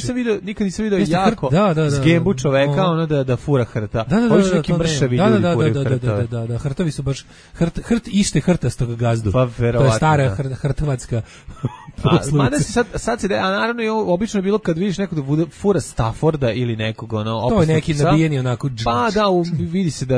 nisam video jako zgembu čoveka, da fura hrta. Ovi su neki mršavi ljudi furaju hrta. Da, hrtovi su baš hrt ište hrtastog gazdu. Pa verovatno. To je stara hrtovačka mada se sad se a naravno je obično bilo kad vidiš nekog da fura Stafforda ili nekog opasnog. To je neki nabijeni onako. Pa da, vidi se da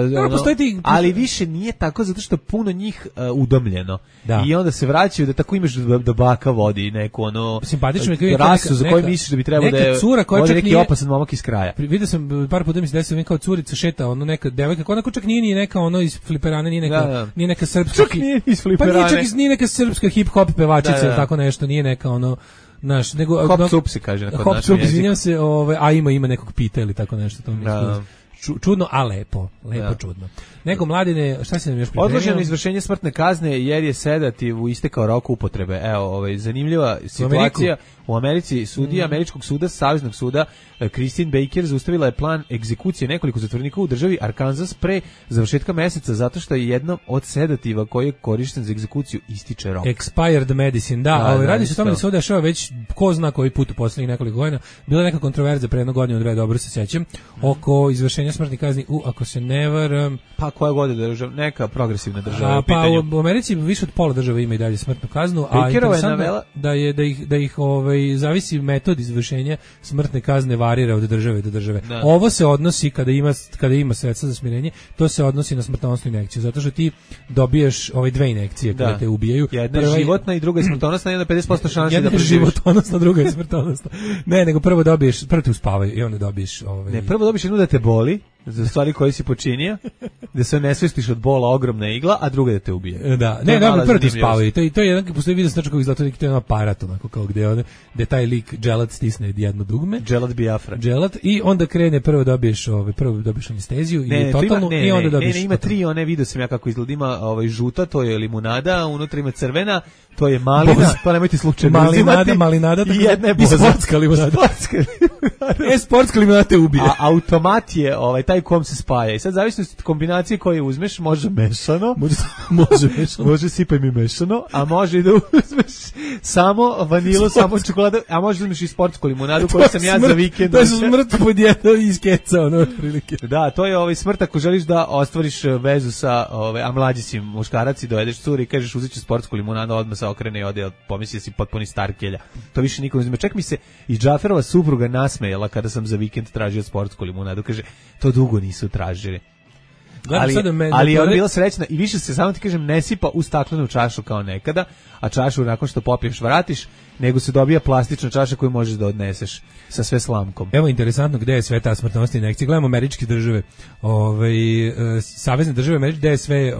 ali više nije tako zato što puno njih udomljeno. Da. I onda se vraćaju da tako imaš da baka vodi neku simpatično rasu za koju misliš da bi trebalo da je cura koja čak neki opasan momak iz kraja. Vidio sam par puta mi se desilo kao curica šeta, neka devojka, koja čak nije neka iz Fliperane, nije neka srpska. Čak nije iz Fliperane. Pa nije neka srpska hip hop pevačica ili tako nešto, nije neka nego hop sup se kaže na kod našem jeziku. Izvinjavam se, a ima nekog pita ili tako nešto, to mi čudno, a lepo čudno. Nego Mladine, šta si nam još pripremio? Odloženo izvršenje smrtne kazne jer je sedativ istekao rok upotrebe. Evo, zanimljiva situacija. U Americi sudija Američkog suda, Saveznog suda, Christine Baker zaustavila je plan egzekucije nekoliko zatvorenika u državi Arkansas pre završetka meseca zato što je jedno od sedativa koji je korišten za egzekuciju ističe rok. Expired medicine, radi se o tome da se ovdje dešava već ko zna koji put u poslednjih nekoliko godina. Bila neka kontroverza pre jednog godinu, dve, dobro se sećam, oko izvršenja smrtnih kazni ako se ne varam. Pa koja god je država, neka progresivna država. Pa u Americi više od pola države ima i dalje smrtnu kaznu, a interesantno da ih zavisi metod izvršenja smrtne kazne varira od države do države. Da. Ovo se odnosi kada ima sredstva za smirenje, to se odnosi na smrtonosnu injekciju, zato što ti dobiješ dve injekcije koje te ubijaju. Jedna je životna i druga je smrtonosna, jedna 50% šanse da preživiš. Jedna je životonosna, druga je smrtonosna. Ne, nego prvo te uspavaju i onda dobiješ Ne, prvo dobiješ jednu da te boli za stvari koje si počinio, da se nesvestiš od bola ogromna igla, a druga da te ubije. Da, ne, prvo te spavaju. To je jedan postoji video snačak kako izgleda neki jedan aparat, onako kao gde taj lik dželat stisne jedno dugme. Dželat Biafra. Dželat i onda krene prvo dobiješ anesteziju i totalnu i onda dobiješ. Ne, ima tri, video sam ja kako izgleda, ima žuta, to je limunada, unutra ima crvena, to je malina, pa nemojte slučajno uzimati. Malinada, i jedna je boza. Sportska limunada. Sportska limunada te ubije. A automat je taj kom se spaja. I sad zavisno od kombinacije koje uzmeš, može mešano, može sipaj mi mešano, a može i da uzmeš samo vanilu, samo čokoladu, a može da uzmeš i sportsku limunadu koju sam ja za vikend. To je smrt pod jedno iskecao, otprilike. Da, to je smrt ako želiš da ostvariš vezu sa, a mlađi si muškarac i dovedeš curi i kažeš uzet ću sportsku limunadu, odmah se okrene i ode, pomisli da si potpuni starkelja. To više niko ne uzme. Čak mi se i Džaferova supruga nasmejala kada sam za vikend tražio sportsku limunadu. Kaže, to dugo nisu tražili. Ali je ona bila srećna i više se, samo ti kažem, ne sipa u staklenu čašu kao nekada, a čašu nakon što popiješ vratiš, nego se dobija plastična čaša koju možeš da odneseš sa sve slamkom. Evo interesantno gde je sve ta smrtonosna injekcija. Gledamo američke države, savezne države, gde je sve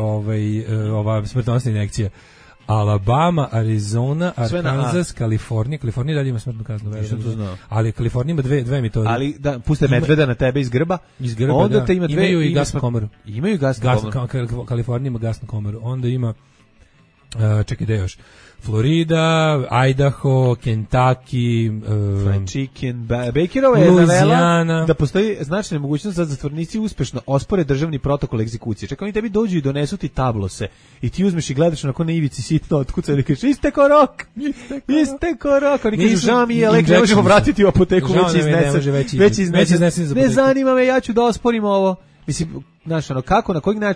ova smrtonosna injekcija. Alabama, Arizona, Arkansas, Kalifornija. Kalifornija dalje ima smrtnu kaznu. Ali Kalifornija ima dve metode. Ali da puste medveda na tebe iz grba, onda te ima dve. Imaju i gasnu komoru. Imaju gasnu komoru. Kalifornija ima gasnu komoru. Onda ima, čekaj da još, Florida, Idaho, Kentucky, Fried chicken, Bakerova je navela da postoji značajna mogućnost da zatvornici uspešno ospore državni protokol egzekucije. Čekaj, oni tebi dođu i donesu ti tablose i ti uzmeš i gledaš onako na ivici sitno otkuca i kažeš isteko rok. Oni kažu žao mi je, lek ne možemo vratiti u apoteku, već iznese. Ne zanima me, ja ću da osporim ovo. Mislim, znaš, kako,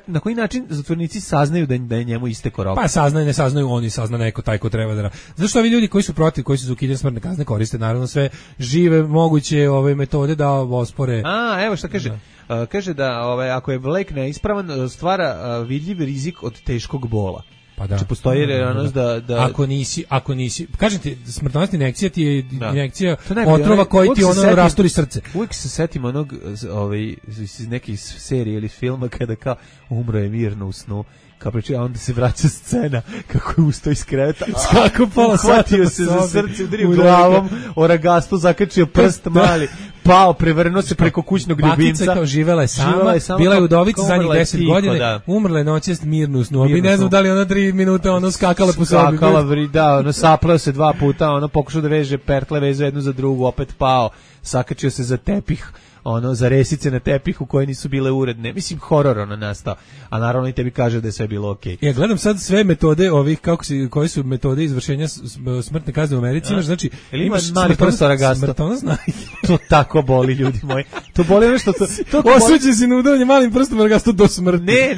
na koji način zatvornici saznaju da je njemu istekao rok? Pa ne saznaju oni, sazna neko taj ko treba da radi. Zato što ovi ljudi koji su protiv, koji su za ukidanje smrtne kazne koriste naravno sve žive moguće metode da ospore. Evo šta kaže. Kaže da ako je lek neispravan, stvara vidljiv rizik od teškog bola. Pa da. Znači postoji realnost da ako nisi, kažem ti, smrtonosna injekcija ti je injekcija otrova koji ti rasturi srce. Uvijek se setim onog iz nekih serije ili filma kada kao umro je mirno u snu, kao priča, a onda se vraća scena kako je ustao iz kreveta, skako pola hvatio se za srce, udario glavom o ragastu, zakačio prst mali, pao, prevrnuo se preko kućnog ljubimca. Bakica kao živela je sama, bila je udovica zadnjih 10 godina, umrla je noćas mirno u snu. Ne znam da li ona 3 minuta skakala po sobi. Skakala, sapleo se 2 puta, pokušao da veže pertle, vezao jednu za drugu, opet pao, sakačio se za tepih, ono za resice na tepihu koje nisu bile uredne. Mislim, horor ono nastao. A naravno i tebi kaže da je sve bilo okej. Ja gledam sad sve metode ovih, koje su metode izvršenja smrtne kazne u Americi. Znači, imaš mali prst oragasto. Smrtonosno. To tako boli, ljudi moji. To boli ono što... Osuđe si na udavanje malim prstom oragasto do smrti. Ne,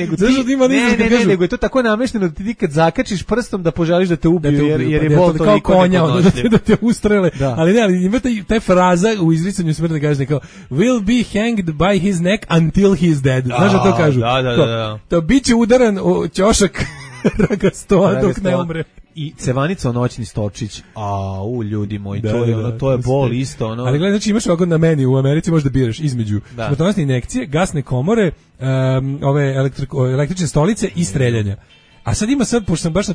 nego je to tako namešteno da ti kad zakačiš prstom da poželiš da te ubiju, jer je bol to kao konja, da te ustrele. Ali ima taj fraza u izricanju smrtne kazne kao will be hanged by his neck until he's dead. Znaš da to kažu? Da. To biće udaran o ćošak ragastoa dok ne umre. I cevanica noćni stočić. Ljudi moji, to je bol isto. Ono. Ali gledaj, znači imaš ovako na meni u Americi možda biraš između smrtonosne injekcije, gasne komore, ove električne stolice i streljanja. A sad ima pošto sam baš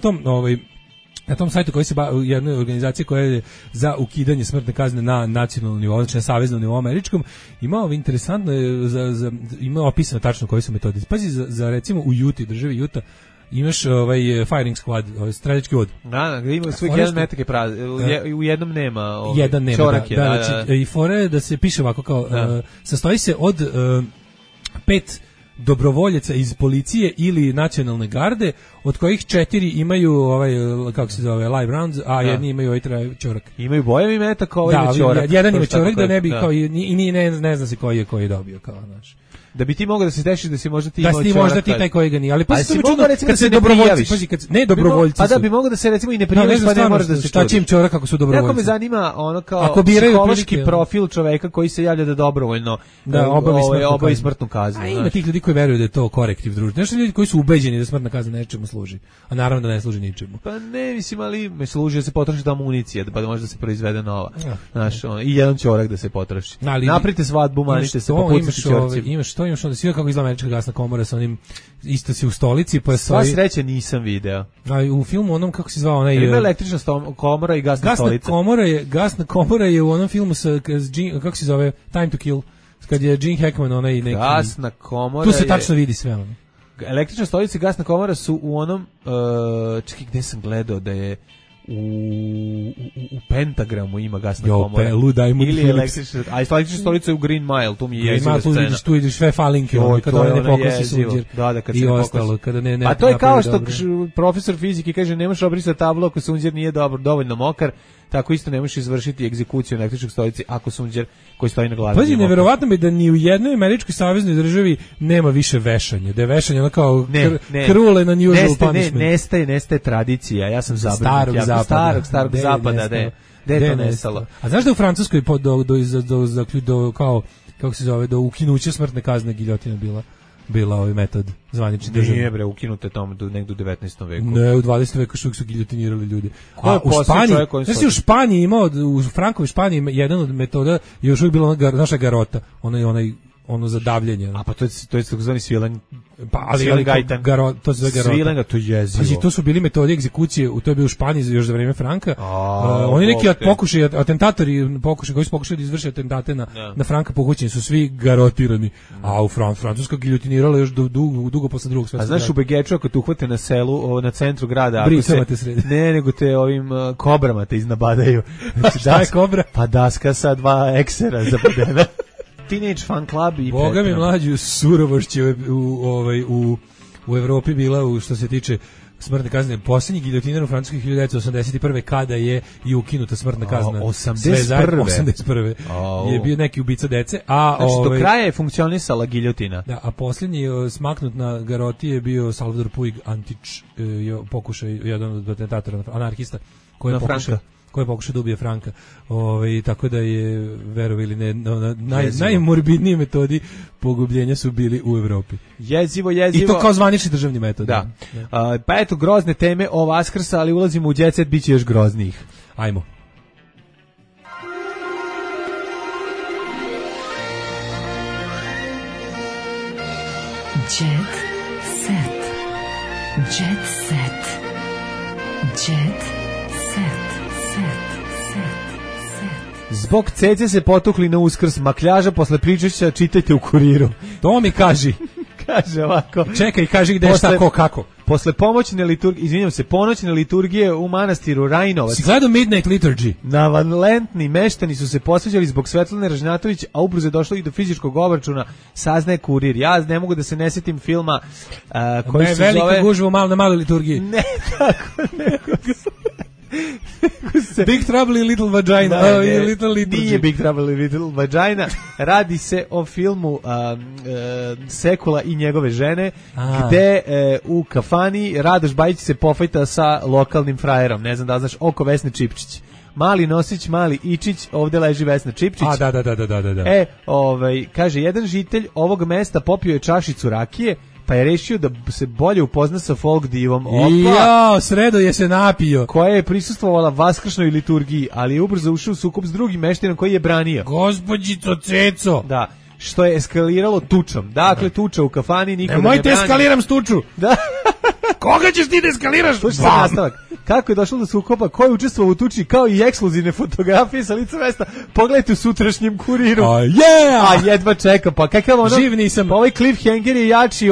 na tom sajtu koji se jednoj organizaciji koja je za ukidanje smrtne kazne na nacionalnom nivou, znači na saveznom nivou američkom, ima interesantno, ima opisano tačno koji su metodi. Pazi, za recimo u Utah, državi Utah, imaš firing squad, streljački vod. Da, ima svoj jedan metak je u jednom nema jedan nema, čorak i fora je da se piše ovako kao, sastoji se od 5 dobrovoljaca iz policije ili nacionalne garde, od kojih 4 imaju kako se zove, live rounds, a jedni imaju čorak. Imaju bojevi metak, ima čorak. Jedan ima čorak, da ne bi kao i ne zna se koji je dobio, kao, znaš. Da bi ti mogao da se tešiš da si možda ti imao čorak. Da si možda ti taj koji ga nije, ali pa si mogao recimo kad se dobrovoljci, ne dobrovoljci. Pa da bi mogao da se recimo i ne prijaviš, pa ne moraš da se šta će im čorak ako su dobrovoljci. Jako me zanima ono kao psihološki profil čoveka koji se javlja da dobrovoljno obavi smrtnu kaznu. A ima tih ljudi koji veruju da je to korektiv društva. Znaš, ljudi koji su ubeđeni da smrtna kazna nečemu služi, a naravno da ne služi ničemu. Pa ne, mislim, ali me služi da se potroši ta municija, pa da može da se proizvede nova. Znaš, i jedan čorak da se potroši. Napravite svadbu, manite se, popucati ćorci. Imaš onda svi kako izgleda američka gasna komora sa onim isto si u stolici pa sva sreća nisam video. A u filmu onom kako se zvao onaj ima električna komora i gasna stolica. Gasna komora je u onom filmu sa kako se zove Time to Kill, kad je Gene Hackman onaj neki. Gasna komora. Tu se tačno vidi sve ono. Električna stolica i gasna komora su u onom čekaj gde sam gledao da je u Pentagramu ima gasna komora. Ili električna, a električna stolica je u Green Mile, tu mi je jeziva scena. Tu vidiš sve falinke, kada ne pokosi sunđer i ostalo. A to je kao što profesor fizike kaže, ne možeš obrisati tablu ako sunđer nije dovoljno mokar, tako isto ne možeš izvršiti egzekuciju na električnoj stolici ako sunđer koji stoji na glavi. Pazi, neverovatno mi da ni u jednoj američkoj saveznoj državi nema više vešanja, da je vešanje ono kao krule na usual punishment. Nestaje tradicija, ja sam zabrinut. Starog zapada, gde je to nestalo? A znaš da u Francuskoj do kao, kako se zove, do ukinuća smrtne kazne giljotina bila ovaj metod zvanični državni. Nije bre, ukinuto tamo negdje u 19. veku. Ne, u 20. veku su giljotinirali ljudi. A u Španiji, znači u Španiji imao, u Frankovoj Španiji jedan od metoda je još uvijek bila naša garota, ono za davljenje. A pa to je takozvani svilanj. Pa ali to se zove garota. Svilanga, to je jezivo. Znači, to su bili metodi egzekucije, to je bio u Španiji još za vrijeme Franka. Oni neki atentatori koji su pokušali da izvrše atentate na Franka pokućeni su svi garotirani. A u Francuska giljotinirala još dugo posle drugog svjetskog rata. A znaš u Begeču ako te uhvate na selu, na centru grada, Bricama te sredi. Ne, nego te ovim kobrama te iznabadaju. Znači, šta je kobra? Pa daska sa 2 eksera zabodena. Teenage Fan Club i Boga mi mlađu surovošće u Evropi bila što se tiče smrtne kazne. Posljednji giljotiner u Francuskoj 1981. kada je i ukinuta smrtna kazna. 81. Je bio neki ubica dece. Znači do kraja je funkcionisala giljotina. Da, a posljednji smaknut na garoti je bio Salvador Puig Antić, pokušaj jedan od atentatora, anarhista, koji je pokušao da ubije Franka. Tako da je, verovi ili ne, najmorbidniji metodi pogubljenja su bili u Evropi. Jezivo. I to kao zvanični državni metod. Da. Pa eto, grozne teme o Vaskrsa, ali ulazimo u jet set, bit će još groznijih. Ajmo. Jet set. Jet set. Jet set. Zbog cece se potukli na Uskrs, makljaža posle pričešća, čitajte u Kuriru. To mi kaži. Kaže ovako. Čekaj, kaži gde šta, ko, kako. Posle pomoćne liturgije, izvinjam se, ponoćne liturgije u manastiru Rajnovac. Si gledao Midnight Liturgy? Navalentni meštani su se posveđali zbog Svetlane Ražnjatović, a ubrzo je došlo i do fizičkog obračuna, saznaje Kurir. Ja ne mogu da se ne setim filma koji se zove... Velika gužva na maloj liturgiji. Ne, tako nego... Big Trouble in Little Vagina. Little Liturgy. Nije Big Trouble in Little Vagina. Radi se o filmu Sekula i njegove žene, gde u kafani Radoš Bajić se pofajta sa lokalnim frajerom. Ne znam da znaš, oko Vesne Čipčić. Mali Nosić, mali Ičić, ovde leži Vesna Čipčić. Da. Kaže, jedan žitelj ovog mesta popio je čašicu rakije, pa je rešio da se bolje upozna sa folk divom. Sredo je se napio. Koja je prisustvovala vaskršnoj liturgiji, ali je ubrzo ušao u sukob s drugim meštinom koji je branio. Gospođico Ceco. Da, što je eskaliralo tučom. Dakle, tuča u kafani, niko ne brani. Nemojte eskaliram s tuču. Da. Koga ćeš ti da eskaliraš? Slušaj sad nastavak. Kako je došlo do sukoba, ko je učestvovao u tuči, kao i ekskluzivne fotografije sa lica mesta. Pogledajte u sutrašnjem Kuriru. A jedva čeka, pa kakav ono... Živ nisam. Pa ovaj cliffhanger je jači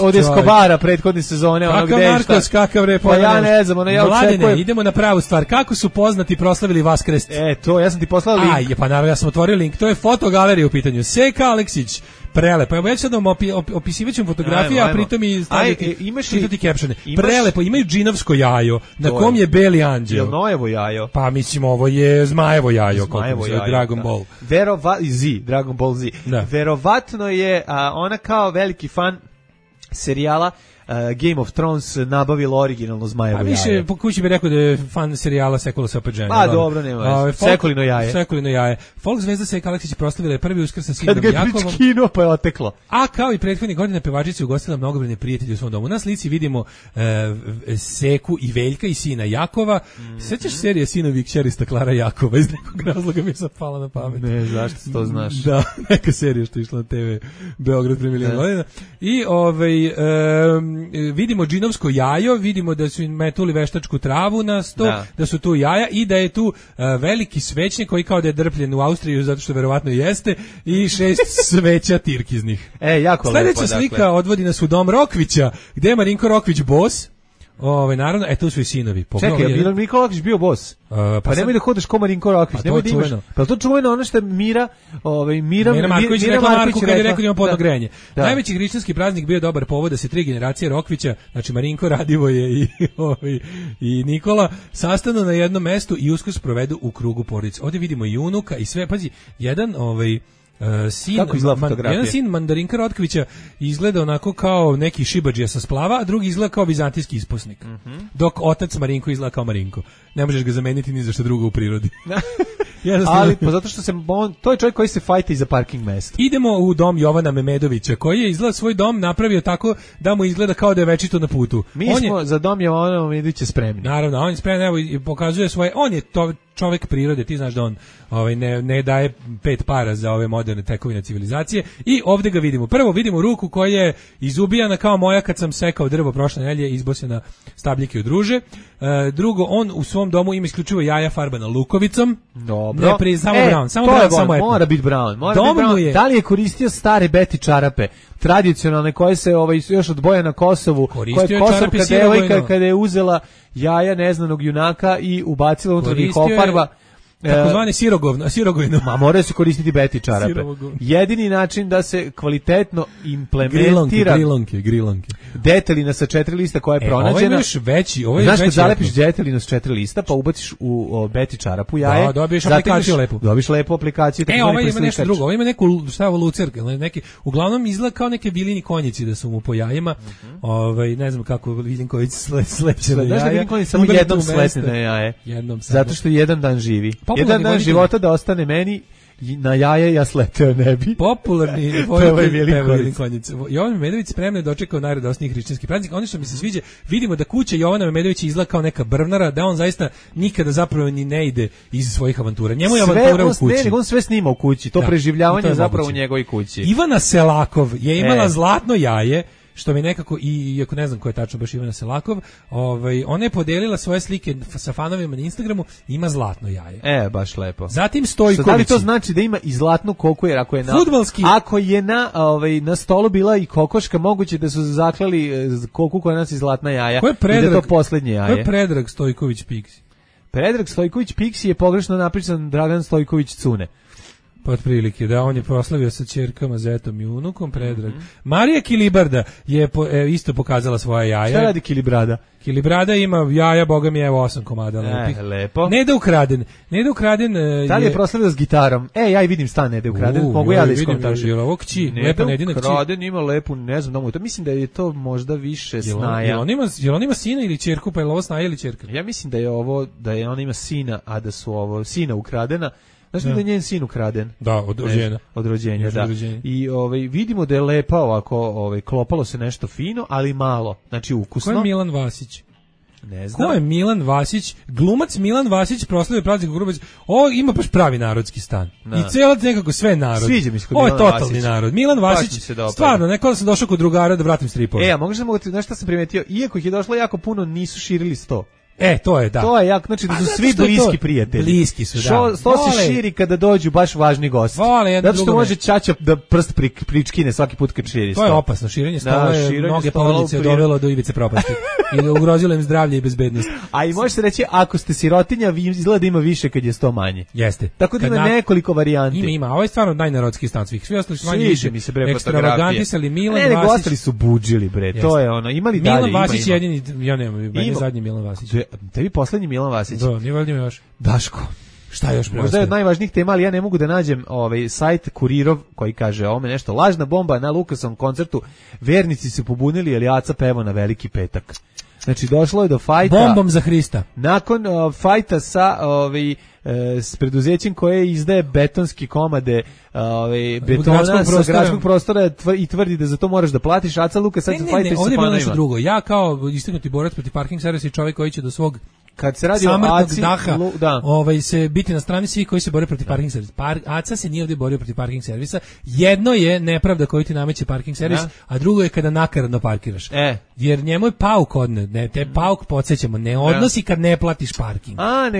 od Escobara prethodne sezone. Kakav Narkos, kakav rep. Pa ja ne znam, ja očekujem. Idemo na pravu stvar. Kako su poznati proslavili Vaskrest? To, ja sam ti poslao link. Pa naravno, ja sam otvorio link. To je fotogalerija u pitanju. Seka Aleksić. Prelepo. Evo ja ću sad vam opisivaću fotografije, a pritom i staviti captione. Prelepo, imaju džinovsko jajo, na kom je beli anđel. Jel Nojevo jajo? Pa mislim, ovo je Zmajevo jajo, Dragon Ball. Dragon Ball Z. Verovatno je ona kao veliki fan serijala Game of Thrones nabavilo originalno Zmajevo jaje. A više po kući bi rekao da je fan serijala Sekula se opet ženi. Dobro, nema. Sekulino jaje. Folk zvezda Seka Aleksić proslavila je prvi Uskrs sa sinom Jakovom. Kad ga je kino, pa je oteklo. A kao i prethodnih godina pevačica ugostila mnogobrojne prijatelje u svom domu. Na slici vidimo Seku i Veljka i sina Jakova. Sećaš serije Sinovi i kćeri Staklara Jakova? Iz nekog razloga mi je sad pala na pamet. Ne, zašto to znaš? Da, neka serija što je išla na TV Beograd pre milion godina. I vidimo džinovsko jajo, vidimo da su im metuli veštačku travu na sto, da su tu jaja i da je tu veliki svećnik koji kao da je drpljen u Austriju zato što verovatno jeste i 6 sveća tirkiznih. Jako lepo. Sledeća slika odvodi nas u dom Rokvića, gde je Marinko Rokvić bos. Naravno, tu su i sinovi. Čekaj, je bilo Marinko Rokvić bio bos? Pa nemoj da hodeš ko Marinko Rokvić, nemoj da imaš. Pa to čuveno ono što je Mira Marković rekla Marku kad je rekao da ima podno grejanje. Najveći hrišćanski praznik bio dobar povod da se 3 generacije Rokvića, znači Marinko, Radivoje i Nikola, sastanu na jednom mestu i Uskrs provedu u krugu porodice. Ovdje vidimo i unuka i sve, pazi, jedan jedan sin Mandarinka Rotkovića izgleda onako kao neki šibadžija sa Splava, a drugi izgleda kao vizantijski isposnik. Dok otac Marinko izgleda kao Marinko. Ne možeš ga zameniti ni za što drugo u prirodi. Ali pa zato što to je čovjek koji se fajta iza parking mesta. Idemo u dom Jovana Memedovića, koji je izgleda svoj dom napravio tako da mu izgleda kao da je večito na putu. Mi smo za dom Jovana Memedovića spremni. Naravno, on je spreman, evo, i pokazuje svoje, on je čovjek prirode, ti znaš da on ne daje 5 para za ove moderne tekovine civilizacije i ovdje ga vidimo. Prvo vidimo ruku koja je izubijana kao moja kad sam sekao drvo prošle nedelje, izbosena stabljike od ruže. Drugo, on u svom domu ima isključivo jaja farbana lukovicom. Dobro. Samo brown. Mora biti brown. Da li je koristio stare beti čarape? Tradicionalne koje se još od boja na Kosovu, koje kosovka devojka kada je uzela jaja neznanog junaka i ubacila unutra ih ofarba. Takozvane sirogovino. Ma mora se koristiti beti čarape. Jedini način da se kvalitetno implementira grilonke. Detelina sa 4 lista koja je pronađena. Ovo je još veći. Znaš kad zalepiš detelinu sa 4 lista pa ubaciš u beti čarapu jaje. Dobiješ aplikaciju lepu. Dobiš lepu aplikaciju. Ovo ima nešto drugo. Ovo ima neku lucerku. Uglavnom izgleda kao neke vilini konjici da su mu po jajima. Ne znam kako Vilinković slepće na jaja. Znaš da Vilinković samo jednom sletne na jaje. Zato što jedan dan živi. Jedan dan života da ostane meni na jaje, ja sleteo ne bi. Popularni Vilinković. Jovan Memedović spremno je dočekao najradosniji hrišćanski praznik. Ono što mi se sviđa, vidimo da kuća Jovana Memedovića izgleda kao neka brvnara, da on zaista nikada zapravo ni ne ide iz svojih avantura. Njemu je avantura u kući. On sve snima u kući, to preživljavanje je zapravo u njegovoj kući. Ivana Selakov je imala zlatno jaje što mi nekako, iako ne znam ko je tačno baš Ivana Selakov, ona je podelila svoje slike sa fanovima na Instagramu, ima zlatno jaje. Baš lepo. Zatim Stojković. Da li to znači da ima i zlatnu koku, jer ako je ako je na stolu bila i kokoška, moguće da su zaklali koku koja nosi zlatna jaja. Ko je Predrag? I da to poslednje jaje. Ko je Predrag Stojković Piksi? Predrag Stojković Piksi je pogrešno napisan Dragan Stojković Cune. Pa otprilike, da, on je proslavio sa ćerkama, zetom i unukom, Predrag. Marija Kilibarda je isto pokazala svoja jaja. Šta radi Kilibrada? Kilibrada ima jaja, boga mi, evo 8 komada lepih. Lepo. Neda Ukraden. Da li je proslavio s gitarom? Ja i vidim stan Neda Ukraden, mogu ja da iskontažim. Jel ovo kći? Lepa Nedina kći? Neda Ukraden ima lepu, ne znam da mu je to, mislim da je to možda više snaja. Jel on ima sina ili ćerku, pa je ovo snaja ili ćerka? Ja mislim da je ovo, da ona ima sina, a da su ovo sina ukradena. Znači da je njen sin ukraden. Da, od rođenja. Da. I vidimo da je lepa ovako, klopalo se nešto fino, ali malo, znači ukusno. Ko je Milan Vasić? Ne znam. Ko je Milan Vasić? Glumac Milan Vasić proslavio praznik u Grubac. Ovo ima baš pravi narodski stan. Da. I celo nekako sve narod. Sviđa mi se kod Ovo je Milan totalni Vasić. Narod. Milan Vasić, stvarno, neko da sam došao kod drugara da vratim stripove. A mogu da znaš šta sam primetio? Iako ih je došlo jako puno, nisu širili 100. To je, da. To je jako, znači da su svi bliski prijatelji. Bliski su, da. To se širi kada dođu baš važni gosti. Zato što može ćaća da prst pričkine svaki put kad širi. To je opasno, širenje stola je mnoge porodice dovelo do ivice propasti. I ugrozilo im zdravlje i bezbednost. A i može se reći, ako ste sirotinja, izgleda ima više kad je 100 manje. Jeste. Tako da ima nekoliko varijanti. Ima. Ovo je stvarno najnarodski stan svih. Svi ostali su manje više ekstravagantisali. Milan Vasić. Ne, ostali su budžili, bre. To je ono. Imali dalje. Milan Vasić jedini, ja nemam, meni zadnji Milan Vasić. Tebi poslednji Milan Vasić. Da, nije valjda još. Daško. Šta još preostaje? Možda je od najvažnijih tema, ali ja ne mogu da nađem sajt Kurirov koji kaže ovome nešto. Lažna bomba na Lukasovom koncertu. Vernici se pobunili, ali Aca pevao na Veliki petak. Znači, došlo je do fajta. Bombom za Hrista. Nakon fajta sa s preduzećem koje izdaje betonski komade betona sa gradskog prostora i tvrdi da za to moraš da platiš, Aca Lukas sad se fajta sa ovdje je bilo nešto panovima. drugo. Ja kao istaknuti borac protiv parking servisa i čovjek koji će do svog kad se radi o Aci, se biti na strani svih koji se bore protiv parking servisa. Aca se nije ovdje borio protiv parking servisa. Jedno je nepravda koju ti nameće parking servis, a drugo je kada nakaradno parkiraš. Jer njemu je pauk te pauk podsjećamo, ne odnosi kad ne platiš parking.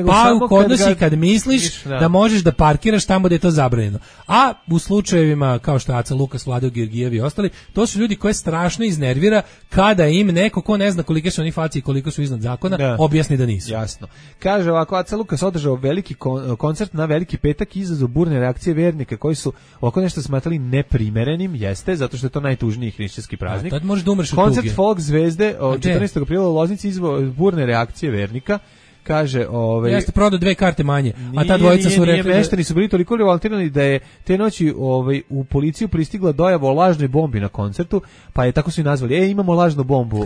Pauk odnosi kad misliš da možeš da parkiraš tamo gdje je to zabranjeno. A u slučajevima kao što je Aca Lukas, Vlado Georgijev i ostali, to su ljudi koje strašno iznervira kada im neko ko ne zna kolike su oni faci i koliko su iznad zakona, objasni da nisu. Jasno. Kaže ovako, Aca Lukas održao veliki koncert na Veliki petak, izazvao burne reakcije vernika koji su ovako nešto smatrali neprimerenim, jeste, zato što je to najtužniji hrišćanski praznik. Tad možeš da umreš od koncert tuge. Folk zvezde od 14. aprila u Loznici izazvao burne reakcije vernika. Kaže, jeste prodao 2 karte manje, a ta dvojica su rekli meštani su bili toliko revoltirani da je te noći u policiju pristigla dojava o lažnoj bombi na koncertu, pa je tako su i nazvali, imamo lažnu bombu,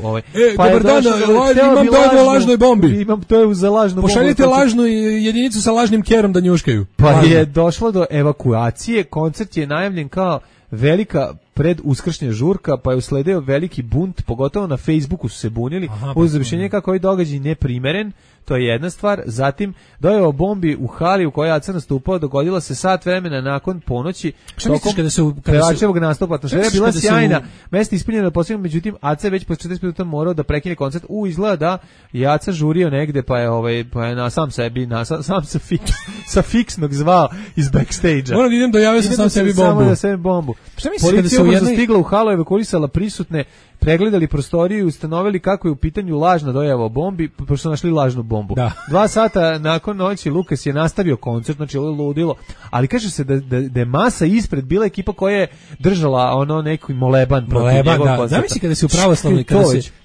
pa dobar dan, imam dojavu o lažnoj bombi. Imam dojavu za lažnu bombu. Pošaljite lažnu jedinicu sa lažnim kerom da njuškaju. Pa je došlo do evakuacije, koncert je najavljen kao velika preduskršnja žurka, pa je usledio veliki bunt, pogotovo na Facebooku su se bunili, uz završenje kako je događaj neprimeren, to je jedna stvar. Zatim, dojava bombi u hali u kojoj je Aca nastupao, dogodila se sat vremena nakon ponoći. Šta misliš kada su nastupa? Atmosfera je bila sjajna, mesto ispunjeno posljedno, međutim, Aca je već po 40 minuta morao da prekine koncert. Izgleda da je Aca žurio negde, pa je na sam sebi, sam sa fiksnog zvao iz backstage-a. Moram da idem dojavio sam sam sebi bombu. Samo da sebi bombu. Policija ubrzo stigla u halu, evakuisala prisutne, pregledali prostoriju i ustanovili kako je u pitanju lažna dojava o bombi, pošto su našli lažnu bombu. 2 sata nakon noći Lukas je nastavio koncert, znači ovo je ludilo, ali kaže se da je masa ispred bila ekipa koja je držala neki moleban protiv njegovog koncerta. Zamisli kada se u pravoslavnoj,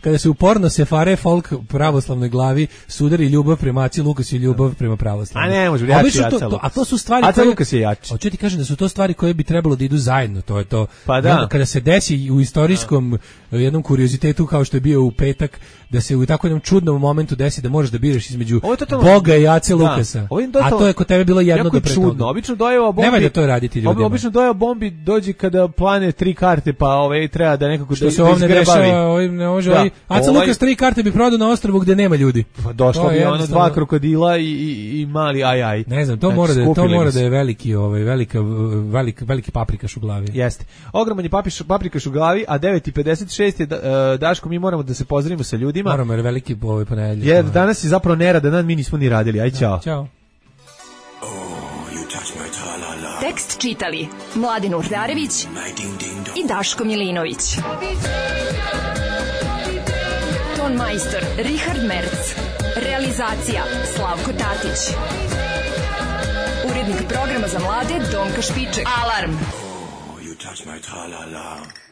kada se uporno sefare folk pravoslavnoj glavi sudari ljubav prema Aci Lukasu i ljubav prema pravoslavnoj. A ne može, jači Aca Lukas. A to su stvari Aca Lukas je jači. Hoću ti kažem da su to stvari koje bi trebalo da idu zajedno, to je to. Pa da. Kada se desi u istorijskom jednom kuriozitetu kao što je bio u petak, da se u tako jednom čudnom momentu desi da možeš da biraš između Boga i Ace Lukasa. A to je kod tebe bilo jedno do pre toga. Obično dojava bombi. Nemoj da to raditi ljudima. Obično dojava bombi dođe kada plane 3 karte, pa treba da nekako što se ovdje ne dešava, ne može. Aca Lukas 3 karte bi prodao na ostrvu gde nema ljudi. Pa došlo bi 2 krokodila i mali aj. Ne znam, to mora da je veliki paprikaš u glavi. Jeste. Ogroman je paprikaš u glavi, a 9:56 je Daško, mi moramo da se pozdravimo sa ljudima. Moramo, jer veliki ponedeljak. Jer danas je zapravo nerada dan, mi nismo ni radili. Aj, ćao. Ćao. Tekst čitali Mladin Urdarević i Daško Milinović. Ton majstor Richard Merc. Realizacija Slavko Tatić. Urednik programa za mlade Donka Špiček. Alarm! You touch my tra-la-la.